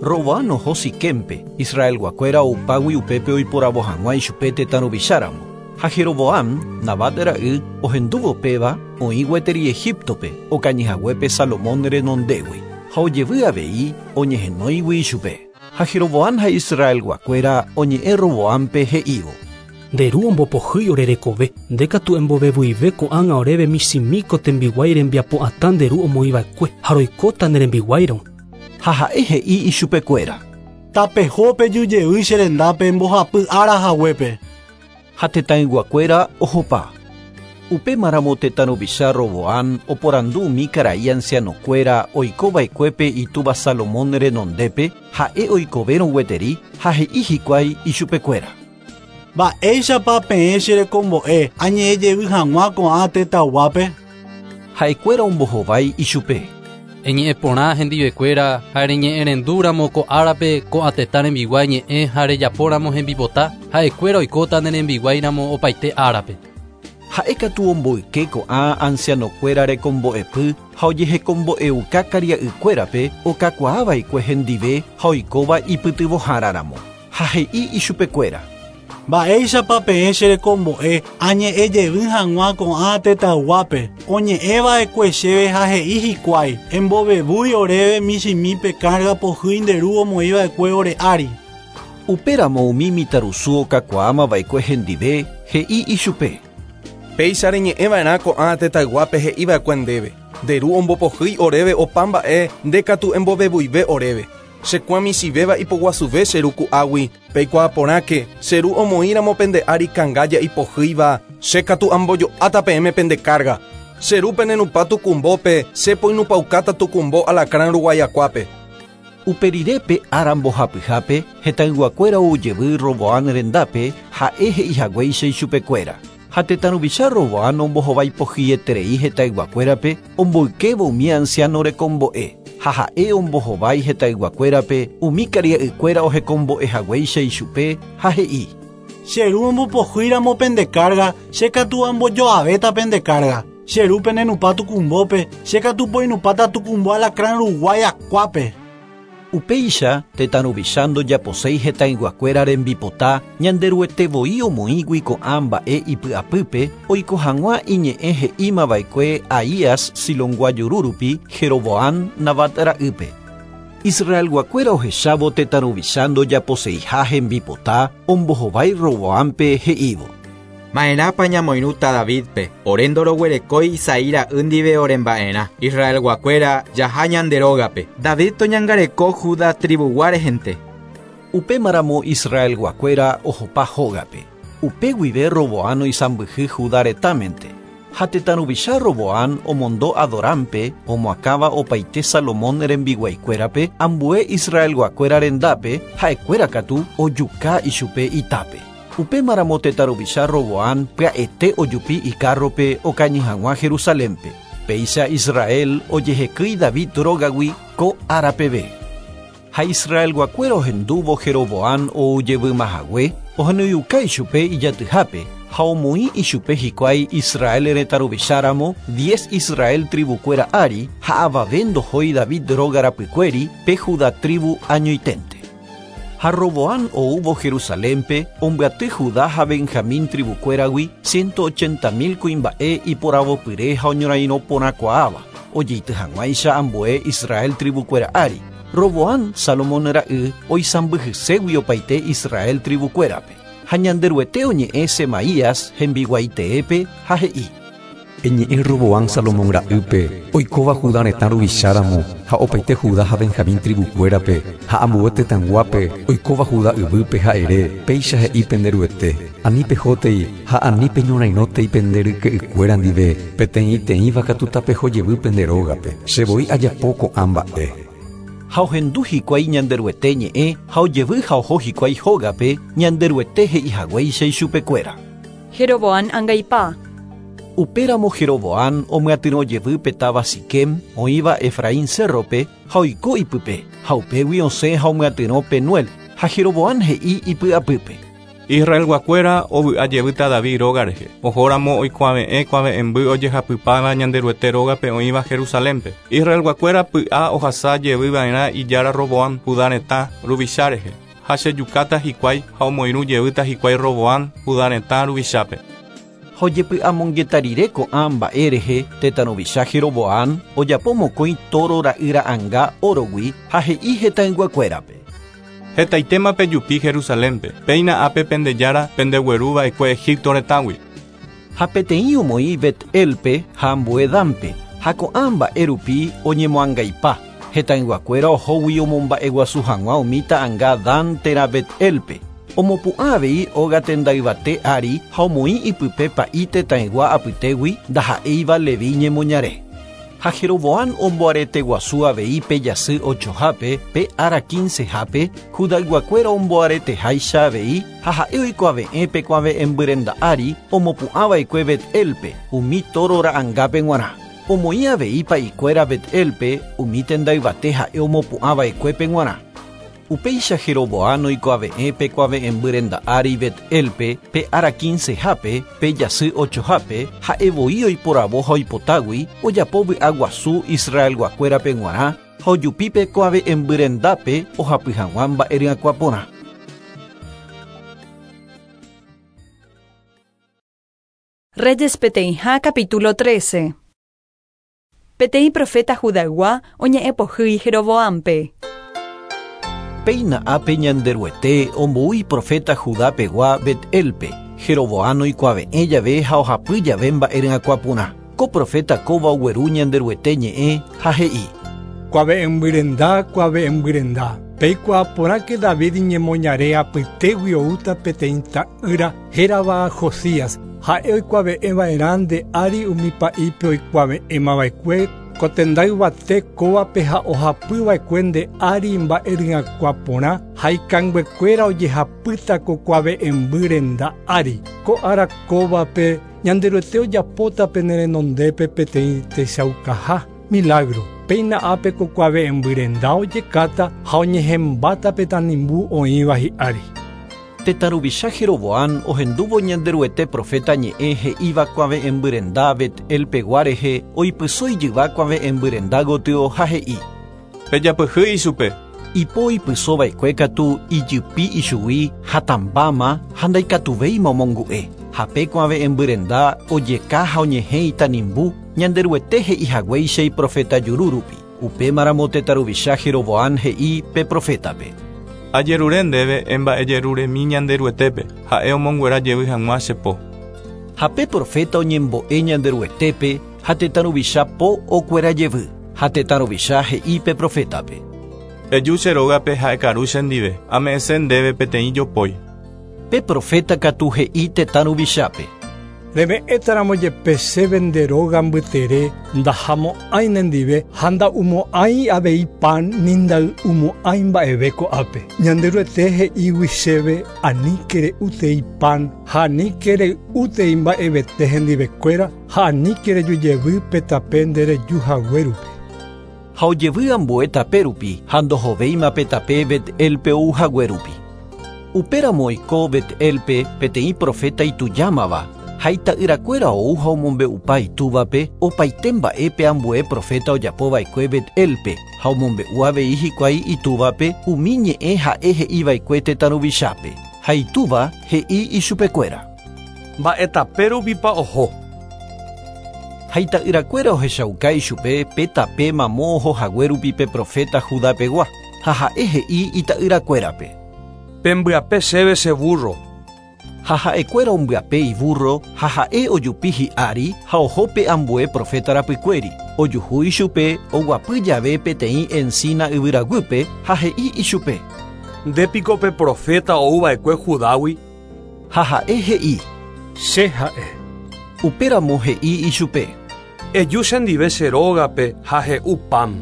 Speaker 2: Roboam oho Siquempe, Israelguakuéra oupágui upépe oiporavo hag̃ua ichupe tetã ruvicháramo. Ha Jeroboam, Nabat ra'y, ohendúvo péva oĩ gueteri Egiptope, okañyhaguépe Salomón renondégui, ha ojevy avei oñehenóigui ichupe. Ha Jeroboam ha Israelguakuéra oñe'ẽ Roboampe he'ívo.
Speaker 8: Nde ru ombopohýi ore rekove, nde katu embovevuive ko'ág̃a oréve michĩmíko tembiguái rembiapo'atã nde ru omoĩva'ekue ha roikóta ne rembiguáirõ.
Speaker 2: Ha ha'e he'i ichupekuéra.
Speaker 7: Tapeho pejujey che rendápe mbohapy ára haguépe.
Speaker 2: Ha tetãyguakuéra ohopa. Upémaramo tetã ruvicha Roboam oporandu umi karai ancianokuéra oikova'ekuépe itúva Salomón renondépe ha'e oikovérõ gueteri ha he'i hikuái ichupekuéra.
Speaker 7: Mba'éichapa peẽ cherekombo'e añe'ẽjevy hag̃ua ko'ã tetãyguápe.
Speaker 2: Ha'ekuéra ombohovái ichupe.
Speaker 16: Eñe'ẽ porã hendivekuéra ha reñe'ẽrendúramo ko árape ko'ã tetã rembiguái ñe'ẽ ha rejapóramo hembipota ha'ekuéra oikóta ne rembiguáiramo opaite árape.
Speaker 2: Ha'e katu omboyke ko'ã ancianokuéra rekombo'epy ha ojehekombo'euka karia'ykuérape okakuaava'ekue hendive ha oikóva ipytyvõháraramo. Ha he'i ichupekuéra.
Speaker 7: Mba'éichapa peẽ cherekombo'e añe'ẽjevy hag̃ua ko'ã tetãyguápe oñe'ẽva'ekue chéve ha he'i hikuái embovevúi oréve michĩmípe carga pohýi nde ru omoĩva'ekue ore ári.
Speaker 2: Upéramo umi mitãrusu okakuaamava'ekue hendive he'i ichupe.
Speaker 5: Péicha reñe'ẽva'erã ko'ã tetãyguápe he'iva'ekue ndéve. Nde ru ombopohýi oréve opa mba'e nde katu embovevuive oréve. Chekuã michĩvéva ipoguasuve che ru ku'águi, peikuaa porãke che ru omoĩramo pende ári kangája ipohýiva, che katu ambojo'áta peẽme pende carga. Che ru penenupa tukumbópe, che poinupaukáta tukumbo alacrán ruguayakuápe.
Speaker 2: Uperirépe ára mbohapyhápe hetãyguakuéra oujevy Roboam rendápe ha'e he'ihaguéicha ichupekuéra. Ha tetã ruvicha Roboam ombohovaipohýieterei hetãyguakuérape omboykévo umi anciano rekombo'e. Ha ha'e ombohovái hetãyguakuérape umi karia'ykuéra ohekombo'ehaguéicha ichupe ha he'i.
Speaker 7: Che ru ombopohýiramo pende carga, che katu ambojo'avéta pende carga. Che ru penenupa tukumbópe, che katu poinupáta tukumbo alacrán ruguái akuápe.
Speaker 2: Upéicha tetã ruvicha ndojaposéi hetãyguakuéra rembipota Ñanderuetevoi omoĩgui ko'ã mba'e ipy'apýpe oiko hag̃ua iñe'ẽ he'ímava'ekue Ahías Silongua jurúrupi Jeroboam Nabat ra'ýpe. Israelguakuéra ohechávo tetã ruvicha ndojaposeiha hembipota ombohovái Roboampe he'ívo.
Speaker 9: Ma'erãpa ñamoirũta Davidpe, ore ndoroguerekói Isaí ra'y ndive oremba'erã. Israelguakuéra jaha ñande rógape. David toñangareko Judá tribugua rehente.
Speaker 2: Upémaramo Israelguakuéra ohopa hógape. Upe guive Roboam oisãmbyhy Judá retãmente. Ha tetã ruvicha Roboam omondo Adorampe omoakãva opaite Salomón rembiguaikuérape ambue Israelguakuéra rendápe ha'ekuéra katu ojuka ichupe itápe. Upémaramo tetã ruvicha Roboam pya'ete ojupi ikárrope okañy hag̃ua Jerusalénpe. Péicha Israel ojehekýi David rógagui ko ára peve. Ha Israelguakuéra ohendúvo Jeroboam oujevymahague ohenoiuka ichupe ijatyhápe ha omoĩ ichupe hikuái Israel retã ruvicháramo diez Israel tribukuéra ári ha avave ndohói David róga rapykuéri pe Judá tribu añoiténte. Ha Roboam oúvo Jerusalénpe ombyaty Judá ha Benjamín tribukuéragui ciento ochenta mil kuimba'e iporavopyre ha oñorairõ porãkuaáva ojeity hag̃uáicha ambue Israel tribukuéra ári. Roboam Salomón ra'y oisãmbyhységui opaite Israel tribukuérape. Ha Ñanderuete oñe'ẽ Semaías hembiguaiteépe ha he'i.
Speaker 12: Eñe'ẽ Roboam Salomón ra'ýpe, oikóva Judá retã ruvicháramo, ha opaite Judá ha Benjamín tribukuérape, ha ambue tetãyguápe, oikóva Judá yvýpe ha ere, péicha he'i penderuete, ani pehótei ha ani peñorairõtei pende ryke'ykuéra ndive, peteĩteĩva katu tapeho jevy pende rógape, che voi ajapo ko'ã mba'e.
Speaker 2: Ha ohendu hikuái Ñanderuete ñe'ẽ ha ojevy ha oho hikuái hógape Ñanderuete he'ihaguéicha ichupekuéra.
Speaker 1: Jeroboam angaipa.
Speaker 2: Upéramo Jeroboam omyatyrõ jevy pe táva Siquem oĩva Efraín cerrope ha oiko ipype, ha upégui osẽ ha omyatyrõ Penuel, ha Jeroboam he'i ipy'apýpe.
Speaker 5: Israelguakuéra ovy'a jevýta David róga rehe. Ohóramo oikuave'ẽ kuave'ẽmby ojehapypáva Ñanderuete rógape oĩva Jerusalénpe. Israelguakuéra py'a ohasa jevyva'erã ijára Roboam Judá retã ruvicha rehe. Ha chejukáta hikuái ha omoirũ jevýta hikuái Roboam Judá retã ruvichápe.
Speaker 2: Ha ojepy'amongetarire ko'ã mba'e rehe tetã ruvicha Jeroboam ojapo mokõi toro ra'yra'ãnga órogui ha he'i hetãyguakuérape.
Speaker 5: Hetaitéma pejupi Jerusalénpe, péina ápe pendejára pendegueruva'ekue Egipto retãgui.
Speaker 2: Ha peteĩ omoĩ Bet-elpe ha ambue Danpe, ha ko'ã mba'e rupi oñemoangaipa, hetãyguakuéra ohógui omomba'eguasu hag̃ua umi ta'ãnga Dan térã Bet-elpe. Omopu'ã avei óga tendayvate ári ha omoĩ ipype pa'i tetãygua apytégui ndaha'éiva Levi ñemoñare. Ha Jeroboam omboareteguasu avei pe jasy ochohápe pe ára quincehápe Judayguakuéra omboareteháicha avei ha ha'e oikuave'ẽ pe kuave'ẽmbyrenda ári omopu'ãva'ekue Bet-elpe umi toro ra'ãngápe g̃uarã. Omoĩ avei pa'ikuéra Bet-elpe umi tendayvate ha'e omopu'ãva'ekuépe g̃uarã. Upéicha Jeroboam oikuave'ẽ pe kuave'ẽmbyrenda ári Bet-elpe pe ára quincehápe pe jasy ochohápe ha'evoi oiporavo ha oipotágui ojapo vy'aguasu Israelguakuérape g̃uarã ha ojupi pe kuave'ẽmbyrendápe ohapy hag̃ua mba'e ryakuã porã.
Speaker 1: Reyes peteĩha capítulo trece. Peteĩ profeta Judaygua oñe'ẽpohýi Jeroboampe.
Speaker 2: Péina ápe Ñanderuete omboúi profeta Judapegua Bet-elpe, Jeroboam oikuave'ẽ jave ha ohapy jave mba'e ryakuã porã. Ko profeta kóva ogueru Ñanderuete ñe'ẽ ha he'i.
Speaker 4: Kuave'ẽmbyrenda, kuave'ẽmbyrenda. Peikuaaporãke David ñemoñare apytégui oúta peteĩ ta'ýra hérava Josías. Ha'e oikuave'ẽva'erã nde ári umi pa'ípe oikuave'ẽmava'ekue ko tendayvate kóvape ha ohapyva'ekue nde ári mba'e ryakuã porã ha ikanguekuéra ojehapýta ko kuave'ẽmby renda ári. Ko ára kóvape Ñanderuete ojapóta pene renondépe peteĩ techaukaha milagro. Péina ápe ko kuave'ẽmby renda ojekáta ha oñehẽmbáta pe tanimbu oĩva hi'ári.
Speaker 2: Tetã ruvicha Jeroboam ohendúvo Ñanderuete profeta ñe'ẽ he'íva kuave'ẽmbyrenda Bet-elpegua rehe oipyso ijyva kuave'ẽmbyrenda gotyo ha he'i.
Speaker 5: Pejapyhy ichupe.
Speaker 2: Ipo ipysova'ekue katu ijypi ichugui hatãmbáma ha ndaikatuvéima omongu'e. Ha pe kuave'ẽmbyrenda ojeka ha oñehẽ itanimbu Ñanderuete he'ihaguéicha iprofeta juru rupi. Upémaramo tetã ruvicha Jeroboam he'i pe profétape.
Speaker 5: Ajerure ndéve emba'ejeruremi Ñanderuetépe, ha'e omonguera jevy hag̃ua che po.
Speaker 2: Ha pe profeta oñembo'e Ñanderuetépe ha tetã ruvicha po okuera jevy. Ha tetã ruvicha he'i pe profétape.
Speaker 5: Eju che rógape ha ekaru chendive, ame'ẽse ndéve peteĩ jopói.
Speaker 2: Pe profeta katu he'i tetã ruvichápe.
Speaker 4: Reme'ẽtaramo jepe chéve nde róga mbytere ndahamo'ãi nendive ha nda'umo'ãi avei pan ni nday'umo'ãi mba'eve ko'ápe. Ñanderuete he'ígui chéve aníke re'útei pan ha aníke rey'útei mba'evete hendivekuéra ha aníke rejujevy pe tape nde rejuhague rupi.
Speaker 2: Ha ojevy ambue tape rupi ha ndohovéima pe tape Bet-elpe ouhague rupi. Upéramo oiko Bet-elpe peteĩ profeta itujámava ha ita'yrakuéra ou ha omombe'upa itúvape opaite mba'épe ambue profeta ojapova'ekue Bet-elpe ha omombe'u avei hikuái itúvape umi ñe'ẽ ha'e he'iva'ekue tetã ruvichápe. Ha itúva he'i ichupekuéra.
Speaker 11: Mba'e tape rupipa oho.
Speaker 2: Ha ita'yrakuéra ohechauka ichupe pe tape mamo ohohague rupi pe profeta Judapegua ha ha'e he'i ita'yrakuérape.
Speaker 11: Pembyape chéve che burro.
Speaker 2: Ha ha'ekuéra ombyape iburro, ha ha'e ojupi hi'ári, ha oho pe ambue profeta rapykuéri. Ojuhu ichupe, oguapy jave peteĩ encina yvyraguýpe, ha he'i ichupe.
Speaker 11: Ndépiko pe profeta ouva'ekue Judágui?
Speaker 2: Ha ha'e he'i.
Speaker 4: Che ha'e.
Speaker 2: Upéramo he'i ichupe.
Speaker 11: Eju chendive che rógape ha he'u pan.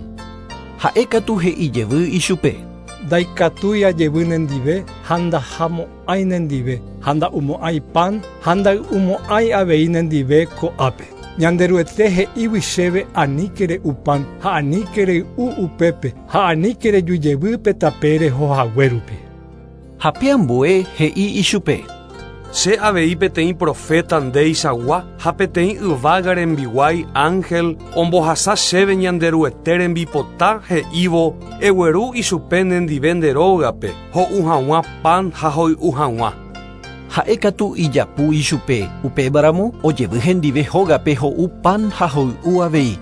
Speaker 2: Ha'e katu he'i jevy ichupe.
Speaker 4: Ndaikatúi ajevy nendive ha ndahamo'ãi nendive, ha nda'umo'ãi pan ha nday'umo'ãi avei nendive ko'ápe. Ñanderuete he'ígui chéve aníke re'u pan ha aníke rey'u upépe ha aníke rejujevy pe tape rehohague rupi.
Speaker 2: Ha pe ambue he'i ichupe.
Speaker 11: Che avei peteĩ profeta ndeichagua ha peteĩ yvága rembiguái ángel ombohasa chéve Ñanderuete rembipota he'ívo egueru ichupe nendive nde rógape ho'u hag̃ua pan ha hoy'u hag̃ua.
Speaker 2: Ha'e katu ijapu ichupe, upévaramo ojevy hendive hógape ho'u pan ha hoy'u avei.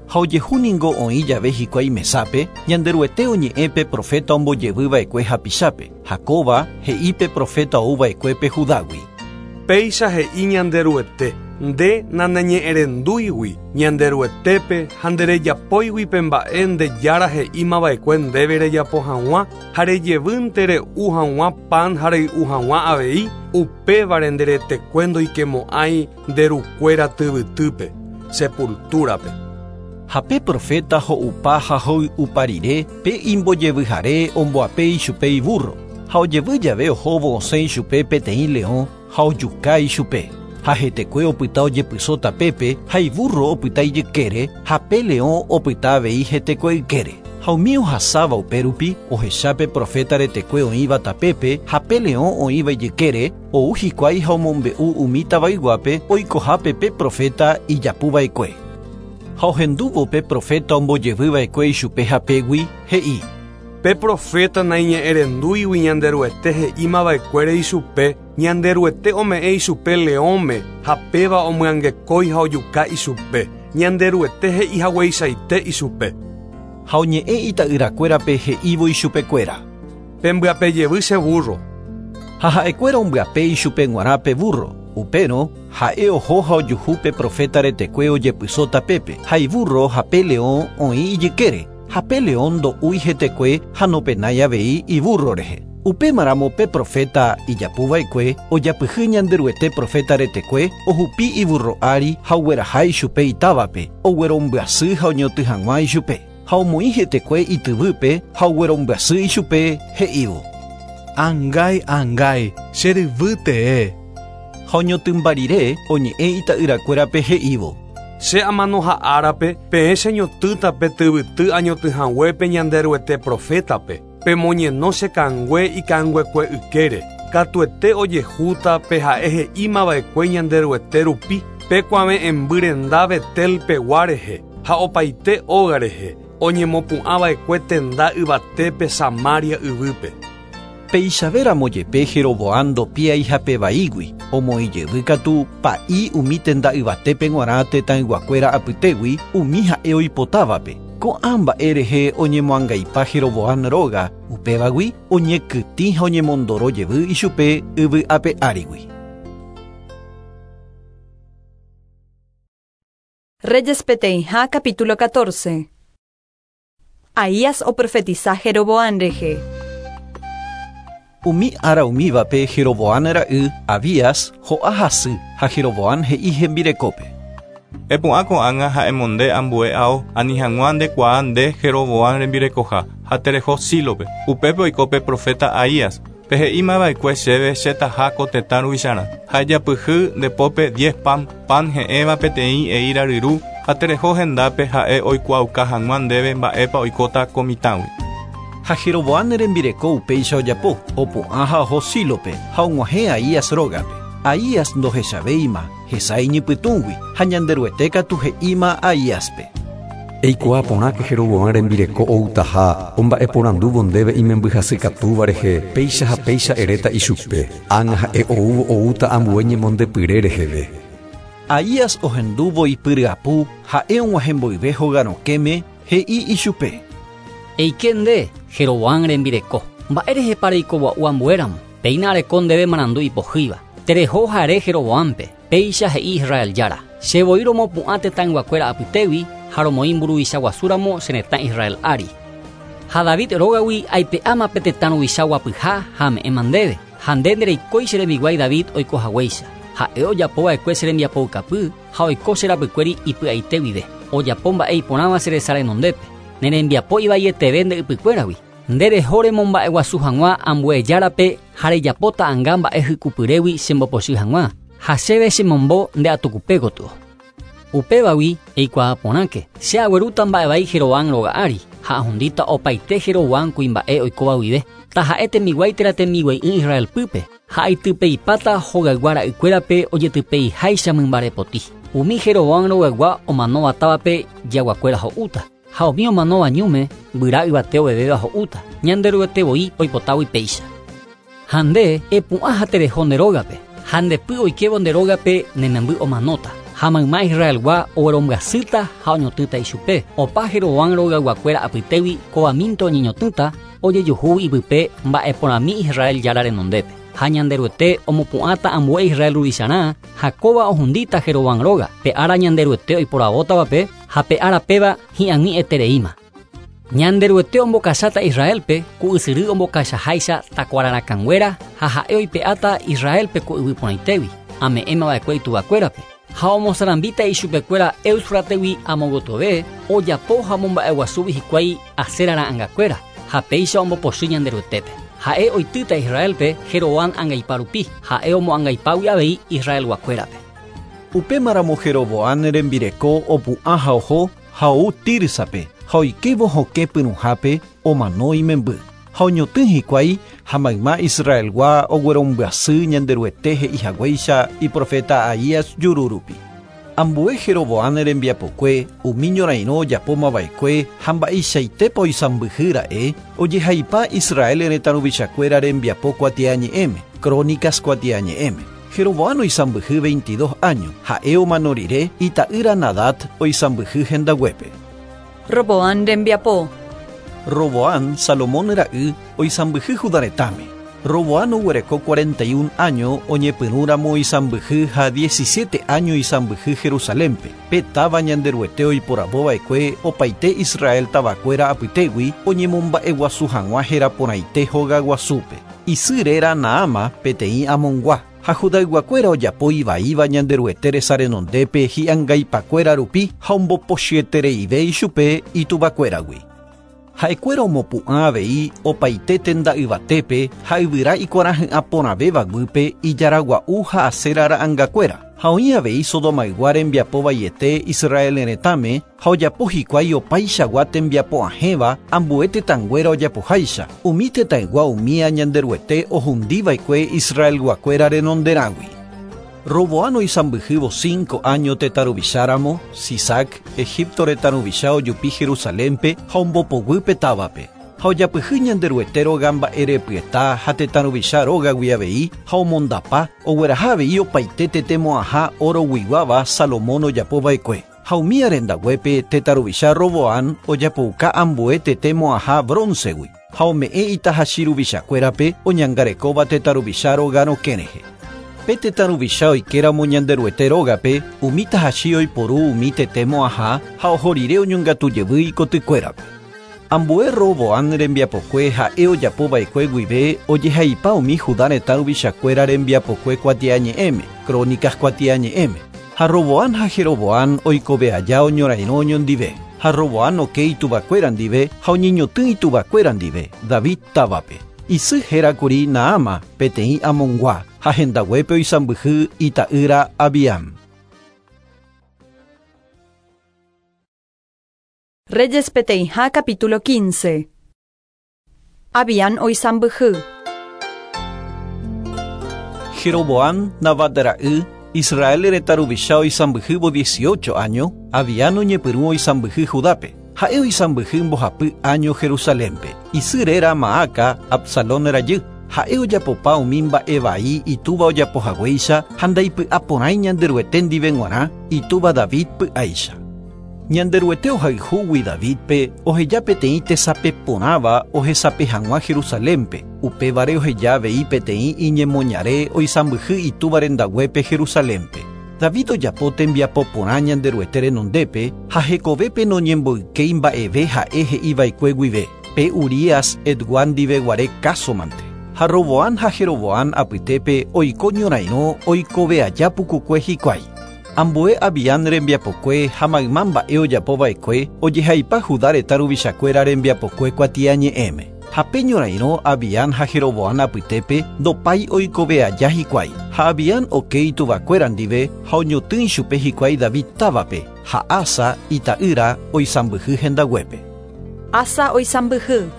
Speaker 2: Ha ojehu ningo oĩ jave hikuái mesápe, Ñanderuete oñe'ẽ pe profeta ombojevyva'ekue hapichápe, ha kóva he'i pe profeta ouva'ekuépe Judágui.
Speaker 11: Péicha he'i Ñanderuete, nde naneñe'ẽrendúigui Ñanderuetépe ha nderejapóigui pe mba'e nde jára he'ímava'ekue ndéve rejapo hag̃ua ha rejevýnte re'u hag̃ua pan ha rey'u hag̃ua avei, upévare nderetekue ndoikemo'ãi nderukuéra tyvytýpe, sepultúrape.
Speaker 2: Ha pe profeta ho'upa ha hoy'upa rire pe imbojevyhare omboape ichupe iburro, ha ojevy jave ohóvo osẽ ichupe peteĩ leõ ha ojuka ichupe. Ha hetekue opyta ojepyso tapépe ha iburro opyta ijykére ha pe leõ opyta avei hetekue ykére. Ha umi ohasáva upérupi ohecha pe profeta retekue oĩva tapépe ha pe leõ oĩva ijykére ou hikuái ha omombe'u umi tavayguápe oikohápe pe profeta ijapuva'ekue. Ha ohendúvo pe profeta ombojevyva'ekue ichupe hapégui he'i.
Speaker 11: Pe profeta naiñe'ẽrendúigui Ñanderuete he'ímava'ekuére ichupe, Ñanderuete ome'ẽ ichupe leõme ha péva omyangekói ha ojuka ichupe. Ñanderuete he'ihagueichaite ichupe.
Speaker 2: Ha oñe'ẽ ita'yrakuérape he'ívo ichupekuéra.
Speaker 11: Pembyapejevy che burro.
Speaker 2: Ha ha'ekuéra ombyape ichupe g̃uarã pe burro. Upérõ ha'e oho ha ojuhu pe profeta retekue ojepyso tapépe, ha iburro ha pe leõ oĩ ijykére, ha pe leõ ndo'úi hetekue ha nopenái avei iburro rehe. Upémaramo pe profeta ijapuva'ekue ojapyhy Ñanderuete profeta retekue ohupi iburro ári ha ogueraha ichupe itávape, oguerombyasy ha oñotỹ hag̃ua ichupe. Ha omoĩ hetekue ityvýpe ha oguerombyasy ichupe he'ívo.
Speaker 5: Angái, angái, che ryvy tee.
Speaker 2: Ha oñotỹmba rire oñe'ẽ ita'yrakuérape he'ívo.
Speaker 11: Che amanoha árape peẽ cheñotỹta pe tyvyty añotỹhaguépe Ñanderuete profétape, pemoñeno che kangue ikanguekue ykére, katuete ojehúta pe ha'e he'ímava'ekue Ñanderuete rupi, pe kuave'ẽmby renda Betel pegua rehe ha opaite óga rehe, oñemopu'ãva'ekue tenda yvatépe Samaria yvýpe.
Speaker 2: Peichavéramo jepe Jeroboam ndopiái hapevaígui, omoĩjevy katu pa'i umi tenda yvatépe g̃uarã tetãyguakuéra apytégui umi ha'e oipotávape. Ko'ã mba'e rehe oñemoangaipa Jeroboam róga, upévagui oñekytĩ ha oñemondoro jevy ichupe yvy ape árigui.
Speaker 1: Reyes peteĩha capítulo catorce. Ahías oprofetiza Jeroboam rehe.
Speaker 2: Umi ára umívape Jeroboam ra'y Abías ho'a hasy ha Jeroboam he'i hembirekópe.
Speaker 5: Epu'ã ko'ág̃a ha emonde ambue ao ani hag̃ua ndekuaa nde Jeroboam rembirekoha ha tereho Sílope. Upépe oiko pe profeta Ahías. Pe he'ímava'ekue chéve chetaha ko tetã ruvicharã. Ha ejapyhy ndepópe diez pan, pan he'ẽva peteĩ eíra ryru ha tereho hendápe ha'e oikuaauka hag̃ua ndéve mba'épa oikóta ko mitãgui.
Speaker 2: Ha Jeroboam rembireko upéicha ojapo, opu'ã ha oho Sílope ha og̃uahẽ Ahías rógape. Ahías ndohechavéima hesa iñypytũgui ha Ñanderuete katu he'íma Ahíaspe.
Speaker 12: Eikuaa porãke Jeroboam rembireko outaha omba'eporandúvo ndéve imembyhasykatúva rehe, péicha ha péicha eréta ichupe, ág̃a ha'e oúvo oúta ambue ñemondepyre reheve.
Speaker 2: Ahías ohendúvo ipyryapu ha'e og̃uahẽmboyve hogarõkéme he'i ichupe.
Speaker 10: Eike nde, Jeroboam rembireko, mba'e rehepa reikogua'u ambuéramo, péina areko ndéve marandu ipohýiva. Tereho hare Jeroboampe, péicha he'i Israel jára. Che voi romopu'ã tetãyguakuéra apytégui ha romoĩ mburuvicha guasúramo che retã Israel ári. Ha David rógagui aipe'áma pe tetã ruvicha guapyha ha ame'ẽma ndéve. Ha nde ndereikói che rembiguái David oikohaguéicha. Ha'e ojapova'ekue che rembiapoukapy ha oiko che rapykuéri ipy'aite guive. Ojapo mba'e iporãva che resa renondépe. Ne rembiapo ivaieteve nde ypykuéragui. Nde reho remomba'eguasu hag̃ua ambue járape ha rejapóta anga mba'e hykupyrégui chembopochy hag̃ua. Ha chéve chemombo nde atukupe gotyo. Upévagui eikuaa porãke. Che aguerúta mba'evai Jeroboam róga ári ha ahundíta opaite Jeroboam kuimba'e oikóva guive. Taha'e tembiguái térã tembiguai'ỹ Israel pýpe. Ha aitypeipáta hogaygua ra'ykuérape ojetypeiháicha mymbarepoti. Umi Jeroboam rogaygua omanóva távape jaguakuéra ho'úta. Ha umi omanóva ñúme guyra yvate ovevéva ho'úta. Ñanderuete voi oipotágui péicha. Ha nde epu'ã ha tereho nde rógape. Ha ndepy oikévo nde rógape ne memby omanóta. Ha mayma Israelgua oguerombyasýta ha oñotỹta ichupe. Opa Jeroboam rogayguakuéra apytégui kovamínte oñeñotỹta ojejuhu ipype mba'eporãmi Israel jára renondépe. Ha Ñanderuete omopu'ãta ambue Israel ruvicharã ha kóva ohundíta Jeroboam róga. Pe ára Ñanderuete oiporavótavape ha pe ára péva hi'ag̃uietereíma. Ñanderuete ombokacháta Israelpe ku ysyry ombokachaháicha takuararakãnguéra ha ha'e oipe'áta Israelpe ku yvy porãitégui ame'ẽmava'ekue ituvakuérape. Ha omosarambíta ichupekuéra Éufrategui amogotove ojapo ha omomba'eguasúgui hikuái Asera ra'ãngakuéra ha péicha ombopochy Ñanderuetépe. Ha'e oitýta Israelpe Jeroboam angaipa rupi, ha'e omoangaipágui avei Israelguakuérape.
Speaker 2: Upémaramo Jeroboam rembireko opu'ã ha oho ha ou Tirsape ha oikévo hokẽ pyrũhápe omano imemby. Ha oñotỹ hikuái ha mayma Israelgua oguerombyasy Ñanderuete he'ihaguéicha iprofeta Ahías juru rupi. Ambue Jeroboam rembiapokue umi ñorairõ ojapómava'ekue ha mba'eichaitépa oisãmbyhy ra'e ojehaipa Israel retã ruvichakuéra rembiapo kuatiañe'ẽme, Crónicas kuatiañe'ẽme. Jeroboam oisãmbyhy veintidós años, ha'e omano rire ita'ýra Nadab oisãmbyhy hendaguépe.
Speaker 1: Roboam rembiapo.
Speaker 2: Roboam Salomón ra'y oisãmbyhy Judá retãme. Roboam oguereko cuarenta y un años oñepyrũramo oisãmbyhy ha diecisiete años oisãmbyhy Jerusalénpe. Pe táva Ñanderuete oiporavóva'ekue opaite Israel tavakuéra apytégui oñemomba'eguasu hag̃ua heraporãite hogaguasúpe. Isy réra Naama peteĩ Amongua. Ha Judayguakuéra ojapo ivaíva Ñanderuete resa renondépe hi'angaipakuéra rupi ha ombopochyetereive ichupe ituvakuéragui. Ha'ekuéra omopu'ã avei opaite tenda yvatépe ha yvyra ikuarahy'ã porãvéva guýpe ijaragua'u ha Asera ra'ãngakuéra. Ha oĩ avei Sodomaygua rembiapo vaiete Israel retãme ha ojapo hikuái opaichagua tembiapo ahẽva ambue tetãnguéra ojapoháicha. Umi tetãygua umía Ñanderuete ohundiva'ekue Israelguakuéra renonderãgui. Roboam oisãmbyhývo cinco años tetã ruvicháramo, Sisac, Egipto retã ruvicha ojupi Jerusalénpe ha ombopoguýpe távape. Ha ojapyhy Ñanderuete róga mba'erepyeta ha tetã ruvicha rógagui avei ha omondapa ogueraha avei opaite tetemo'ãha oroguiguáva Salomón ojapova'ekue. Ha umi arendaguépe tetã ruvicha Roboam ojapouka ambue tetemo'ãha broncegui ha ome'ẽ itahachi ruvichakuérape oñangarekóva tetã ruvicha róga rokẽ rehe. Pe tetã ruvicha oikéramo Ñanderuete rógape umi tahachi oiporu umi tetemo'ãha ha oho rire oñongatujevy ikotykuérape. Ambue Roboam rembiapokue ha'e ojapova'ekue guive ojehaipa umi Judá retã ruvichakuéra rembiapokue kuatiañe'ẽme, Crónicas kuatiañe'ẽme. Ha Roboam ha Jeroboam oikove aja oñorairõ oñondive. Ha Roboam oke ituvakuéra ndive ha oñeñotỹ ituvakuéra ndive David távape. Isy hérakuri Naama peteĩ Amongua ha hendaguépe oisãmbyhy ita'ýra Abiam.
Speaker 1: Reyes peteĩha capítulo quince. Abiam oisãmbyhy.
Speaker 2: Jeroboam Nabat ra'y Israel retã ruvicha oisãmbyhývo dieciocho años, Abiam oñepyrũ oisãmbyhy Judápe. Ha'e oisãmbyhy mbohapy año Jerusalénpe. Isy réra Maaca Absalón rajy. Ha'e ojapopa umi mba'evai itúva ojapohaguéicha ha ndaipy'aporãi Ñanderuete ndive g̃uarã itúva David py'áicha. Ñanderuete ohayhúgui Davidpe oheja peteĩ tesapeporãva ohesape hag̃ua Jerusalénpe. Upévare oheja avei peteĩ iñemoñare oisãmbyhy itúva rendaguépe Jerusalénpe. David ojapo tembiapo porã Ñanderuete renondépe ha hekovépe noñemboykéi mba'eve ha'e he'iva'ekue guive. Pe Urías Hetgua ndive guare kásomante. Ha Roboam ha Jeroboam apytépe oiko ñorairõ oikove aja pukukue hikuái. Ambue Abiam rembiapokue ha mayma mba'e ojapova'ekue ojehaipa Judá retã ruvichakuéra rembiapokue kuatiañe'ẽme. Ha pe ñorairõ Abiam ha Jeroboam apytépe ndopái oikove aja hikuái. Ha Abiam oke ituvakuéra ndive ha oñotỹ ichupe hikuái David távape ha Asa ita'ýra oisãmbyhy hendaguépe.
Speaker 1: Asa oisãmbyhy.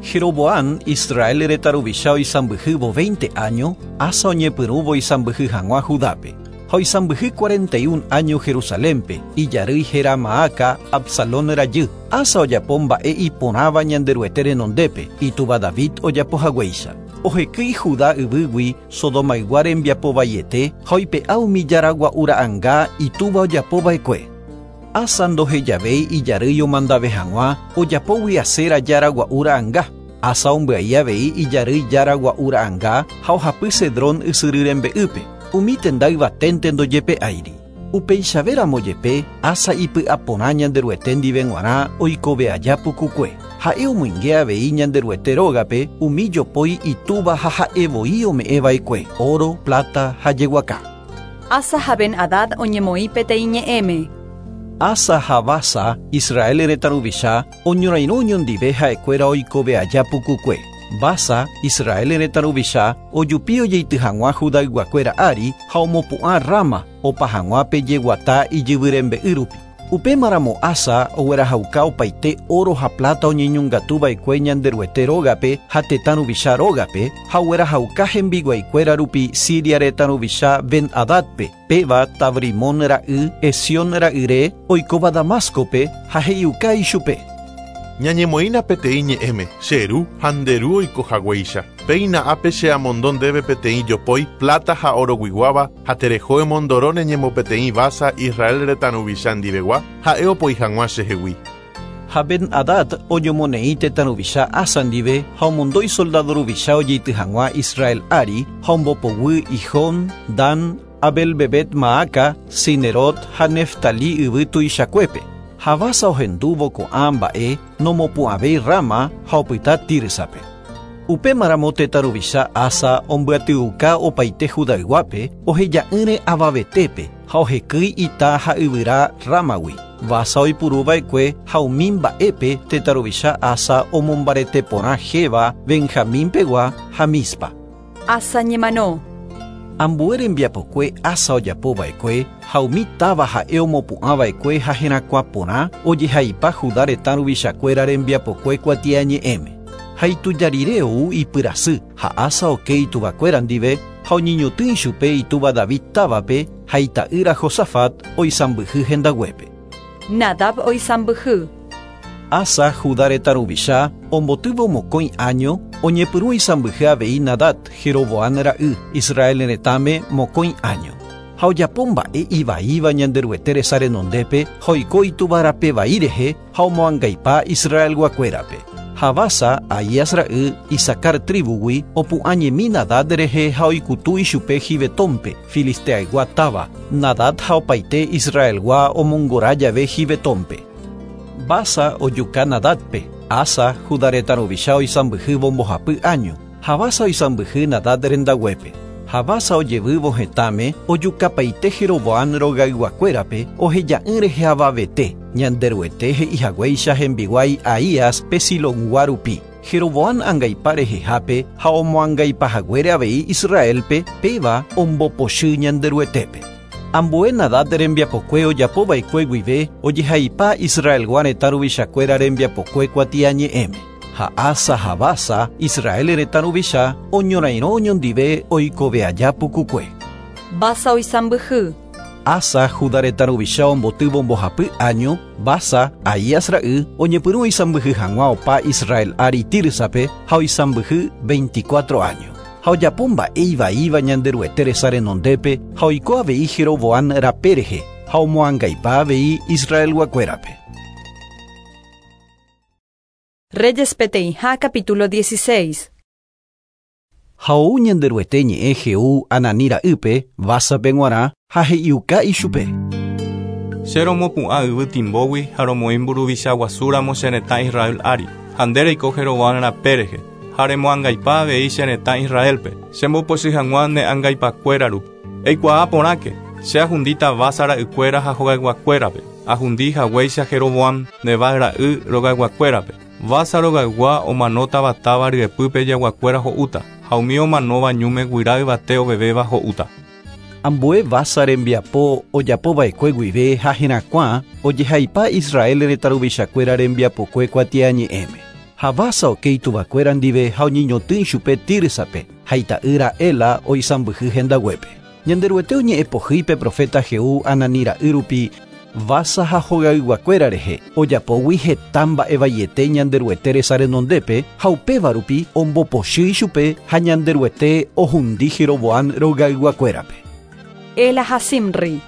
Speaker 2: Jeroboam Israel retã ruvicha oisãmbyhývo veinte año, Asa oñepyrũvo oisãmbyhy hag̃ua Judápe. Ha oisãmbyhy cuarenta y un año Jerusalénpe, ijarýi héra Maaca, Absalón rajy. Asa ojapo mba'e iporãva Ñanderuete renondépe, itúva David ojapohaguéicha. Ohekýi Judá yvýgui Sodomaygua rembiapovaiete ha oipe'a umi jaragua'u ra'ãnga itúva ojapova'ekue. Asa ndohejavéi ijarýi omandave hag̃ua ojapógui Asera jaragua'u ra'ãnga. Asa ombyai avei ijarýi jaragua'u ra'ãnga ha ohapy Cedrón ysyry rembe'ýpe. Umi tenda yvaténte ndojepe'áiri. Upeichavéramo jepe Asa ipy'aporã Ñanderuete ndive g̃uarã oikove aja pukukue. Ha'e omoinge avei Ñanderuete rógape umi jopói itúva ha ha'evoi ome'ẽva'ekue oro, plata ha jeguaka.
Speaker 1: Asa ha Ben-Hadad oñemoĩ peteĩ ñe'ẽme.
Speaker 2: Asa ha Basa, Israel retã ruvicha, oñorairõ oñondive ha'ekuéra oikove aja pukukue. Basa, Israel retã ruvicha, ojupi ojeity hag̃ua Judayguakuéra ári ha omopu'ã Rama opa hag̃ua pe jeguata ijyvyrembe'y rupi. Upémaramo Asa oguerahauka opaite oro ha plata oñeñongatuva'ekue Ñanderuete rógape ha tetã ruvicha rógape ha oguerahauka hembiguaikuéra rupi Siria retã ruvicha Ben-Hadadpe, péva Tabrimón ra'y Esión ra'yre oikóva Damáscope ha he'iuka ichupe.
Speaker 17: Ñañemoĩna peteĩ ñe'ẽme, che ru ha nde ru oikohaguéicha. Péina ápe che amondo ndéve peteĩ jopói, plata ha oroguiguáva, ha tereho emondoro neñemopeteĩ Basa Israel retã ruvicha ndivegua, ha'e opoi hag̃ua chehegui.
Speaker 2: Ha Ben-Hadad oñomoneĩ tetã ruvicha Asa ndive ha omondói soldado ruvicha ojeity hag̃ua Israel ári ha ombopoguy Ijón, Dan, Abel-Bebet Maaca, Sinerot ha Neftali yvy tuichakuépe. Ha Basa ohendúvo ko'ã mba'e nomopu'ãvéi Rama ha opyta Tirsape. Upémaramo tetã ruvicha Asa ombyatyuka opaite Judayguápe oheja'ỹre avavetépe ha ohekýi ita ha yvyra Ramagui. Basa oipuruva'ekue ha umi mba'épe tetã ruvicha Asa omombarete porã Geba, Benjamín pegua ha Mispa.
Speaker 1: Asa ñemano.
Speaker 2: Ambue rembiapokue Asa ojapova'ekue ha umi táva ha'e omopu'ãva'ekue ha herakuã porã ojehaipa Judá retã ruvichakuéra rembiapokue kuatiañe'ẽme. Ha itujarire ou ipyrasy ha Asa oke ituvakuéra ndive ha oñeñotỹ ichupe itúva David távape ha ita'ýra Josafat oisãmbyhy hendaguépe.
Speaker 1: Nadab oisãmbyhy.
Speaker 2: Asa Judá retã ruvicha ombotývo mokõi año oñepyrũ oisãmbyhy avei Nadab Jeroboam ra'y Israel retãme mokõi año. Ha ojapo mba'e ivaíva Ñanderuete resa renondépe ha oiko ituvarape vai rehe ha omoangaipa Israelguakuérape. Ha Basa, Ahías ra'y, Isacar tribugui opu'ãñemi Nadab rehe ha oikutu ichupe Gibetónpe, Filisteaygua táva. Nadab ha opaite Israelgua omongora jave Gibetónpe. Basa ojuka Nadabpe, Asa Judá retã ruvicha oisãmbyhývo mbohapy año, ha Basa oisãmbyhy Nadab rendaguépe. Ha Basa ojevývo hetãme ojukapaite Jeroboam rogayguakuérape oheja'ỹ rehe avavete, Ñanderuete he'ihaguéicha hembiguái Ahías pe Silongua rupi. Jeroboam angaipa rehehápe ha omoangaipahaguére avei Israelpe péva ombopochy Ñanderuetépe. Ambue Nadab rembiapokue ojapova'ekue guive ojehaipa Israelgua retã ruvichakuéra rembiapokue kuatiañe'ẽme. Ha Asa ha Basa, Israel retã ruvicha, oñorairõ oñondive oikove aja pukukue.
Speaker 1: Basa oisãmbyhy.
Speaker 2: Asa Judá retã ruvicha ombotývo mbohapy año, Basa, Ahías ra'y, oñepyrũ oisãmbyhy hag̃ua opa Israel ári Tirsape ha oisãmbyhy veinticuatro año. Ha ojapo mba'e ivaíva Ñanderuete resa renondépe ha oiko avei Jeroboam rape rehe. ha omoangaipa avei Israelguakuérape.
Speaker 1: Reyes peteĩha capítulo dieciséis.
Speaker 2: Ha ou Ñanderuete ñe'ẽ Jehú Anani ra'ýpe Básape g̃uarã ha he'iuka ichupe.
Speaker 5: Che romopu'ã yvy timbógui ha romoĩ mburuvicha guasúramo che retã Israel ári, ha nde reiko Jeroboam rape rehe, ha remoangaipa avei che retã Israelpe, chembopochy hag̃ua ne angaipakuéra rupi. Eikuaa porãke, che ahundíta Basa ra'ykuéra ha hogayguakuérape, ahundi haguéicha Jeroboam Nebat ra'y rogayguakuérape. Basa rogaygua omanótava táva ryepýpe jaguakuéra ho'úta, ha umi omanóva ñúme guyra yvate ovevéva ho'úta.
Speaker 2: Ambue Basa rembiapo ojapova'ekue guive ha herakuã ojehaipa Israel retã ruvichakuéra rembiapokue kuatiañe'ẽme. Ha Basa oke ituvakuéra ndive ha oñeñotỹ ichupe Tirsape ha ita'ýra Ela oisãmbyhy hendaguépe. Ñanderuete oñe'ẽpohýi profeta Jehú Anani ra'y rupi Basa ha hogayguakuéra rehe ojapógui heta mba'evaiete Ñanderuete resa renondépe ha upéva rupi ombopochy ichupe ha Ñanderuete ohundi Jeroboam rogayguakuérape.
Speaker 1: Ela ha Zimri.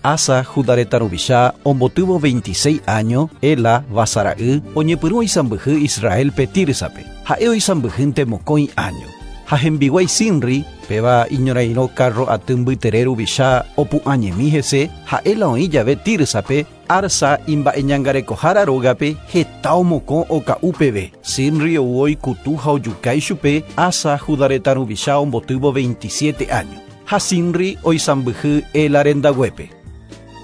Speaker 2: Asa Judá retã ruvicha ombotývo veintiséis año, Ela Basa ra'y oñepyrũ oisãmbyhy Israelpe Tirsape. Ha'e oisãmbyhýnte mokõi año. Ha hembiguái Zimri, péva iñorairõ carro aty mbytere ruvicha opu'ãñemi hese, ha Ela oĩ jave Tirsape, Arsa imba'eñangarekohára rógape heta omokõ oka'u peve. Zimri ou oikutu ha ojuka ichupe, Asa Judá retã ruvicha ombotývo veintisiete año. Ha Zimri oisãmbyhy Ela rendaguépe.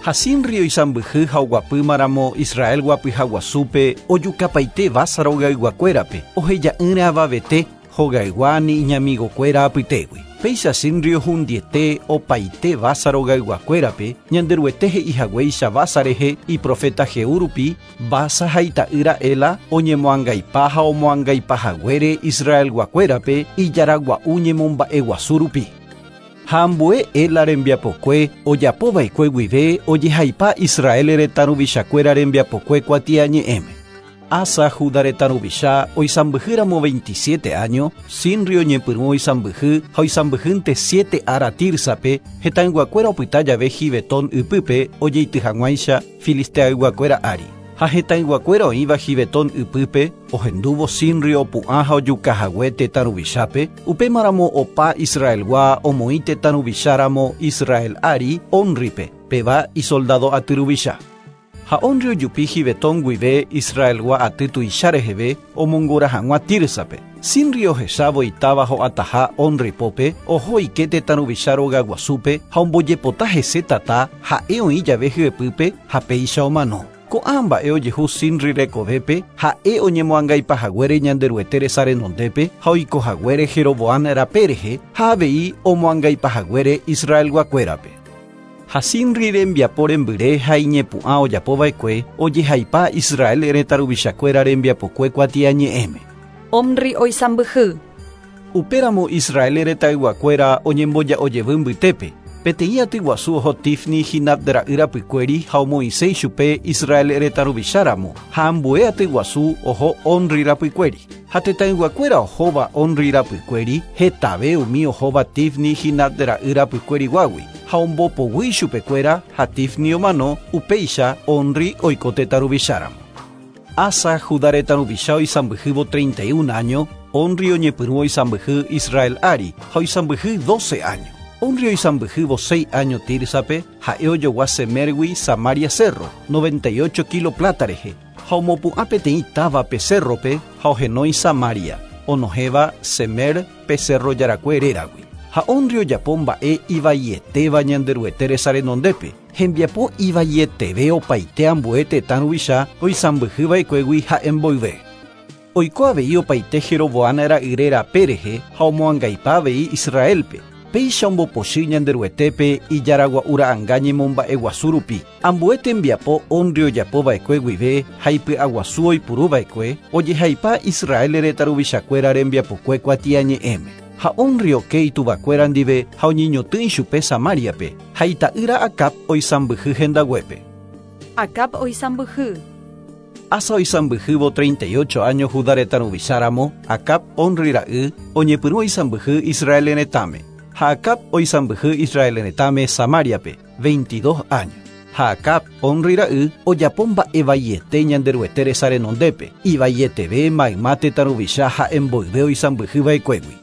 Speaker 2: Ha Zimri oisãmbyhy ha oguapýmaramo Israel guapyhaguasúpe ojukapaite Basa rogayguakuérape, oheja'ỹre avavete hogaygua ni iñamigokuéra apytégui. Péicha Zimri ohundiete opaite Basa rogayguakuérape, Ñanderuete he'ihaguéicha Basa rehe iprofeta Jehú rupi, Basa ha ita'ýra Ela oñemoangaipa ha omoangaipahaguére Israelguakuérape ijaragua'u ñemomba'eguasu rupi. Ha ambue Ela rembiapokue ojapova'ekue guive ojehaipa Israel retã ruvichakuéra rembiapokue kuatiañe'ẽme. Asa Judá retã ruvicha oisãmbyhýramo veintisiete año, Zimri oñepyrũ oisãmbyhy ha oisãmbyhýnte siete ára Tirsape, hetãyguakuéra opyta jave Gibetón ypýpe ojeity hag̃uáicha filisteayguakuéra ári. Ha hetãyguakuéra oĩva Gibetón ypýpe ohendúvo Zimri opu'ã ha ojukahague tetã ruvichápe, upémaramo opa Israelgua omoĩ tetã ruvicháramo Israel ári Omripe, péva isoldado aty ruvicha. Ha Omri ojupi Gibetón guive Israelgua aty tuicha reheve omongora hag̃ua Tirsape. Zimri ohechávo itáva ho'ataha Omri pópe, oho oike tetã ruvicha rogaguasúpe ha ombojepota hese tata ha'e oĩ jave hyepýpe ha péicha omano. Ko'ã mba'e ojehu Zimri rekovépe ha'e oñemoangaipahaguére Ñanderuete resa renondépe ha oikohaguére Jeroboam rape rehe ha avei omoangaipahaguére Israelguakuérape. Ha Zimri rembiapo rembyre ha iñepu'ã ojapova'ekue ojehaipa Israel retã ruvichakuéra rembiapokue kuatiañe'ẽme.
Speaker 1: Omri oisãmbyhy.
Speaker 2: Upéramo Israel retãyguakuéra oñemboja'ojevy mbytépe. Peteĩ aty guasu oho Tifni Ginat ra'y rapykuéri ha omoĩse ichupe Israel retã ruvicháramo, ha ambue aty guasu oho Omri rapykuéri. Ha tetãyguakuéra ohóva Omri rapykuéri hetave umi ohóva Tifni Ginat ra'y rapykuériguágui, ha ombopoguy ichupekuéra ha Tifni omano, upéicha Omri oiko tetã ruvicháramo. Asa Judá retã ruvicha oisãmbyhývo treinta y un año, Omri oñepyrũ oisãmbyhy Israel ári ha oisãmbyhy doce año. Omri oisãmbyhývo seis año Tirsape, ha'e ojogua Semergui Samaria cerro, noventa y ocho kilo plata rehe, ha omopu'ã peteĩ távape cerrope ha ohenói Samaria, onohéva Semer pe cerro jarakue réragui. Ha Omri ojapo mba'e ivaietéva Ñanderuete resa renondépe, hembiapo ivaieteve opaite ambue tetã ruvicha oisãmbyhyva'ekuégui ha'e mboyve. Oiko avei opaite Jeroboam ra'yre rape rehe ha omoangaipa avei Israelpe. Péicha ombopochy Ñanderuetépe ijaragua'u ra'ãnga ñemomba'eguasu rupi. Ambue tembiapo Omri ojapova'ekue guive ha ipy'aguasu oipuruva'ekue ojehaipa Israel retã ruvichakuéra rembiapokue kuatiañe'ẽme. Ha Omri oke ituvakuéra ndive ha oñeñotỹ ichupe Samariape, ha ita'ýra Acab oisãmbyhy hendaguépe.
Speaker 1: Acab oisãmbyhy.
Speaker 2: Asa oisãmbyhývo treinta y ocho año Judá retã ruvicháramo, Acab Omri ra'y oñepyrũ oisãmbyhy Israel retãme. Ha Acab oisãmbyhy Israel retãme Samariape, veintidós años. Ha Acab, Omri ra'y, ojapo mba'evaiete Ñanderuete resa renondépe, ivaieteve mayma tetã ruvicha ha'e mboyve oisãmbyhyva'ekuégui.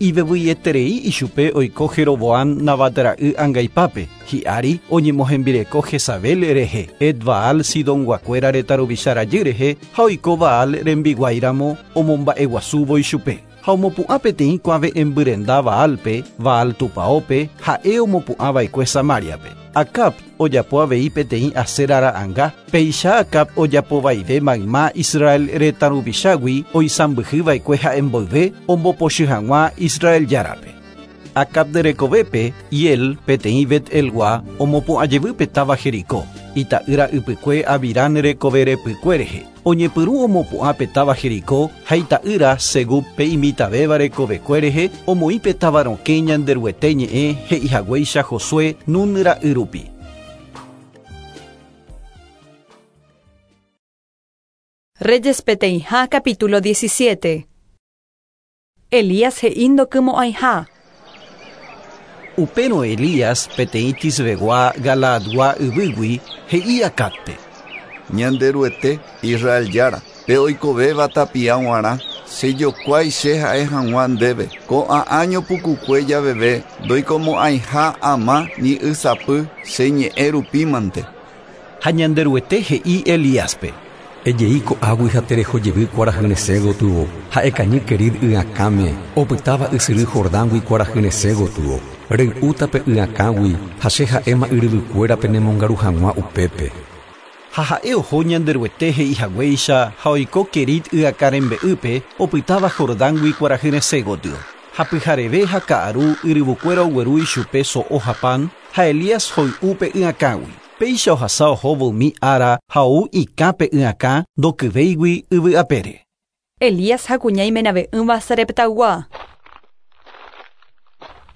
Speaker 2: Ivevyieterei ichupe oiko Jeroboam Nabat ra'y angaipápe, hi'ári oñemohembireko Jezabel rehe, Et-Baal Sidonguakuéra retã ruvicha rajy rehe ha oiko Baal rembiguáiramo omomba'eguasúvo ichupe. Ha omopu'ã peteĩ kuave'ẽmbyrenda Baalpe, Baal tupãópe, ha'e omopu'ãva'ekue Samariape. Acab ojapo avei peteĩ Asera ra'ãnga, péicha Acab ojapovaive mayma Israel retã ruvichágui oisãmbyhyva'ekue ha'e mboyve ombopochy hag̃ua Israel járape. Acab rekovépe, Hiel peteĩ Bet-elgua omopu'ãjevy táva Jericó, ita'ýra ypykue Abirán rekove repykue rehe. Oñepyrũ omopu'ã pe táva Jericó ha ita'ýra Segub pe imitavéva rekovekue rehe omoĩ pe táva rokẽ Ñanderuete ñe'ẽ he'ihaguéicha Josué Nun ra'y rupi.
Speaker 1: Reyes peteĩha capítulo diecisiete. Elías he'i ndokymo'ãiha.
Speaker 2: Upérõ Elías peteĩ Tisbegua Galaadgua yvýgui he'i Acabpe.
Speaker 18: Ñanderuete Israel jára, pe oikovéva tapia g̃uarã, chejokuái che ha'e hag̃ua ndéve. Ko'ã año pukukue javeve ndoikomo'ãiha ama ni ysapy che ñe'ẽ rupímante.
Speaker 2: Ha Ñanderuete he'i Elíaspe.
Speaker 12: Ejei ko'águi ha terehojevy kuarahyresẽ gotyo, ha'ekañy Kerit y'akãme, opytáva ysyry Jordángui kuarahyresẽ gotyo. Rey'úta pe y'akãgui ha che ha'éma yryvykuérape nemongaru hag̃ua upépe.
Speaker 2: Ha ha'e oho Ñanderuete he'ihaguéicha ha oiko Kerit y'akã rembe'ýpe opytáva Jordángui kuarahyresẽ gotyo. Ha pyhareve ha ka'aru yryvukuéra ogueru ichupe so'o ha pan ha Elías hoy'u pe y'akãgui. Péicha ohasa ohóvo umi ára ha ou ikã pe y'akã ndokyvéigui yvy'apére.
Speaker 1: Elías ha kuña imenave'ỹva Sareptaygua.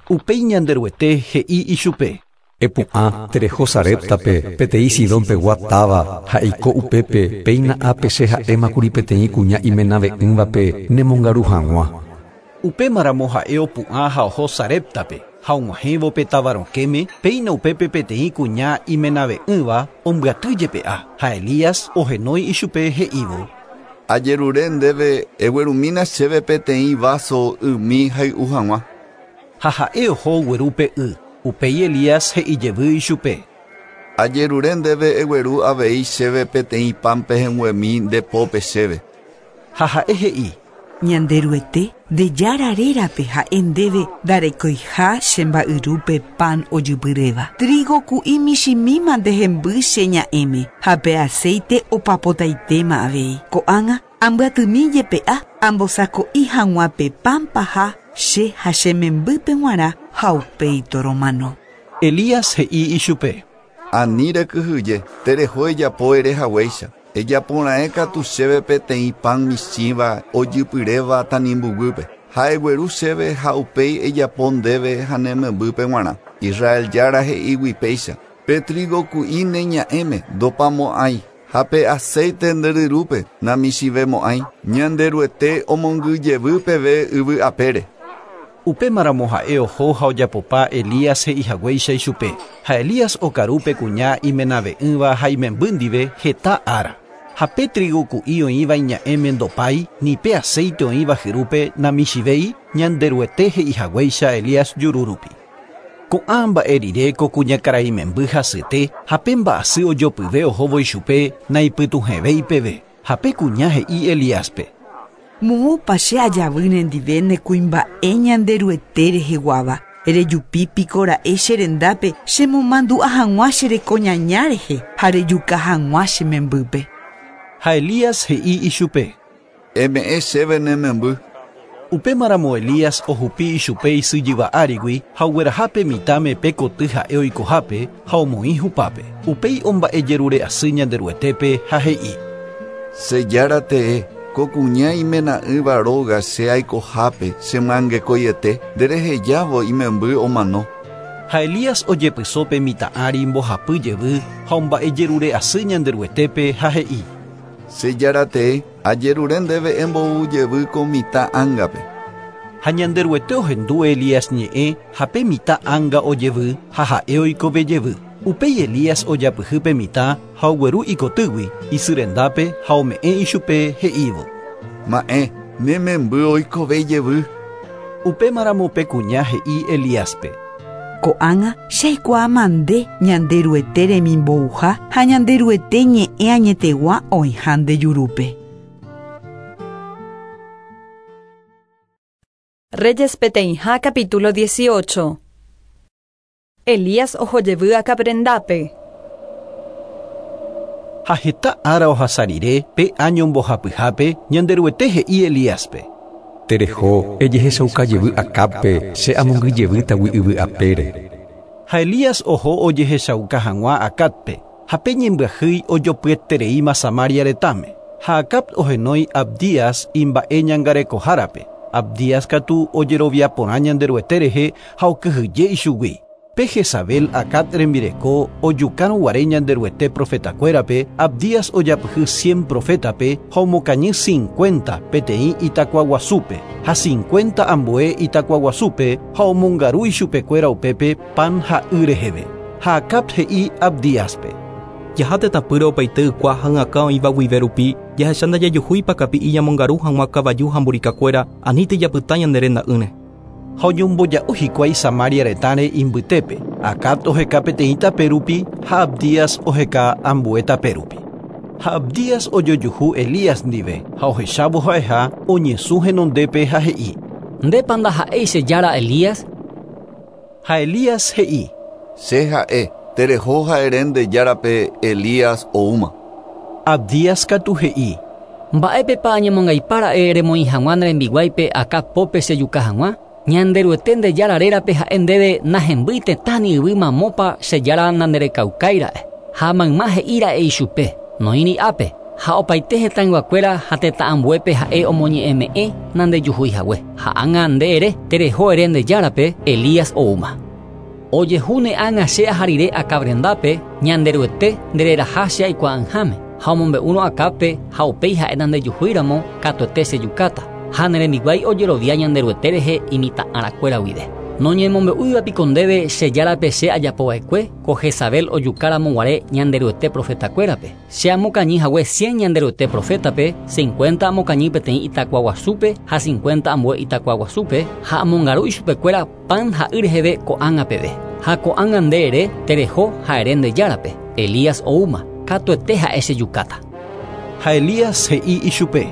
Speaker 2: Upéi Ñanderuete he'i ichupe.
Speaker 12: Epu'ã tereho Sareptape peteĩ Sidonpegua táva ha eiko upépe péina ápe che ha'émakuri peteĩ kuña imenave'ỹvape nemongaru hag̃ua.
Speaker 2: Upémaramo ha'e opu'ã ha oho Sareptape ha og̃uahẽvo pe táva rokẽme péina upépe peteĩ kuña imenave'ỹva ombyaty jepe'a ha Elías ohenói ichupe he'ívo.
Speaker 18: Ajerure ndéve eguerumína chéve peteĩ vaso ymi hay'u hag̃ua.
Speaker 2: Ha ha'e oho ogueru pe y. Upéi Elías he'ijevy ichupe.
Speaker 18: Ajerure ndéve egueru avei chéve peteĩ pan pehẽnguemi ndepópe chéve.
Speaker 2: Ha ha'e he'i.
Speaker 6: Ñanderuete nde jára rérape ha'e ndéve ndarekoiha che mba'yrúpe pan ojypyréva. Trigo ku'i michĩmíma ndehemby che ña'ẽme ha pe aceite opapotaitéma avei. Ko'ág̃a ambyatymi jepe'a ambosako'i hag̃ua pe pan paha che ha che membýpe g̃uarã ha upéi toromano.
Speaker 2: Elías he'i ichupe.
Speaker 18: Ani rekyhyje, tereho ejapo ere haguéicha. Ejaporãe katu chéve peteĩ pan michĩva ojypyréva tanimbuguýpe. Ha egueru chéve ha upéi ejapo ndéve ha ne membýpe g̃uarã. Israel jára he'ígui péicha. Pe trigo ku'i ne ña'ẽme ndopamo'ãi ha pe aceite nde ryrúpe namichĩvemo'ãi. Ñanderuete omongyjevy peve yvy apére.
Speaker 2: Upémaramo ha'e oho ha ojapopa Elías he'ihaguéicha ichupe. Ha Elías okaru pe kuña imenave'ỹva ha imemby ndive heta ára. Ha pe trigo ku'i oĩva iña'ẽme ndopái ni pe aceite oĩva hyrúpe namichĩvéi Ñanderuete he'ihaguéicha Elías juru rupi. Ko'ã mba'e rire ko kuñakarai memby hasyete ha pe mba'asy ojopyve ohóvo ichupe naipytuhẽvéi peve. Ha pe kuña he'i Elíaspe.
Speaker 6: Moõpa che ajavy nendive ne kuimba'e Ñanderuete reheguáva. Rejupi piko ra'e che rendápe chemomandu'a hag̃ua che rekoñaña rehe ha rejuka hag̃ua che membýpe.
Speaker 2: Ha Elías he'i ichupe.
Speaker 18: Eme'ẽ chéve ne memby.
Speaker 2: Upémaramo Elías ohupi ichupe isy jyva árigui ha oguerahápe mitãme pe koty ha'e oikohápe ha omoĩ hupápe. Upéi omba'ejerure'asy Ñanderuetépe ha he'i.
Speaker 18: Che jára tee, ko kuña imena'ỹva róga che aikohápe chemyangekoiete nderehejávo imemby omano.
Speaker 2: Ha Elías ojepyso pe mitã ári mbohapy jevy ha omba'ejerure'asy Ñanderuetépe ha he'i.
Speaker 18: Che jára tee, ajerure ndéve embou jevy ko mitã ángape.
Speaker 2: Ha Ñanderuete ohendu Elías ñe'ẽ ha pe mitã ánga ojevy ha ha'e oikove jevy. Upéi Elías ojapyhy mitã ha ogueru ikotýgui isy rendápe ha ome'ẽ ichupe he'ívo.
Speaker 18: Ma'ẽ, ne memby oikove jevy.
Speaker 2: Upémaramo pe kuña he'i Elíaspe.
Speaker 6: Ko'ág̃a che aikuaáma nde Ñanderuete remimbouha ha Ñanderuete ñe'ẽ añetegua oĩha nde jurúpe.
Speaker 1: Reyes peteĩha capítulo dieciocho. Elías ohojevy Acab rendápe.
Speaker 2: Ha heta ára ohasa rire pe año mbohapyhápe Ñanderuete he'i Elíaspe.
Speaker 12: Tereho ejehechauka jevy Acabpe che amongyjevýtagui yvy apére.
Speaker 2: Ha Elías oho ojehechauka hag̃ua Acabpe ha pe ñembyahýi ojopyetereíma Samaria retãme. Ha Acab ohenói Abdías imba'e ñangarekohárape. Abdías katu ojerovia porã Ñanderuete rehe ha okyhyje ichugui. Pe Jezabel Acab rembireko ojukárõguare Ñanderuete profetakuérape, Abdías ojapyhy cien profétape ha omokañy cincuenta peteĩ itakuaguasúpe ha cincuenta ambue itakuaguasúpe ha omongaru ichupekuéra upépe pan ha y reheve. Ha Acab he'i Abdíaspe.
Speaker 19: Jaha tetãpýre opaite ykua ha ỹakã oĩva guive rupi jahecha ndajajuhúipa kapi'i ñamongaru hag̃ua kavaju ha mburikakuéra anítei japyta ñande renda'ỹre.
Speaker 2: Ha oñomboja'o hikuái Samaria retãre imbytépe. Acab oheka peteĩ tape rupi ha Abdías oheka ambue tape rupi. Ha Abdías ojojuhu Elías ndive ha ohechávo ha'eha oñesũ henondépe ha he'i.
Speaker 10: Ndépa ndaha'éi che jára Elías?
Speaker 2: Ha Elías he'i.
Speaker 18: Che ha'e, tereho ha'ere nde járape Elías oúma.
Speaker 2: Abdías katu he'i.
Speaker 10: Mba'épepa añemongaipára'e remoĩ hag̃ua ne rembiguáipe Acab pópe chejuka hag̃ua? Ñanderuete nde jára rérape ha'e ndéve nahembýi tetãni yvy mamópa che jára nanderekaukái ra'e. Ha mayma he'íra'e ichupe, noĩri ápe, ha opaite hetãyguakuéra ha tetã ambuépe ha'e omoñe'ẽme'ẽ nandejuhuihague. Ha ág̃a nde ere tereho ere nde járape Elías oúma. Ojehúne ág̃a che aha rire Acab rendápe Ñanderuete ndereraha che aikuaa'ỹháme ha omombe'úrõ Acabpe ha upéi ha'e nandejuhúiramo katuete chejukáta. Ha ne rembiguái ojerovia Ñanderuete rehe imitã'arakuéra guive. Noñemombe'úiva piko ndéve che járape che ajapova'ekue ko Jezabel ojukáramo guare Ñanderuete profetakuérape. Che amokañy hague cien Ñanderuete profétape, cincuenta amokañy peteĩ itakuaguasúpe ha cincuenta ambue itakuaguasúpe ha amongaru ichupekuéra pan ha y reheve ko'ág̃a peve. Ha ko'ág̃a nde ere tereho ha ere nde járape. Elías oúma, katuete ha'e chejukáta.
Speaker 2: Ha Elías he'i ichupe.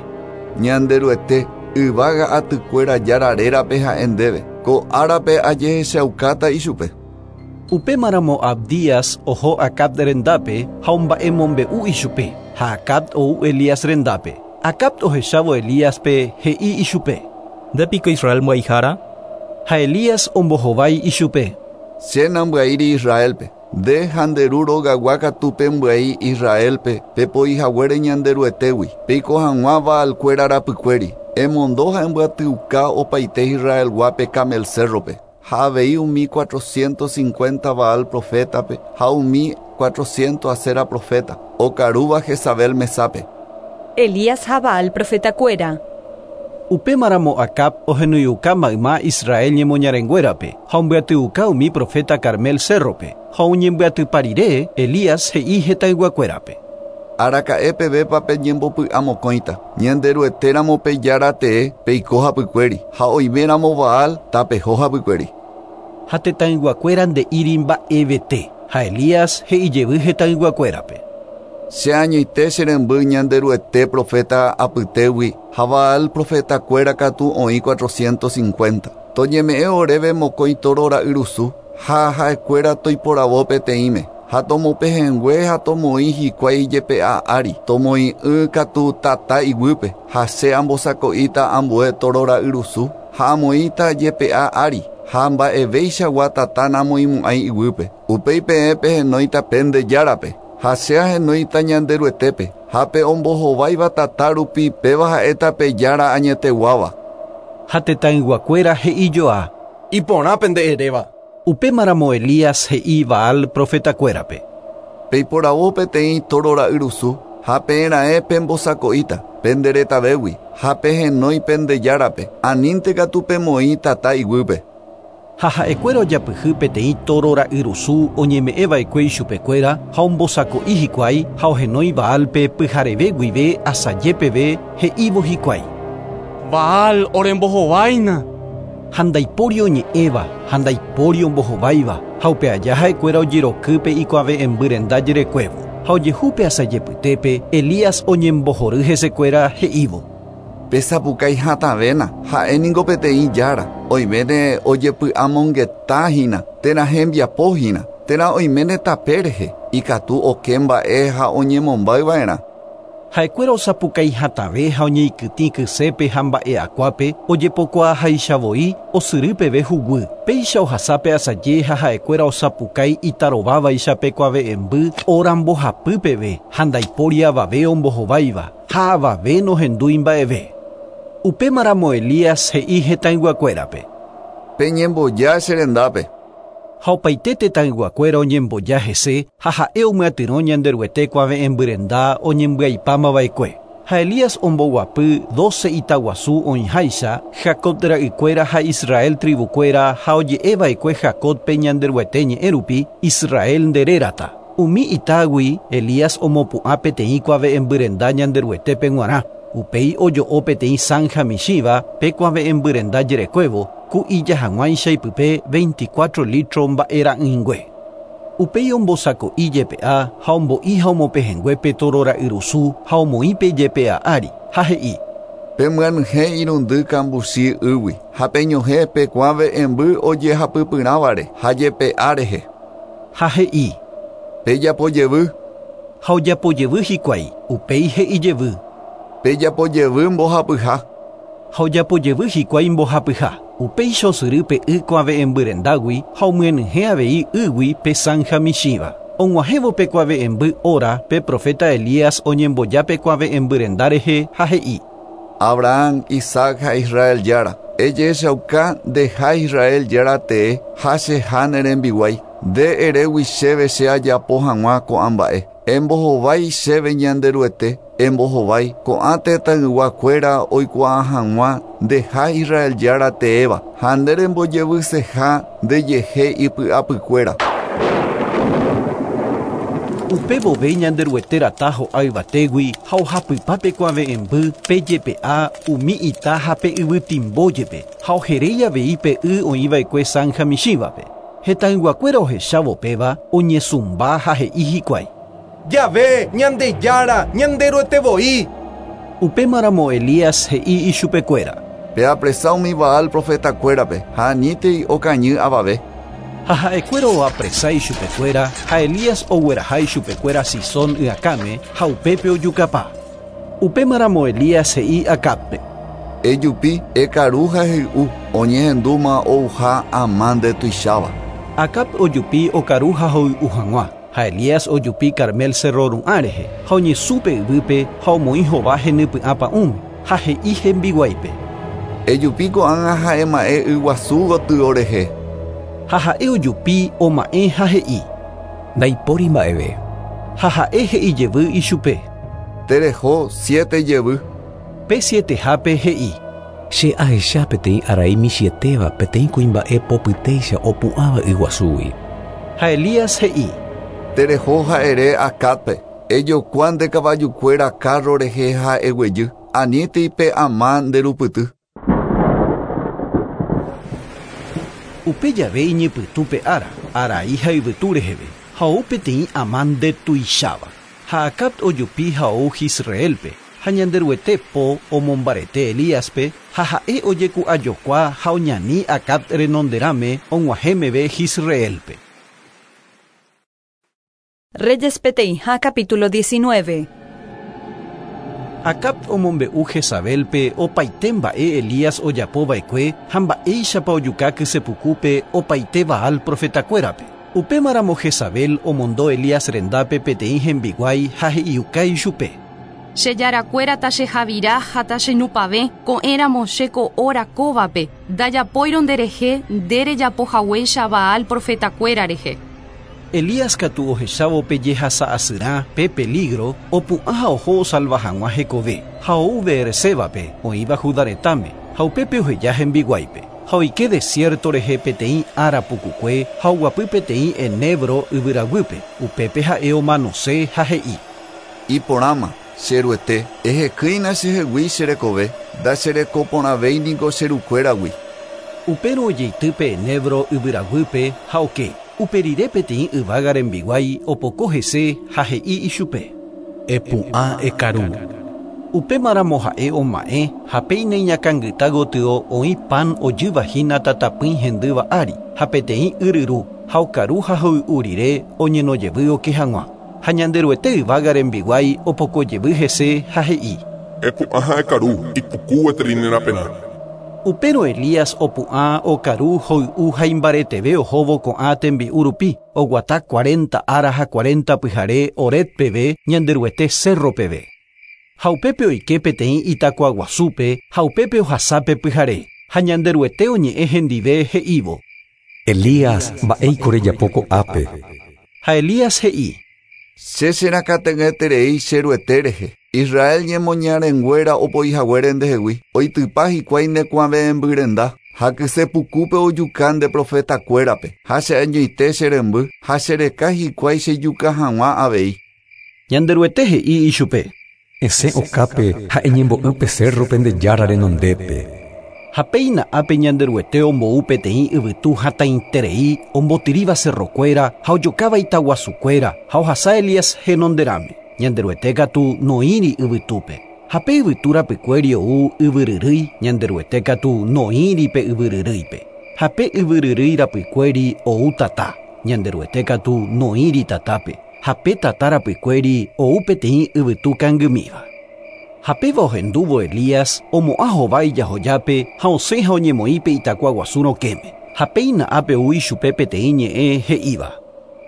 Speaker 18: Ñanderuete yvága atykuéra jára rérape ha'e ndéve. Ko árape ajehechaukáta ichupe.
Speaker 2: Upémaramo Abdías oho Acab rendápe ha omba'emombe'u ichupe. Ha Acab ou Elías rendápe. Acab ohechávo Elíaspe he'i ichupe.
Speaker 19: Ndépiko Israel mbyaihára?
Speaker 2: Ha Elías ombohovái ichupe.
Speaker 18: Che nambyaíri Israelpe. Nde ha nde ru rogagua katu pembyai Israelpe pepoihaguére Ñanderuetégui. Peiko hag̃ua Baalkuéra rapykuéri. Emondo ha embyatyuka opaite Israelguápe Carmel cérrope. Ha avei umi cuatrocientos cincuenta Baal profétape ha umi cuatrocientos Asera profeta okarúva Jezabel mesápe.
Speaker 1: Elías ha Baal profetakuéra.
Speaker 2: Upémaramo Acab ohenóiuka mayma Israel ñemoñarenguérape ha ombyatyuka umi profeta Carmel cérrope. Ha oñembyatypa rire Elías he'i hetãyguakuérape.
Speaker 18: Araka'e pevépa peñembopy'amokõita. Ñanderuetéramo pe jára tee peiko hapykuéri ha oiméramo Baal tapeho hapykuéri.
Speaker 2: Ha tetãyguakuéra nde'íri mba'evete. Ha Elías he'ijevy hetãyguakuérape.
Speaker 18: Che añoite che remby Ñanderuete profeta apytégui ha Baal profetakuéra katu oĩ cuatrocientos cincuenta. Toñeme'ẽ oréve mokõi tóro ra'yrusu ha ha'ekuéra toiporavo peteĩme. Ha tomopehẽngue ha tomoĩ hikuái jepe'a ári. Tomoĩ'ỹ katu tata iguýpe ha che ambosako'íta ambue tóro ra'yrusu ha amoĩta jepe'a ári ha mba'evéichagua tata namoĩmo'ãi iguýpe. Upéi peẽ pehenóita pende járape ha che ahenóita Ñanderuetépe ha pe ombohováiva tata rupi péva ha'éta pe jára añeteguáva.
Speaker 2: Ha tetãyguakuéra he'ijoa.
Speaker 5: Iporã pende eréva.
Speaker 2: Upémaramo Elías he'i Baal profetakuérape.
Speaker 18: Peiporavo peteĩ tóro ra'yrusu ha peẽra'e pembosako'íta pende retavégui ha pehenói pende járape anínte katu pemoĩ tata iguýpe.
Speaker 2: Ha ha'ekuéra ojapyhy peteĩ toro ra'yrusu oñeme'ẽva'ekue ichupekuéra ha ombosako'i hikuái ha ohenói Baalpe pyhareve guive asajepeve he'ívo hikuái.
Speaker 15: Baal orembohováina.
Speaker 2: Ha ndaipóri oñe'ẽva ha ndaipóri ombohováiva ha upe aja ha'ekuéra ojerokýpe ikuave'ẽmby renda jerekuévo. Ha ojehúpe asajepytépe Elías oñembohory hesekuéra he'ívo.
Speaker 18: Pesapukái hatãvéna ha'éniko peteĩ jára oiméne ojepy'amongetahína térã hembiapohína térã oiméne tape rehe ikatu oke mba'e ha oñemombayva'erã.
Speaker 2: Ha'ekuéra osapukái hatãve ha oñeikytĩ kysépe ha mba'e'akuápe ojepokuaahaichavoi osyry peve huguy. Péicha ohasápe asaje ha ha'ekuéra osapukái itarovávaicha pe kuave'ẽmby óra mbohapy peve ha ndaipóri avave ombohováiva ha avave nohendúi mba'eve. Upémaramo Elías he'i hetãyguakuérape.
Speaker 18: Peñemboja che rendápe.
Speaker 2: Ha opaite tetãyguakuéra oñemboja hese ha ha'e omyatyrõ Ñanderuete kuave'ẽmby renda oñembyaipámava'ekue. Ha Elías omboguapy doce itaguasu oĩháicha Jacob ra'ykuéra ha Israel tribukuéra ha oje'eva'ekue Jacobpe Ñanderuete ñe'ẽ rupi Israel nderérata. Umi itágui Elías omopu'ã peteĩ kuave'ẽmby renda Ñanderuetépe g̃uarã. Upéi ojo'o peteĩ zanja michĩva pe kuave'ẽmby renda jerekuévo ku ija hag̃uáicha ipype veinticuatro litro mba'era'ỹingue. Upéi ombosako'i jepe'a ha ombo'i ha omopehẽnguépe toro ra'yrusu ha omoĩpe jepe'a ári ha he'i.
Speaker 18: Pemyanyhẽ irundy kambuchi ýgui ha peñohẽ pe kuave'ẽmby ojehapypyrãvare ha jepe'a rehe.
Speaker 2: Ha he'i.
Speaker 18: Pejapojevy.
Speaker 2: Ha ojapojevy hikuái upéi he'ijevy.
Speaker 18: Pejapojevy mbohapyha.
Speaker 2: Ha ojapojevy hikuái mbohapyha. Upéicha osyrýpe y kuave'ẽmby rendágui ha omyenyhẽ avei ýgui pe zanja michĩva. Og̃uahẽvo pe kuave'ẽmby óra pe profeta Elías oñemboja pe kuave'ẽmby renda rehe ha he'i.
Speaker 18: Abraham, Isaac ha Israel jára, ejechauka ndeha Israel jára tee ha cheha ne rembiguái. Nde erégui chéve che ajapo hag̃ua ko'ã mba'e. Embohovái chéve Ñanderuete, embohovái ko'ã tetãyguakuéra oikuaa hag̃ua ndeha Israel jára teéva ha nde rembojevyseha ndejehe ipy'apykuéra.
Speaker 2: Upe vove Ñanderuete rata ho'a yvatégui ha ohapypa pe kuave'ẽmby pe jepe'a umi ita ha pe yvytimbójepe ha oheréi avei pe y oĩva'ekue zanja michĩvape. Hetãyguakuéra ohechávo péva oñesũmba ha he'i hikuái.
Speaker 5: Yahvé, Ñandejára, Ñanderuete voi.
Speaker 2: Upémaramo Elías he'i ichupekuéra.
Speaker 18: Peapresa umi Baal profetakuérape ha anítei okañy avave.
Speaker 2: Ha ha'ekuéra oapresa ichupekuéra ha Elías ogueraha ichupekuéra Sisón yakãme ha upépe ojukapa. Upémaramo Elías he'i Acábpe.
Speaker 18: Ejupi ekaru ha hey'u oñehendúma ouha ama ndetuicháva.
Speaker 2: Acab ojupi okaru ha hoy'u hag̃ua. Ha Elías ojupi Carmel cerro ru'ã rehe ha oñesũpe yvýpe ha omoĩ hova henypy'ãpa'ũme ha he'i hembiguáipe.
Speaker 18: Ejupi ko'ág̃a ha'ema'ẽ yguasu gotyo rehe.
Speaker 2: Ha ha'e ojupi oma'ẽ ha he'i.
Speaker 12: Ndaipóri mba'eve.
Speaker 2: Ha ha'e he'ijevy ichupe.
Speaker 18: Tereho siete jevy.
Speaker 2: Pe sietehápe he'i.
Speaker 12: Che ahecha peteĩ arai michĩetéva peteĩ kuimba'e popytéicha opu'ãva yguasúgui.
Speaker 2: Ha Elías he'i.
Speaker 18: Tereho ha'ere Acábpe ejokua nde kavajukuéra carro rehe ha eguejy anítei pe ama nderupyty.
Speaker 2: Upe jave iñepytũpe ára, arai ha yvytu reheve ha ou peteĩ ama ndetuicháva. Ha Acab ojupi ha ou Jisraelpe ha Ñanderuete po omombarete Elíaspe ha ha'e ojeku'ajokua ha oñani Acab renonderãme og̃uahẽ meve Jisraelpe.
Speaker 1: Reyes peteĩha capítulo diecinueve.
Speaker 2: Acab omombe'u Jezabelpe opaite mba'e Elías ojapova'ekue ha mba'éichapa ojuka kysepukúpe opaite Baal profetakuérape. Upémaramo Jezabel omondo Elías rendápe peteĩ hembiguái ha he'iuka ichupe.
Speaker 14: Che jarakuéra tachehavira ha tachenupave ko'ẽramo che ko'óra kóvape ndajapóirõ nderehe nderejapohaguéicha Baal profetakuéra rehe.
Speaker 2: Elías katu ohechávo pe jehasa'asyrã pe peligro opu'ã ha oho osalva hag̃ua hekove ha ou Beersébape oĩva Judá retãme ha upépe oheja hembiguáipe. Ha oike desierto rehe peteĩ ára pukukue ha oguapy peteĩ enebro yvyraguýpe. Upépe ha'e omanose ha he'i.
Speaker 18: Iporãma, che Ruete, ehekýina chehegui che rekove, ndacherekoporãvéi niko che rukuéragui.
Speaker 2: Upérõ ojeitýpe enebro yvyraguýpe ha oke. Upe rire peteĩ yvága rembiguái opoko hese ha he'i ichupe.
Speaker 20: Epu'ã ekaru.
Speaker 2: Upémaramo ha'e oma'ẽ ha péina iñakãngyta gotyo oĩ pan ojývahína tatapỹi hendýva ári ha peteĩ yryru ha okaru ha hoy'u rire oñenojevy oke hag̃ua. Ha Ñanderuete yvága rembiguái opokojevy hese ha he'i.
Speaker 17: Epu'ã ha ekaru, ipuku gueteri ne raperã.
Speaker 2: Upérõ Elías opu'ã okaru hoy'u ha imbareteve ohóvo ko'ã tembi'u rupi oguata cuarenta ára ha cuarenta pyhare Horeb peve Ñanderuete cerro peve. Ha upépe oike peteĩ itakuaguasúpe ha upépe ohasápe pyhare ha Ñanderuete oñe'ẽ hendive he'ívo.
Speaker 12: Elías, mba'éiko rejapo ko'ápe.
Speaker 2: Ha Elías he'i.
Speaker 18: Che cherakate'ỹeterei che Ruete rehe. Israel ñemoñarenguéra opoihaguére ndehegui oitypa hikuái nekuave'ẽmbyrenda ha kysepukúpe ojuka nde profetakuérape ha cheañoite che remby ha chereka hikuái chejuka hag̃ua avei.
Speaker 2: Ñanderuete he'i ichupe.
Speaker 12: Esẽ okápe ha eñembo'ýpe cerrope nde Jára renondépe.
Speaker 2: Ha péina ápe Ñanderuete ombou peteĩ yvytu hatãiterei ombotyríva cerrokuéra ha ojokáva itaguasukuéra ha ohasa Elías henonderãme. Ñanderuete katu noĩri yvytúpe. Ha pe yvytu rapykuéri ou yvyryrýi Ñanderuete katu noĩri pe yvyryrýipe. Ha pe yvyryrýi rapykuéri ou tata. Ñanderuete katu noĩri tatápe. Ha pe tata rapykuéri ou peteĩ yvytu kangymíva. Ha péva ohendúvo Elías omo'ã hova ijahojápe ha osẽ ha oñemoĩpe itakuaguasu rokẽme. Ha péina ápe ou ichupe peteĩ ñe'ẽ he'íva.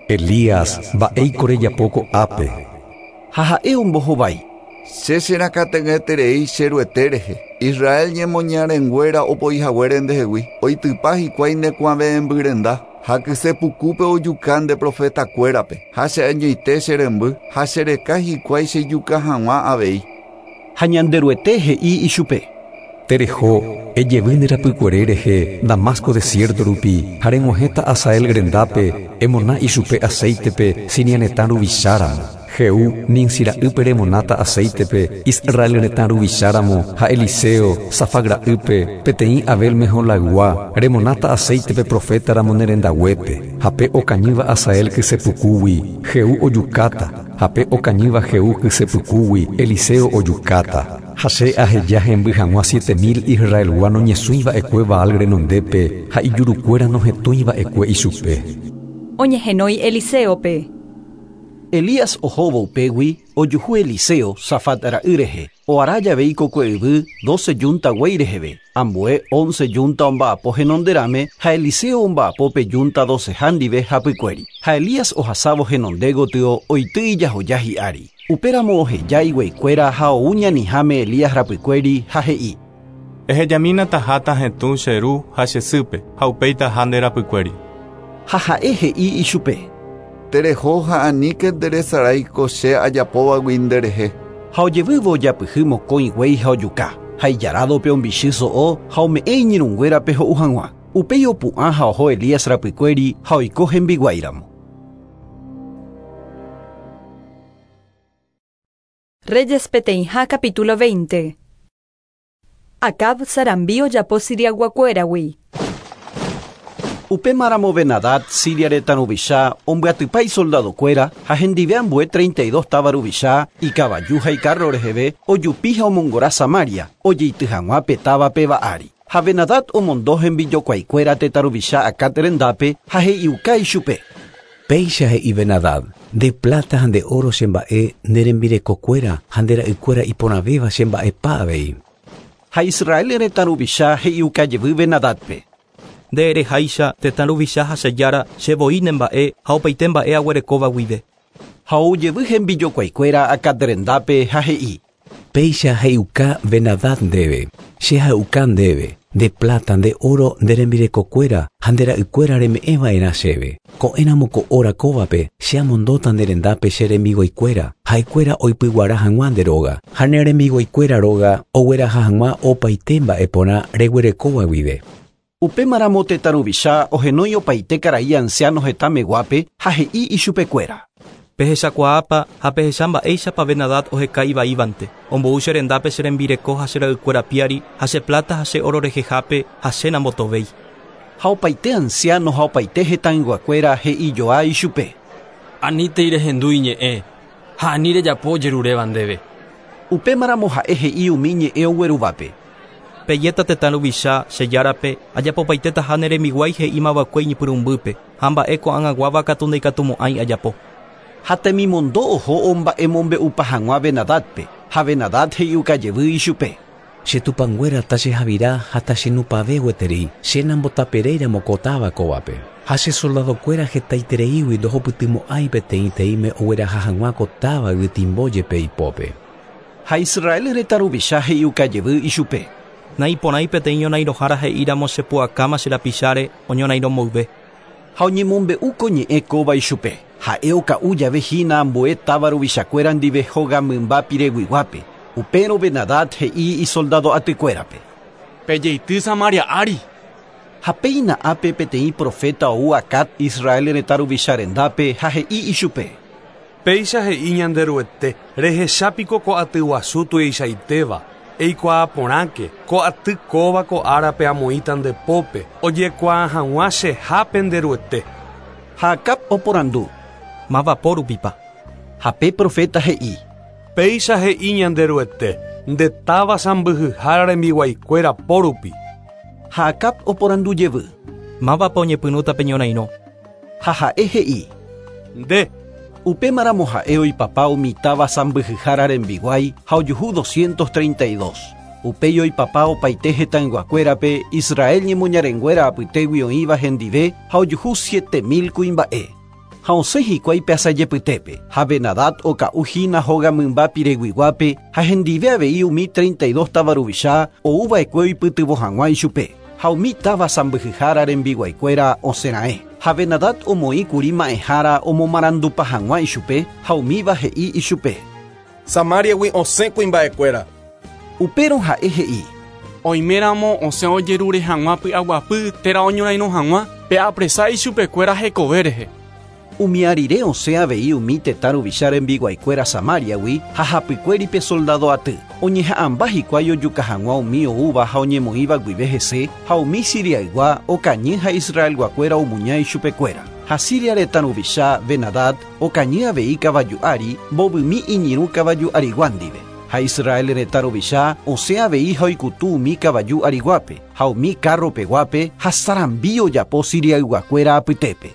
Speaker 12: Elías, mba'éiko rejapo ko'ápe.
Speaker 2: Ha ha'e ombohovái.
Speaker 18: Che cherakate'ỹeterei che Ruete rehe. Israel ñemoñarenguéra opoihaguére ndehegui oitypa hikuái nekuave'ẽmbyrenda ha kysepukúpe ojuka nde profetakuérape ha cheañoite che remby ha chereka hikuái chejuka hag̃ua avei.
Speaker 2: Ha Ñanderuete he'i ichupe.
Speaker 12: Tereho, ejevy nde rapykuere rehe Damasco desierto rupi ha reg̃uahẽta Hazael rendápe emona ichupe aceitepe Siria retã ruvicháramo. Jehú Nimsi ra'ýpe remonáta aceitepe Israel retã ruvicháramo ha Eliseo Safat ra'ýpe peteĩ Abel Meholaygua remonáta aceitepe profetaramo ne rendaguépe. Ha pe okañýva Hazael kysepukúgui Jehú ojukáta ha pe okañýva Jehú kysepukúgui Eliseo ojukáta. Ha che aheja hemby hag̃ua siete mil Israelgua noñesũiva'ekue Baal renondépe ha ijurukuéra nohetũiva'ekue ichupe.
Speaker 1: Oñehenói Eliseope.
Speaker 2: Elías ohóvo upégui ojuhu Eliseo Safat ra'y rehe. Oara jave ikokue yvy doce yunta guéi reheve. Ambue once yunta omba'apo henonderãme ha Eliseo omba'apo pe yunta doceha ndive hapykuéri. Ha Elías ohasávo henonde gotyo oity ijahoja hi'ári. Upéramo oheja igueikuéra ha ou ñaniháme Elías rapykuéri ha he'i.
Speaker 5: Ehejamína taháta hetũ che ru ha che sýpe ha upéi taha nde rapykuéri.
Speaker 2: Ha ha'e he'i ichupe.
Speaker 18: Tereho ha aníke nderesaráiko che ajapóvagui nderehe.
Speaker 2: Ha ojevývo ojapyhy mokõi guéi ha ojuka. Ha ijarádope ombichy so'o ha ome'ẽ iñirũnguérape ho'u hag̃ua. Upéi opu'ã ha oho Elías rapykuéri ha oiko hembiguáiramo.
Speaker 1: Reyes peteĩha capítulo veinte. Acab sarambi ojapo Siriaguakuéragui.
Speaker 2: Upémaramo Ben-Hadad Siria retã ruvicha ombyatypa isoldadokuéra ha hendive ambue treinta y dos táva ruvicha ikavaju ha icarro reheve ojupi ha omongora Samaria ojeity hag̃ua pe táva péva ári. Ha Ben-Hadad omondo hembijokuaikuéra tetã ruvicha Acab rendápe ha he'iuka ichupe.
Speaker 20: Péicha he'i Ben-Hadad, nde plata ha nde oro chemba'e nde rembirekokuéra ha nde ra'ykuéra iporãvéva chemba'epa avei.
Speaker 2: Ha Israel retã ruvicha he'iuka jevy Ben-Hadadpe.
Speaker 19: Nde ereháicha tetã ruvicha ha che Jára chevoi nemba'e ha opaite mba'e aguerekóva guive.
Speaker 2: Ha oujevy hembijokuaikuéra Acab rendápe ha he'i.
Speaker 20: Péicha he'iuka Ben-Hadad ndéve, che ha'uka ndéve, nde plata, nde oro, nde rembirekokuéra ha nde ra'ykuéra reme'ẽva'erã chéve. Ko'ẽramo ko óra kóvape che amondóta nde rendápe che rembiguaikuéra, ha'ekuéra oipyguara hag̃ua nde róga, ha ne rembiguaikuéra róga ogueraha hag̃ua opaite mba'e porã reguerekóva guive.
Speaker 2: Upémaramo tetã ruvicha ohenói opaite karai anciano hetãmeguápe ha he'i ichupekuéra.
Speaker 19: Pehechakuaápa ha pehecha mba'éichapa Ben-Hadad oheka ivaívante. Ombou che rendápe che rembireko ha che ra'ykuéra piári ha che plata ha che oro rehehápe ha che nambotovéi.
Speaker 2: Ha opaite anciano ha opaite hetãyguakuéra he'ijoa ichupe.
Speaker 21: Anítei rehendu iñe'ẽ ha ani rejapo ojeruréva ndéve.
Speaker 2: Upémaramo ha'e he'i umi ñe'ẽ oguerúvape.
Speaker 19: Pejéta tetã ruvicha che járape ajapopaitetaha ne rembiguái he'ímava'ekue iñepyrũmbýpe ha mba'e ko'ag̃aguáva katu ndaikatumo'ãi ajapo.
Speaker 2: Ha temimondo oho omba'emombe'upa hag̃ua Ben-Hadadpe ha Ben-Hadad he'iukajevy ichupe.
Speaker 20: Che tupãnguéra tachehavira ha tachenupave gueteri che nambotaperéiramo ko táva kóvape. Ha che soldadokuéra hetaitereígui ndohopytymo'ãi peteĩteĩme ogueraha hag̃ua ko táva yvytimbo jepe ipópe.
Speaker 2: Ha Israel retã ruvicha he'iukajevy ichupe.
Speaker 19: Naiporãi peteĩ ñorairõhára he'íramo chepu'akáma che rapicháre oñorairõmboyve.
Speaker 2: Ha oñemombe'u ko ñe'ẽ kóva ichupe. Ha'e oka'u jave hína ambue táva ruvichakuéra ndive hóga mymba pireguiguápe. Upérõ Ben-Hadad he'i isoldado atykuérape.
Speaker 22: Pejeity Samaria ári.
Speaker 2: Ha péina ápe peteĩ profeta ou Acab Israel retã ruvicha rendápe ha he'i ichupe.
Speaker 11: Péicha he'i Ñanderuete rehechápiko ko aty guasu tuichaitéva. Eikuaa porãke ko aty kóva ko árape amoĩta nde pópe ojekuaa hag̃ua chehápe Nderuete.
Speaker 2: Ha Acab oporandu.
Speaker 19: Mavapo rupipa.
Speaker 2: Ha pe profeta he'i.
Speaker 11: Péicha he'i Ñanderuete nde táva sãmbyhyhára rembiguaikuéra po rupi.
Speaker 2: Ha Acab oporandu jevy.
Speaker 19: Mávapa oñepyrũta pe ñorairõ.
Speaker 2: Ha ha'e he'i.
Speaker 11: Nde.
Speaker 2: Upémaramo ha'e oipapa umi táva sãmbyhyhára rembiguái ha ojuhu doscientos treinta y dos. Upéi oipapa opaite hetãyguakuérape Israel ñemoñarenguéra apytégui oĩva hendive ha ojuhu siete mil kuimba'e. Ha osẽ hikuái pe asajepytépe ha Ben-Hadad oka'u hína hóga mymba pireguiguápe ha hendive avei umi treinta y dos táva ruvicha ouva'ekue oipytyvõ hag̃ua ichupe. Ha umi táva sãmbyhyhára rembiguaikuéra osẽra'e. Ha Ben-Hadad omoĩkuri ma'ẽhára omomarandupa hag̃ua ichupe ha umíva he'i ichupe.
Speaker 5: Samariagui osẽ kuimba'ekuéra.
Speaker 2: Upérõ ha'e he'i.
Speaker 22: Oiméramo osẽ ojerure hag̃ua py'aguapy térã oñorairõ hag̃ua pe'apresa ichupekuéra hekove rehe.
Speaker 2: Umi arire osẽ avei umi tetã ruvicha rembiguaikuéra Samariagui ha hapykuéri pe soldado aty. Oñeha'ãmba hikuái ojuka hag̃ua umi oúva ha oñemoĩva guive hese ha umi Siriaygua okañy ha Israelguakuéra omuña ichupekuéra. Ha Siria retã ruvicha Ben-Hadad okañy avei kavaju ári mbovymi iñirũ kavaju arigua ndive. Ha Israel retã ruvicha osẽ avei ha oikutu umi kavaju ariguápe ha umi carropeguápe ha sarambi ojapo Siriayguakuéra apytépe.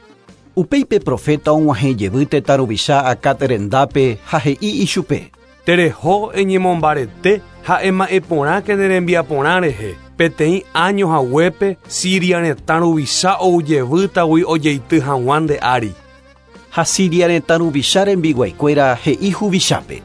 Speaker 2: Upéi pe profeta og̃uahẽ jevy tetã ruvicha Acab rendápe ha he'i ichupe.
Speaker 11: Tereho eñemombarete ha ema'ẽporãke ne rembiaporã rehe. Peteĩ año haguépe Siria retã ruvicha oujevýtagui ojeity hag̃ua nde ári.
Speaker 2: Ha Siria retã ruvicha rembiguaikuéra he'i huvichápe.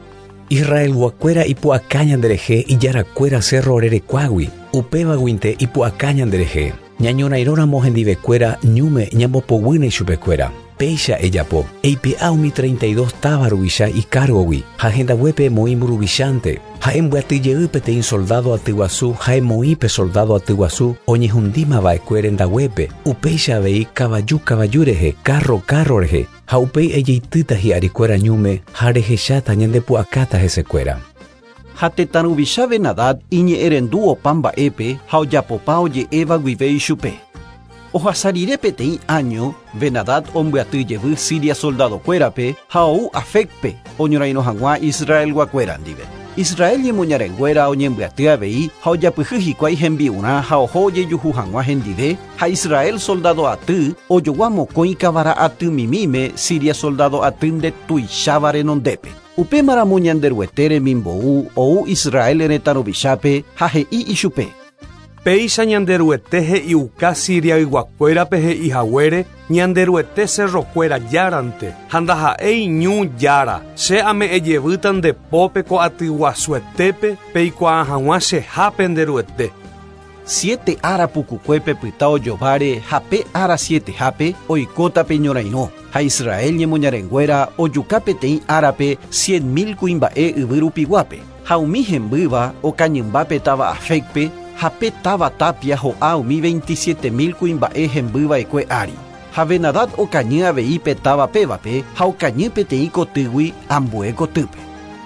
Speaker 20: Israelguakuéra ipu'aka ñanderehe ijarakuéra cerro rerekuágui. Upévaguinte ipu'aka ñanderehe. Ñañorairõramo hendivekuéra ñúme ñambopoguýne ichupekuéra. Péicha ejapo. Eipe'a umi treinta y dos táva ruvicha ikárgogui ha hendaguépe emoĩ mburuvichánte. Ha embyatyjey peteĩ soldado atyguasu ha emoĩ pe soldado atyguasu oñehundímava'ekue rendaguépe. Upéicha avei kavaju kavaju rehe, carro carro rehe. Ha upéi ejeitýta hi'arikuéra ñúme ha rehecháta ñandepu'akáta hesekuéra.
Speaker 2: Ha tetã ruvicha Ben-Hadad iñe'ẽrendu opa mba'épe ha ojapopa oje'éva guive ichupe. Ohasa rire peteĩ año, Ben-Hadad ombyaty jevy Siria soldadokuérape ha ou Afecpe oñorairõ hag̃ua Israelguakuéra ndive. Israel ñemoñarenguéra oñembyaty avei ha ojapyhy hikuái hembi'urã ha oho ojejuhu hag̃ua hendive ha Israel soldado aty ojogua mokõi kavara atymimíme Siria soldado aty ndetuicháva renondépe. Upémaramo Ñanderuete remimbou ou Israel retã ruvichápe ha he'i ichupe.
Speaker 11: Péicha Ñanderuete he'iuka Siriayguakuérape he'i haguére Ñanderuete cerrokuéra járante ha ndaha'éi ñu jára. Che ame'ẽjevýta nde pópe ko aty guasuetépe peikuaa hag̃ua chehápe Nderuete.
Speaker 2: Siete ára pukukuépe pyta ojováre ha pe ára sietehápe oikóta pe ñorairõ. Ha Israel ñemoñarenguéra ojuka peteĩ árape cien mil kuimba'e yvy rupiguápe. Ha umi hembýva okañymba pe táva Afecpe ha pe táva tapia ho'a umi veintisiete mil kuimba'e hembyva'ekue ári. Ha Benadad okañy avei pe táva pévape ha okañy peteĩ kotýgui ambue kotýpe.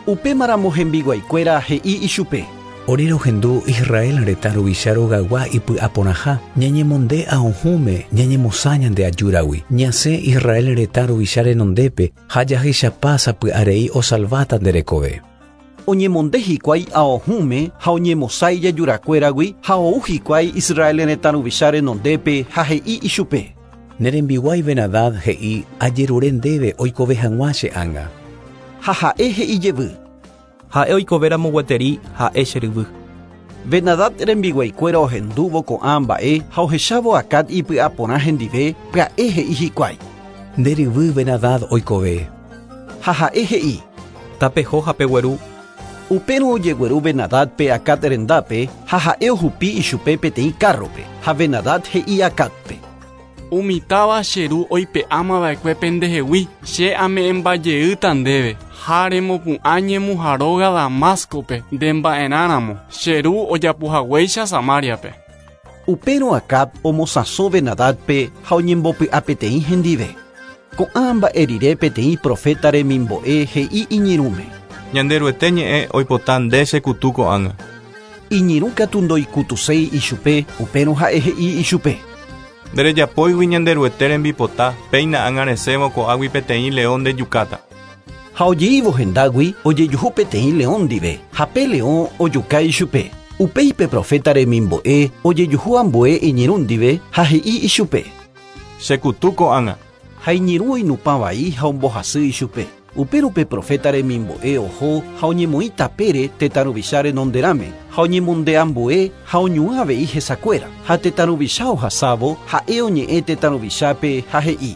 Speaker 2: Upémaramo hembiguaikuéra he'i ichupe.
Speaker 20: Ore rohendu Israel retã ruvicha rogaygua ipy'aporãha, ñañemonde ahohũme ñañemosã ñande ajúragui, ñasẽ Israel retã ruvicha renondépe ha jahechapa sapy'arei osalváta nde rekove.
Speaker 2: Oñemonde hikuái ahohũme ha oñemosã ijajurakuéragui ha ou hikuái Israel retã ruvicha renondépe ha he'i ichupe.
Speaker 20: Ne rembiguái Benadad he'i ajerure ndéve oikove hag̃ua che ánga.
Speaker 2: Ha ha'e he'i jevy.
Speaker 19: Ha'e oikovéramo gueteri ha'e che ryvy.
Speaker 2: Benadad rembiguaikuéra ohendúvo ko'ã mba'e ha ohechávo Acab ipy'aporã hendive pya'e he'i hikuái.
Speaker 20: Nde ryvy Benadad oikove.
Speaker 2: Ha ha'e he'i.
Speaker 19: Tapeho ha pegueru.
Speaker 2: Upérõ ojegueru Benadadpe Acab rendápe ha ha'e ohupi ichupe peteĩ kárrope ha Benadad he'i Acabpe.
Speaker 22: Umi táva che ru oipe'ámava'ekue pendehegui che ame'ẽmbajeýta ndéve ha remopu'ã ñemuharóga Damascope nde mba'erãramo che ru ojapohaguéicha Samariape.
Speaker 2: Upérõ Acab omosãso Benadadpe ha oñembopy'a peteĩ hendive. Ko'ã mba'e rire peteĩ profeta remimbo'e he'i iñirũme.
Speaker 5: Ñanderuete ñe'ẽ oipota nde chekutu ko'ág̃a.
Speaker 2: Iñirũ katu ndoikutuséi ichupe, upérõ ha'e he'i ichupe.
Speaker 5: Nderejapóigui Ñanderuete rembipota, péina ág̃a resẽvo ko'águi peteĩ león ndejukáta.
Speaker 2: Ha ojeívo hendágui ojejuhu peteĩ león ndive, ha pe león ojuka ichupe. Upéi pe profeta remimbo'e ojejuhu ambue iñirũ ndive ha he'i ichupe.
Speaker 5: Chekutu ko'ág̃a.
Speaker 2: Ha iñirũ oinupã vai ha ombohasy ichupe. Upérõ pe profeta remimbo'e oho ha oñemoĩ tapére tetã ruvicha renonderãme ha oñemonde ambue ha oñuã avei hesakuéra ha tetã ruvicha ohasávo ha'e oñe'ẽ tetã ruvichápe ha he'i.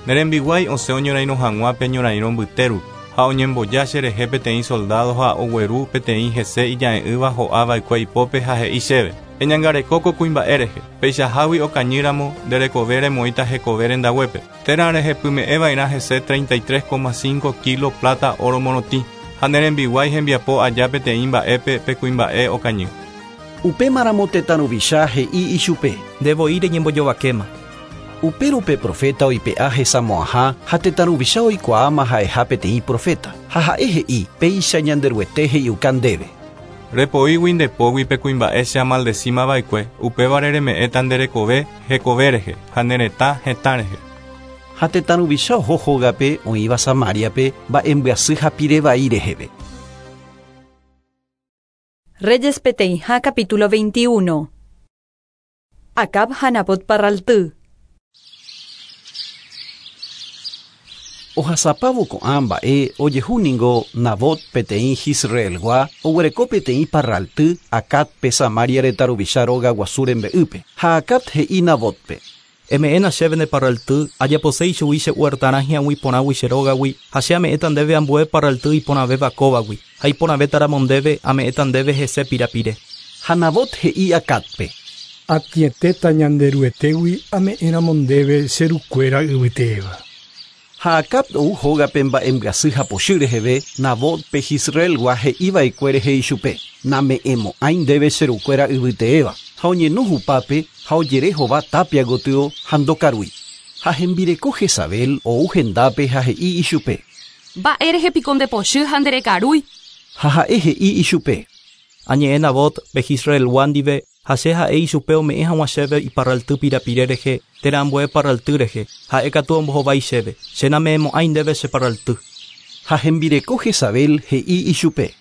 Speaker 5: Ne rembiguái osẽ oñorairõ hag̃ua pe ñorairõ mbytérupi ha oñemboja cherehe peteĩ soldado ha ogueru peteĩ hese ija'e'ỹva ho'ava'ekue ipópe ha he'i chéve. Eñangareko ko kuimba'e rehe, peichahágui okañýramo nde rekove remoĩta hekove rendaguépe. Térã rehepyme'ẽva'erã hese treinta y tres coma cinco kilo plata oro morotĩ ha ne rembiguái hembiapo aja peteĩ mba'épe pe kuimba'e okañy.
Speaker 2: Upémaramo tetã ruvicha he'i ichupe.
Speaker 19: Ndevoi reñembojovakéma.
Speaker 2: Upérõ pe profeta oipe'a hesamo'ãha ha tetã ruvicha oikuaáma ha'eha peteĩ profeta ha ha'e he'i péicha Ñanderuete he'iuka ndéve.
Speaker 5: Repoígui ndepógui pe kuimba'e che amaldecimava'ekue, upévare reme'ẽta nde rekove hekove rehe ha ne retã hetã rehe.
Speaker 2: Ha tetã ruvicha oho hógape oĩva Samariape mba'embyasy ha pirevai reheve.
Speaker 1: Reyes peteĩha capítulo veintiuno. Acab ha Nabot parralty.
Speaker 2: Ohasapávo ko'ã mba'e ojehu ningo Nabot peteĩ Jisraelgua oguereko peteĩ parralty Acabpe Samaria retã ruvicha róga guasu rembe'ýpe ha Acab he'i Nabotpe.
Speaker 19: Eme'ẽna chéve nde parralty ajaposéi chugui che huertarã hi'ag̃ui porãgui che rógagui ha che ame'ẽta ndéve ambue parralty iporãvéva kóvagui ha iporãvétaramo ndéve ame'ẽta ndéve hese pirapire.
Speaker 2: Ha Nabot he'i Acabpe.
Speaker 4: Atietéta Ñanderuetégui ame'ẽramo ndéve che rukuéra yvytéva.
Speaker 2: Ha Acab ou hógape mba'embyasy ha pochy reheve Nabotpe Jisraelgua he'iva'ekue rehe ichupe. Name'ẽmo'ãi ndéve che rukuéra yvyteéva ha oñeno hupápe ha ojere hova tapia gotyo ha ndokarúi. Ha hembireko Jezabel ou hendápe ha he'i ichupe.
Speaker 14: Mba'e rehe piko ndepochy ha nderekarúi.
Speaker 2: Ha ha'e he'i ichupe.
Speaker 19: Añe'ẽ Nabot pe Jisraelgua ndive ha che ha'e ichupe ome'ẽ hag̃ua chéve iparralty pirapire rehe térã ambue parralty rehe ha'e katu ombohovái chéve che name'ẽmo'ãi ndéve che parralty.
Speaker 2: Ha hembireko Jezabel he'i ichupe.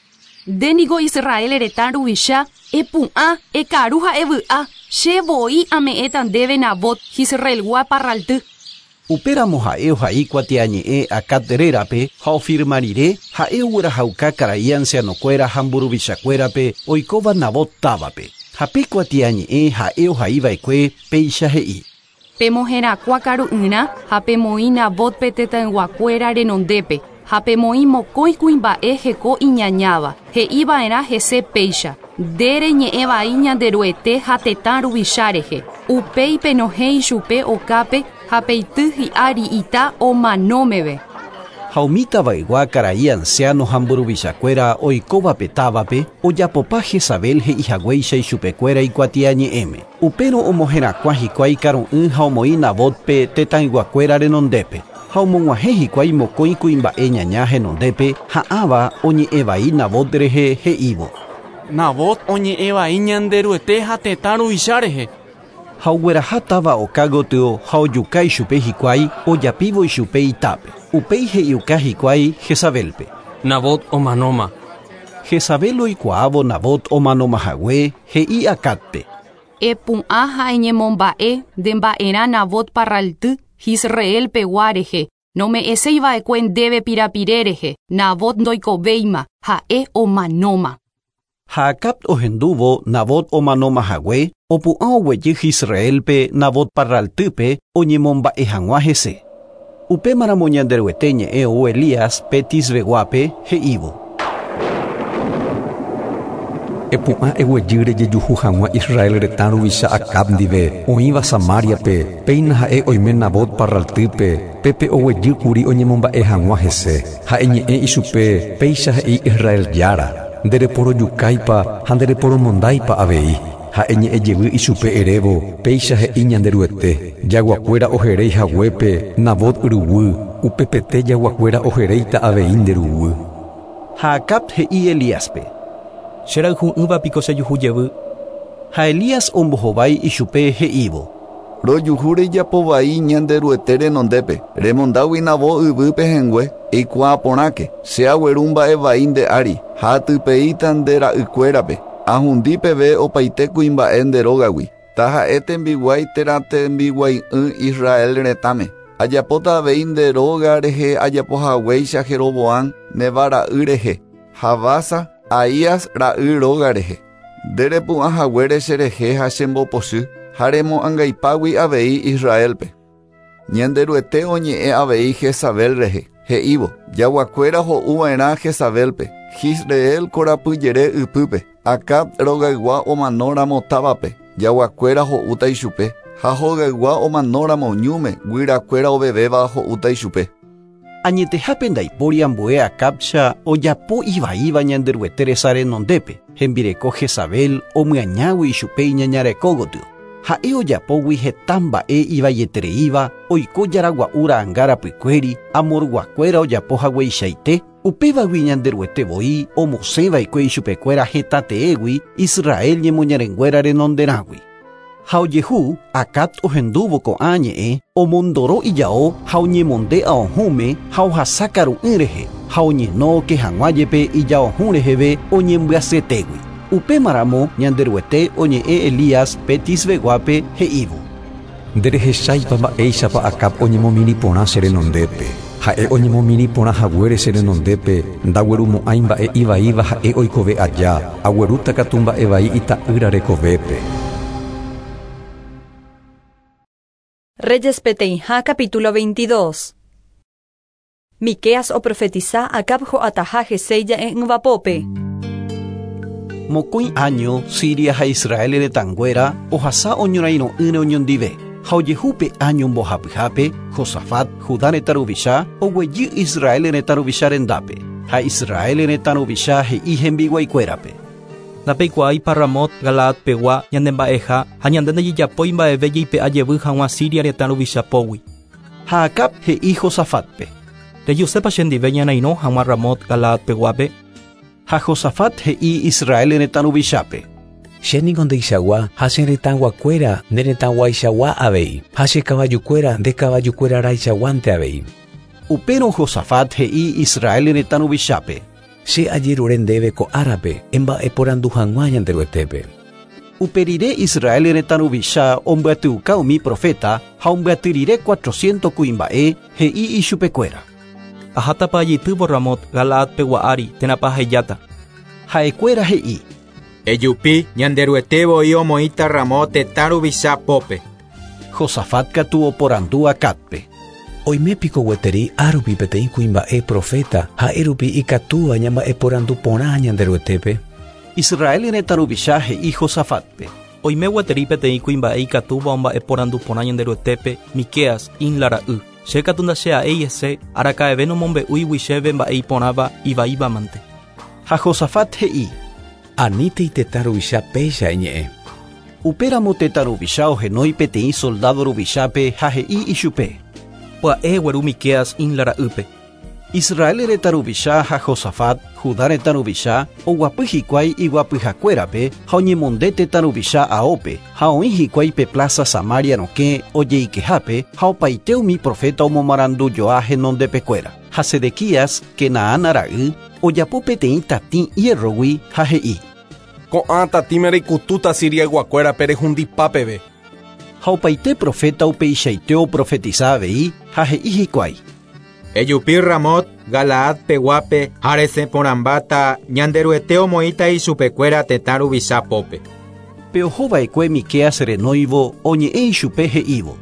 Speaker 14: Nde niko Israel retã ruvicha epu'ã ekaru ha evy'a che voi ame'ẽta ndéve Nabot Jisraelgua parralty.
Speaker 2: Upéramo ha'e ohai kuatiañe'ẽ Acab rérape ha ofirma rire ha'e oguerahauka karai ancianokuéra ha mburuvichakuérape oikóva Nabot távape. Ha pe kuatiañe'ẽ ha'e ohaiva'ekue péicha he'i.
Speaker 14: Pemoherakuã karu'ỹrã ha pemoĩ Nabotpe tetãyguakuéra renondépe ha pemoĩ mokõi kuimba'e heko iñañáva he'iva'erã hese péicha nde reñe'ẽvai Ñanderuete ha tetã ruvicha rehe. Upéi penohẽ ichupe okápe ha peity hi'ári ita omanómeve.
Speaker 2: Ha umi tavaygua karai anciano ha mburuvichakuéra oikóvape távape ojapopa Jezabel he'ihaguéicha ichupekuéra ikuatiañe'ẽme. Upérõ omoherakuã hikuái karu'ỹ ha omoĩ Nabotpe tetãyguakuéra renondépe. Ha omog̃uahẽ hikuái mokõi kuimba'e ñaña henondépe ha'ãva oñe'ẽvai Nabot rehe he'ívo.
Speaker 22: Nabot oñe'ẽvai Ñanderuete ha tetã ruvicha rehe.
Speaker 2: Ha ogueraha táva oka gotyo ha ojuka ichupe hikuái ojapívo ichupe itápe. Upéi he'iuka hikuái Jezabelpe.
Speaker 21: Nabot omanóma.
Speaker 2: Jezabel oikuaávo Nabot omanomahague he'i Acabpe.
Speaker 14: Epu'ã ha eñemomba'e nde mba'erã Nabot parralty Jisrael pegua rehe. Nome'ẽseiva'ekue ndéve pirapire rehe. Nabot ndoikovéima, ha'e omanóma.
Speaker 2: Ha Acab ohendúvo Nabot omanomahague opu'ã oguejy Jisraelpe Nabot parraltýpe oñemomba'e hag̃ua hese. Upémaramo Ñanderuete ñe'ẽ ou Elías pe Tisbeguápe he'ívo.
Speaker 12: Epu'ã eguejy rejejuhu hag̃ua Israel retã ruvicha Acab ndive oĩva Samariape péina ha'e oime Nabot parraltýpe pépe oguejýkuri oñemomba'e hag̃ua hese. Ha'e ñe'ẽ ichupe péicha he'i Israel Jára ndereporojukáipa ha ndereporomondáipa avei. Ha'e ñe'ẽ jevy ichupe erévo péicha he'i Ñanderuete jaguakuéra oheréi haguépe Nabot ruguy upepete jaguakuéra oheréita avei nde ruguy.
Speaker 2: Ha Acab he'i Elíaspe.
Speaker 19: Cherayhu'ỹva piko chejuhu jevy.
Speaker 2: Ha Elías ombohovái ichupe he'ívo.
Speaker 18: Rojuhu rejapovai Ñanderuete renondépe remondágui Nabot yvýpe hengue eikuaa porãke che agueru mba'evai nde ári ha atypeíta nde ra'ykuérape ahundi peve opaite kuimba'e nde rógagui taha'e tembiguái térã tembiguai'ỹ Israel retãme ajapóta avei nde róga rehe ajapohaguéicha Jeroboam Nebat ra'y rehe ha Basa Ahías ra'y róga rehe nderepu'ãhaguére cherehe ha chembopochy ha remo'ãngaipágui avei Israelpe. Ñanderuete oñe'ẽ avei Jezabel rehe he'ívo jaguakuéra ho'uva'erã Jezabelpe Jisrael korapyjere ypýpe Acab rogaygua omanóramo távape jaguakuéra ho'úta ichupe ha hogaygua omanóramo ñúme guyrakuéra ovevéva ho'úta ichupe.
Speaker 2: Añetehápe ndaipóri ambue Acabcha ojapo ivaíva Ñanderuete resa renondépe hembireko Jezabel omyañágui ichupe iñañareko gotyo. Ha'e ojapógui heta mba'e ivaietereíva oiko jaragua'u ra'ãnga rapykuéri amorguakuéra ojapo hagueichaite upévagui Ñanderuete voi omosẽva'ekue ichupekuéra hetateégui Israel ñemoñarenguéra renonderãgui. Ha ojehu Acab ohendúvo ko'ã ñe'ẽ omondoro ijao ha oñemonde aohũme ha ohasa karu'ỹ rehe ha oñeno oke hag̃ua jepe ijaohũ reheve oñembyasyetégui. Upémaramo Ñanderuete oñe'ẽ Elías pe Tisbeguápe he'ívo.
Speaker 12: Nderehecháipa mba'éichapa Acab oñemomirĩ porã che renondépe. Ha'e oñemomirĩ porã haguére che renondépe ndaguerumo'ãi mba'e ivaíva ha'e oikove aja aguerúta katu mba'evai ita'ýra rekovépe.
Speaker 1: Reyes peteĩha capítulo veintidós. Miqueas oprofetiza Acab ho'ataha hese ija'e'ỹvapópe.
Speaker 2: Mokõi año Siria ha Israel retãnguéra ohasa oñorairõ'ỹre oñondive. Ha ojehúpe año mbohapyhápe Josafat Judá retã ruvicha oguejy Israel retã ruvicha rendápe. Ha Israel retã ruvicha he'i hembiguaikuérape.
Speaker 19: Ndapeikuaáipa Ramot Galaad pegua ñandemba'eha ha ñande ndejejapói mba'eve jeipe'a jevy hag̃ua Siria retã ruvichapógui.
Speaker 2: Ha Acab he'i Josafatpe.
Speaker 19: Rejusépa chendive ñanairõ hag̃ua Ramot Galaad peguápe.
Speaker 2: Ha Josafat he'i Israel retã ruvichápe.
Speaker 20: Che niko ndeichagua ha che retãguakuéra nde retãguaichagua avei ha che kavajukuéra nde kavajukuéra raichaguánte avei.
Speaker 2: Upérõ Josafat he'i Israel retã ruvichápe.
Speaker 20: Che ajerure ndéve ko árape emba'eporandu hag̃ua Ñanderuetépe.
Speaker 2: Uperire Israel retã ruvicha ombyatyuka umi profeta ha ombyaty cuatrocientos kuimba'e he'i ichupekuéra.
Speaker 19: Ahátapa ajeitývo Ramot Galaad pegua ári térãpa ahejáta.
Speaker 2: Ha'ekuéra he'i.
Speaker 9: Ejupi Ñanderuete voi omoĩta Ramot tetã ruvicha pópe.
Speaker 2: Josafat katu oporandu Acabpe.
Speaker 20: Oime piko gueteri árupi peteĩ kuimba'e profeta ha'érupi ikatúva ñamba'eporandu porã Ñanderuetépe.
Speaker 2: Israel retã ruvicha he'i Josafatpe.
Speaker 19: Oime gueteri peteĩ kuimba'e ikatúva omba'eporandu porã Ñanderuetépe Miqueas Imla ra'y. Che katu ndache'a'éi hese araka'eve nomombe'úigui chéve mba'e iporãva ivaívamante.
Speaker 2: Ha Josafat he'i:
Speaker 20: Anítei tetã ruvicha péicha eñe'ẽ.
Speaker 2: Upéramo tetã ruvicha ohenói peteĩ soldado ruvichápe ha he'i ichupe:
Speaker 19: Pya'e gueru Miqueas Imla ra'ýpe.
Speaker 2: Israel retã ruvicha ha Josafat, Judá retã ruvicha, oguapy hikuái iguapyhakuérape ha oñemonde tetã ruvicha aópe ha oĩ hikuái pe plaza Samaria rokẽ ojeikehápe ha opaite umi profeta omomarandujoa henondepekuéra. Ha Sedequías, Kenaana ra'y, ojapo peteĩ tatĩ hierrogui ha he'i:
Speaker 5: Ko'ã tatĩme reikutúta Siriayguakuérape rehundipápeve.
Speaker 2: Ha opaite profeta upeichaite oprofetiza avei ha he'i hikuái:
Speaker 9: Ejupi Ramot, Galaad peguápe ha resẽporãmbáta Ñanderuete omoĩta ichupekuéra tetã ruvicha pópe.
Speaker 2: Pe ohova'ekue Miqueas renóivo oñe'ẽ ichupe he'ívo: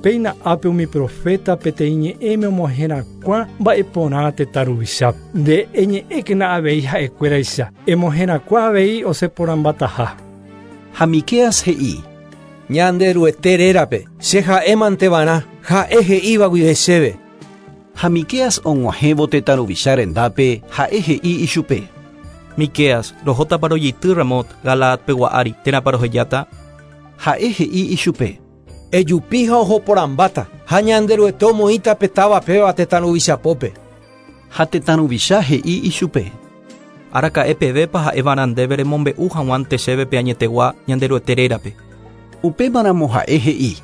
Speaker 3: Péina ápe umi profeta peteĩ ñe'ẽme omoherakuã mba'eporã tetã ruvichápe. Nde eñe'ẽkena avei ha'ekuéraicha, emoherakuã avei osẽporãmbataha.
Speaker 2: Ha Miqueas he'i:
Speaker 13: Ñanderuete rérape, che ha'émanteva'erã, ha'e he'íva guive chéve.
Speaker 2: Ha Miqueas og̃uahẽvo tetã ruvicha rendápe ha'e he'i ichupe:
Speaker 19: Miqueas, rohótapa rojeity Ramot, Galaad pegua ári, térãpa rohejáta?
Speaker 2: Ha'e he'i ichupe:
Speaker 13: Ejupi ha ohoporãmbáta, ha Ñanderuete omoĩta pe táva péva tetã ruvicha pópe.
Speaker 2: Ha tetã ruvicha he'i ichupe:
Speaker 19: Araka'e pevépa ha'eva'erã ndéve remombe'u hag̃uánte chéve pe añetegua Ñanderuete rérape.
Speaker 2: Upémaramo ha'e he'i: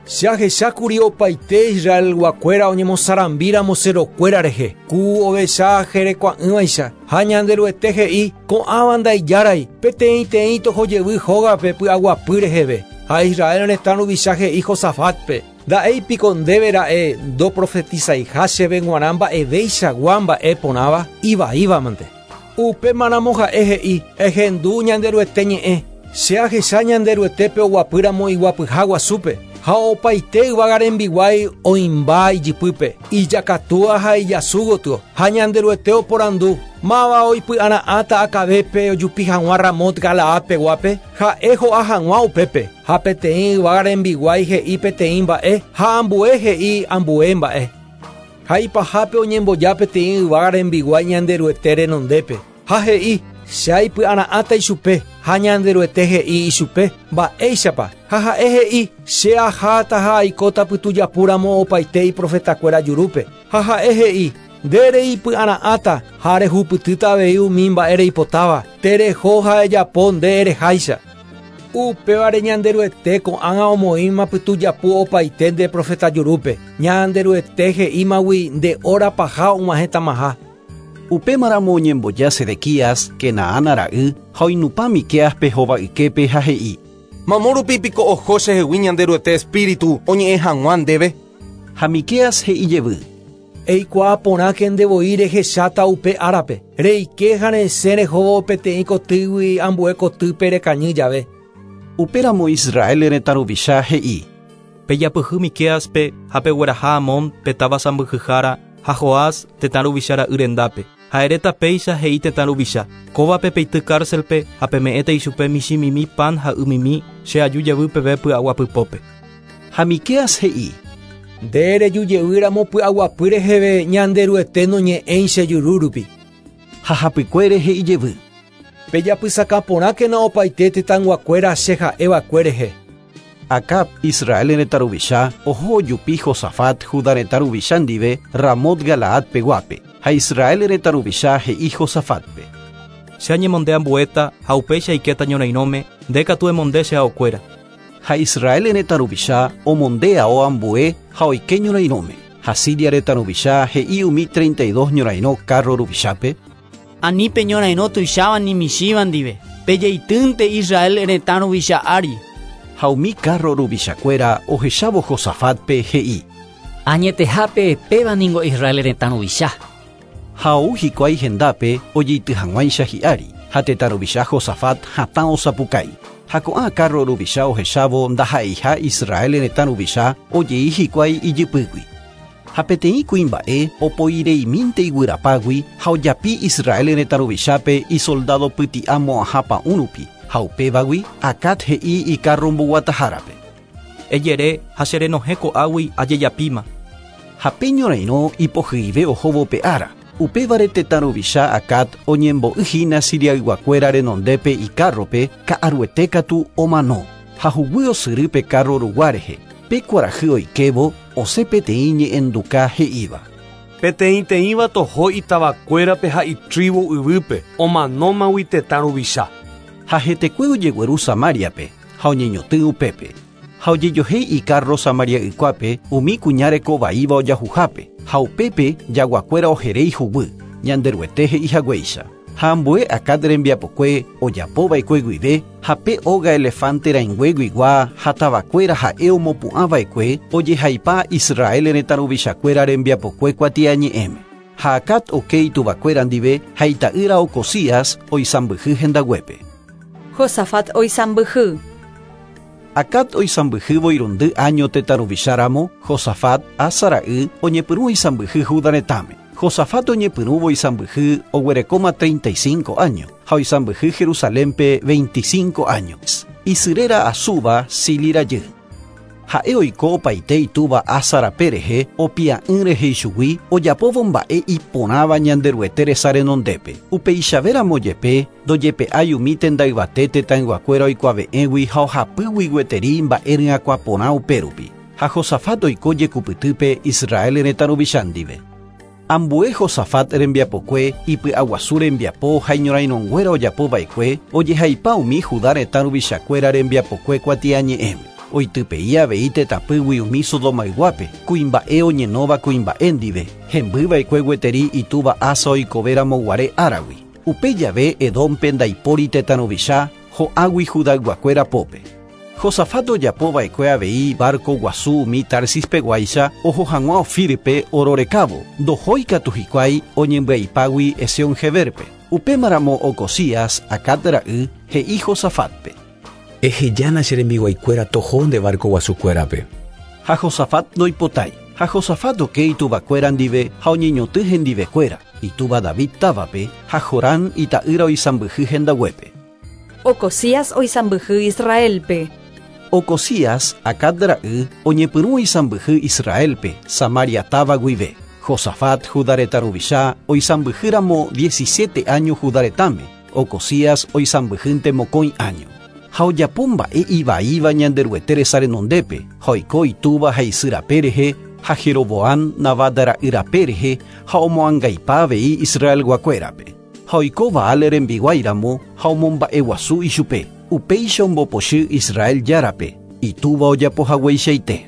Speaker 13: Che ahechákuri opaite Israelguakuéra oñemosarambíramo cerokuéra rehe, ku ovecha jerekua'ỹvaicha, ha Ñanderuete he'i ko'ãva ndaijárai, peteĩteĩ tohojevy hógape py'aguapy reheve. Ha Israel retã ruvicha he'i Josafatpe: Nda'éipiko ndéve ra'e ndoprofetizaiha chéve g̃uarã mba'eveichagua mba'e porãva ivaívamante. Upémaramo ha'e he'i: Ehendu Ñanderuete ñe'ẽ, che ahecha Ñanderuetépe oguapýramo iguapyha guasúpe, ha opaite yvága rembiguái oĩmba ijypýpe, ijakatúa ha ijasu gotyo, ha Ñanderuete oporandu, máva oipy'ara'ãta akavépe ojupi hag̃ua Ramot Galaad peguápe, ha'e ho'a hag̃ua upépe, ha peteĩ yvága rembiguái he'i peteĩ mba'e, ha ambue he'i ambue mba'e. Ha ipahápe oñemboja peteĩ yvága rembiguái Ñanderuete renondépe, ha he'i: Che aipy'ara'ãta ichupe, ha Ñanderuete he'i ichupe, mba'éichapa, ha ha'e he'i: Che aháta ha aikóta pytujapúramo opaite iprofetakuéra jurúpe. Ha ha'e he'i: Nde reipy'ara'ãta ha rehupytýta avei umi mba'e reipotáva, tereho ha ejapo nde ereháicha. Upévare Ñanderuete ko'ág̃a omoĩma pytujapu opaite nde profeta jurúpe. Ñanderuete he'ímagui nde hora paha og̃uahẽtamaha.
Speaker 2: Upémaramo oñemboja Sedequías, Kenaana ra'y, ha oinupã Miqueaspe hova'yképe ha he'i:
Speaker 5: Mamo rupi piko oho chehegui Ñanderuete espíritu oñe'ẽ hag̃ua ndéve.
Speaker 2: Ha Miqueas he'i jevy:
Speaker 13: Eikuaa porãke ndevoi rehecháta upe árape, reike ha resẽ rehóvo peteĩ kotýgui ambue kotýpe rekañy jave.
Speaker 2: Upéramo Israel retã ruvicha he'i:
Speaker 19: Pejapyhy Miqueaspe ha pegueraha Amón pe táva sãmbyhyhára ha Joás tetã ruvicha ra'y rendápe. Ha eréta péicha he'i tetã ruvicha: Kóvape peity cárcelpe ha peme'ẽta ichupe michĩmimi pan ha ymimi che aju jevy peve py'aguapypópe.
Speaker 2: Ha Miqueas he'i:
Speaker 13: Nde rejujevýramo py'aguapy reheve Ñanderuete noñe'ẽi che juru rupi.
Speaker 2: Ha hapykuére he'i jevy:
Speaker 13: Pejapysakãporãkena opaite tetãyguakuéra che ha'eva'ekue rehe.
Speaker 2: Acab, Israel retã ruvicha, oho ojupi Josafat, Judá retã ruvicha ndive, Ramot Galaad peguápe, ha Israel retã ruvicha he'i Josafatpe:
Speaker 19: Che añemonde ambuéta ha upéicha aikéta ñorairõme, nde katu emonde che aokuéra.
Speaker 2: Ha Israel retã ruvicha omonde ao ambue ha oike ñorairõme. Ha Siria retã ruvicha he'i umi treinta y dos ñorairõ carro ruvichápe:
Speaker 15: Ani pe ñorairõ tuicháva ni michĩva ndive, pejeitýnte Israel retã ruvicha ári.
Speaker 2: Ha umi carro ruvichakuéra ohechávo Josafatpe he'i:
Speaker 10: Añetehápe péva ningo Israel retã ruvicha.
Speaker 2: Ha ou hikuái hendápe ojeity hag̃uáicha hi'ári, ha tetã ruvicha Josafat hatã osapukái. Ha ko'ã carro ruvicha ohechávo ndaha'eiha Israel retã ruvicha ojei hikuái ijypýgui. Ha peteĩ kuimba'e opoireimínte iguyrapágui ha ojapi Israel retã ruvichápe isoldado pyti'a mo'ãha pa'ũ rupi, ha upévagui Acab he'i icarro mboguatahárape:
Speaker 19: Ejere ha che renohẽ ko'águi ajejapíma.
Speaker 2: Ha pe ñorairõ ipohyive ohóvo pe ára. Upévare tetã ruvicha Acab oñembo'yhína Siriayguakuéra renondépe ikárrope ka'aruete katu omano. Ha huguy osyry pe kárro rugua rehe. Pe kuarahy oikévo osẽ peteĩ ñe'ẽnduka he'íva.
Speaker 11: Peteĩteĩva toho itavakuérape ha itribu yvýpe omanómagui tetã ruvicha.
Speaker 2: Ha hetekue ojegueru Samariape ha oñeñotỹ upépe. Ha ojejohéi ikárro Samaria ykuápe umi kuña rekovaíva ojahuhápe. Ha upépe jaguakuéra oheréi huguy, Ñanderuete he'ihaguéicha. Ha ambue Acab rembiapokue ojapova'ekue guive ha pe óga elefante rãingueguigua ha tavakuéra ha'e omopu'ãva'ekue ojehaipa Israel retã ruvichakuéra rembiapokue kuatiañe'ẽme. Ha Acab oke ituvakuéra ndive ha ita'ýra Ocozías oisãmbyhy hendaguépe.
Speaker 1: Josafat oisãmbyhy.
Speaker 2: Acab oisãmbyhývo irundy año tetã ruvicháramo, Josafat Asa ra'y oñepyrũ oisãmbyhy Judá retãme. Josafat oñepyrũvo oisãmbyhy oguerekóma treinta y cinco años, ha oisãmbyhy Jerusalénpe veinticinco años. Isyréra Azuba Sili rajy. Ha'e oiko opaite itúva Asa rape rehe opia'ỹ rehe ichugui ojapóvo mba'e iporãva Ñanderuete resa renondépe. Upeichavéramo jepe ndojepe'ái umi tendayvate tetãyguakuéra oikuave'ẽgui ha ohapýgui gueteri mba'e ryakuã upérupi. Ha Josafat oiko jekupytýpe Israel retã ruvicha ndive. Ambue Josafat rembiapokue ipy'aguasu rembiapo ha iñorairõnguéra ojapova'ekue ojehaipa umi Judá retã ruvichakuéra rembiapokue kuatiañe'ẽme. Oitypei avei tetãpýgui umi Sodomayguápe, kuimba'e oñenóva kuimba'e ndive, hembyva'ekue gueteri itúva Asa oikovéramo guare áragui. Upe jave Edómpe ndaipóri tetã ruvicha ho'águi Judayguakuéra pópe. Josafat ojapova'ekue avei barco guasu umi Tarsispeguáicha oho hag̃ua Ofírpe ororekávo, ndohói katu hikuái oñembyaipágui Esion-Geberpe. Upémaramo Ocozías, Acab ra'y, he'i Josafatpe.
Speaker 20: Ehejána che rembiguaikuéra toho nde barco guasukuérape.
Speaker 2: Ha Josafat ndoipotái. Ha Josafat oke ituvakuéra ndive ha oñeñotỹ hendivekuéra, itúva David távape ha Jorán ita'ýra oisãmbyhy hendaguépe.
Speaker 1: Ocozías oisãmbyhy Israelpe.
Speaker 2: Ocozías, Acab ra'y, oñepyrũ oisãmbyhy Israelpe, Samaria táva guive. Josafat Judá retã ruvicha oisãmbyhýramo diecisiete años Judá retãme, Ocozías oisãmbyhýnte mokõi año. Ha ojapo mba'e ivaíva Ñanderuete resa renondépe, ha oiko itúva ha isy rape rehe, ha Jeroboam Nabat ra'y rape rehe, ha omoangaipa avei Israelguakuérape. Ha oiko Baal rembiguáiramo ha omomba'eguasu ichupe. Upéicha ombopochy Israel járape, itúva ojapohagueichaite.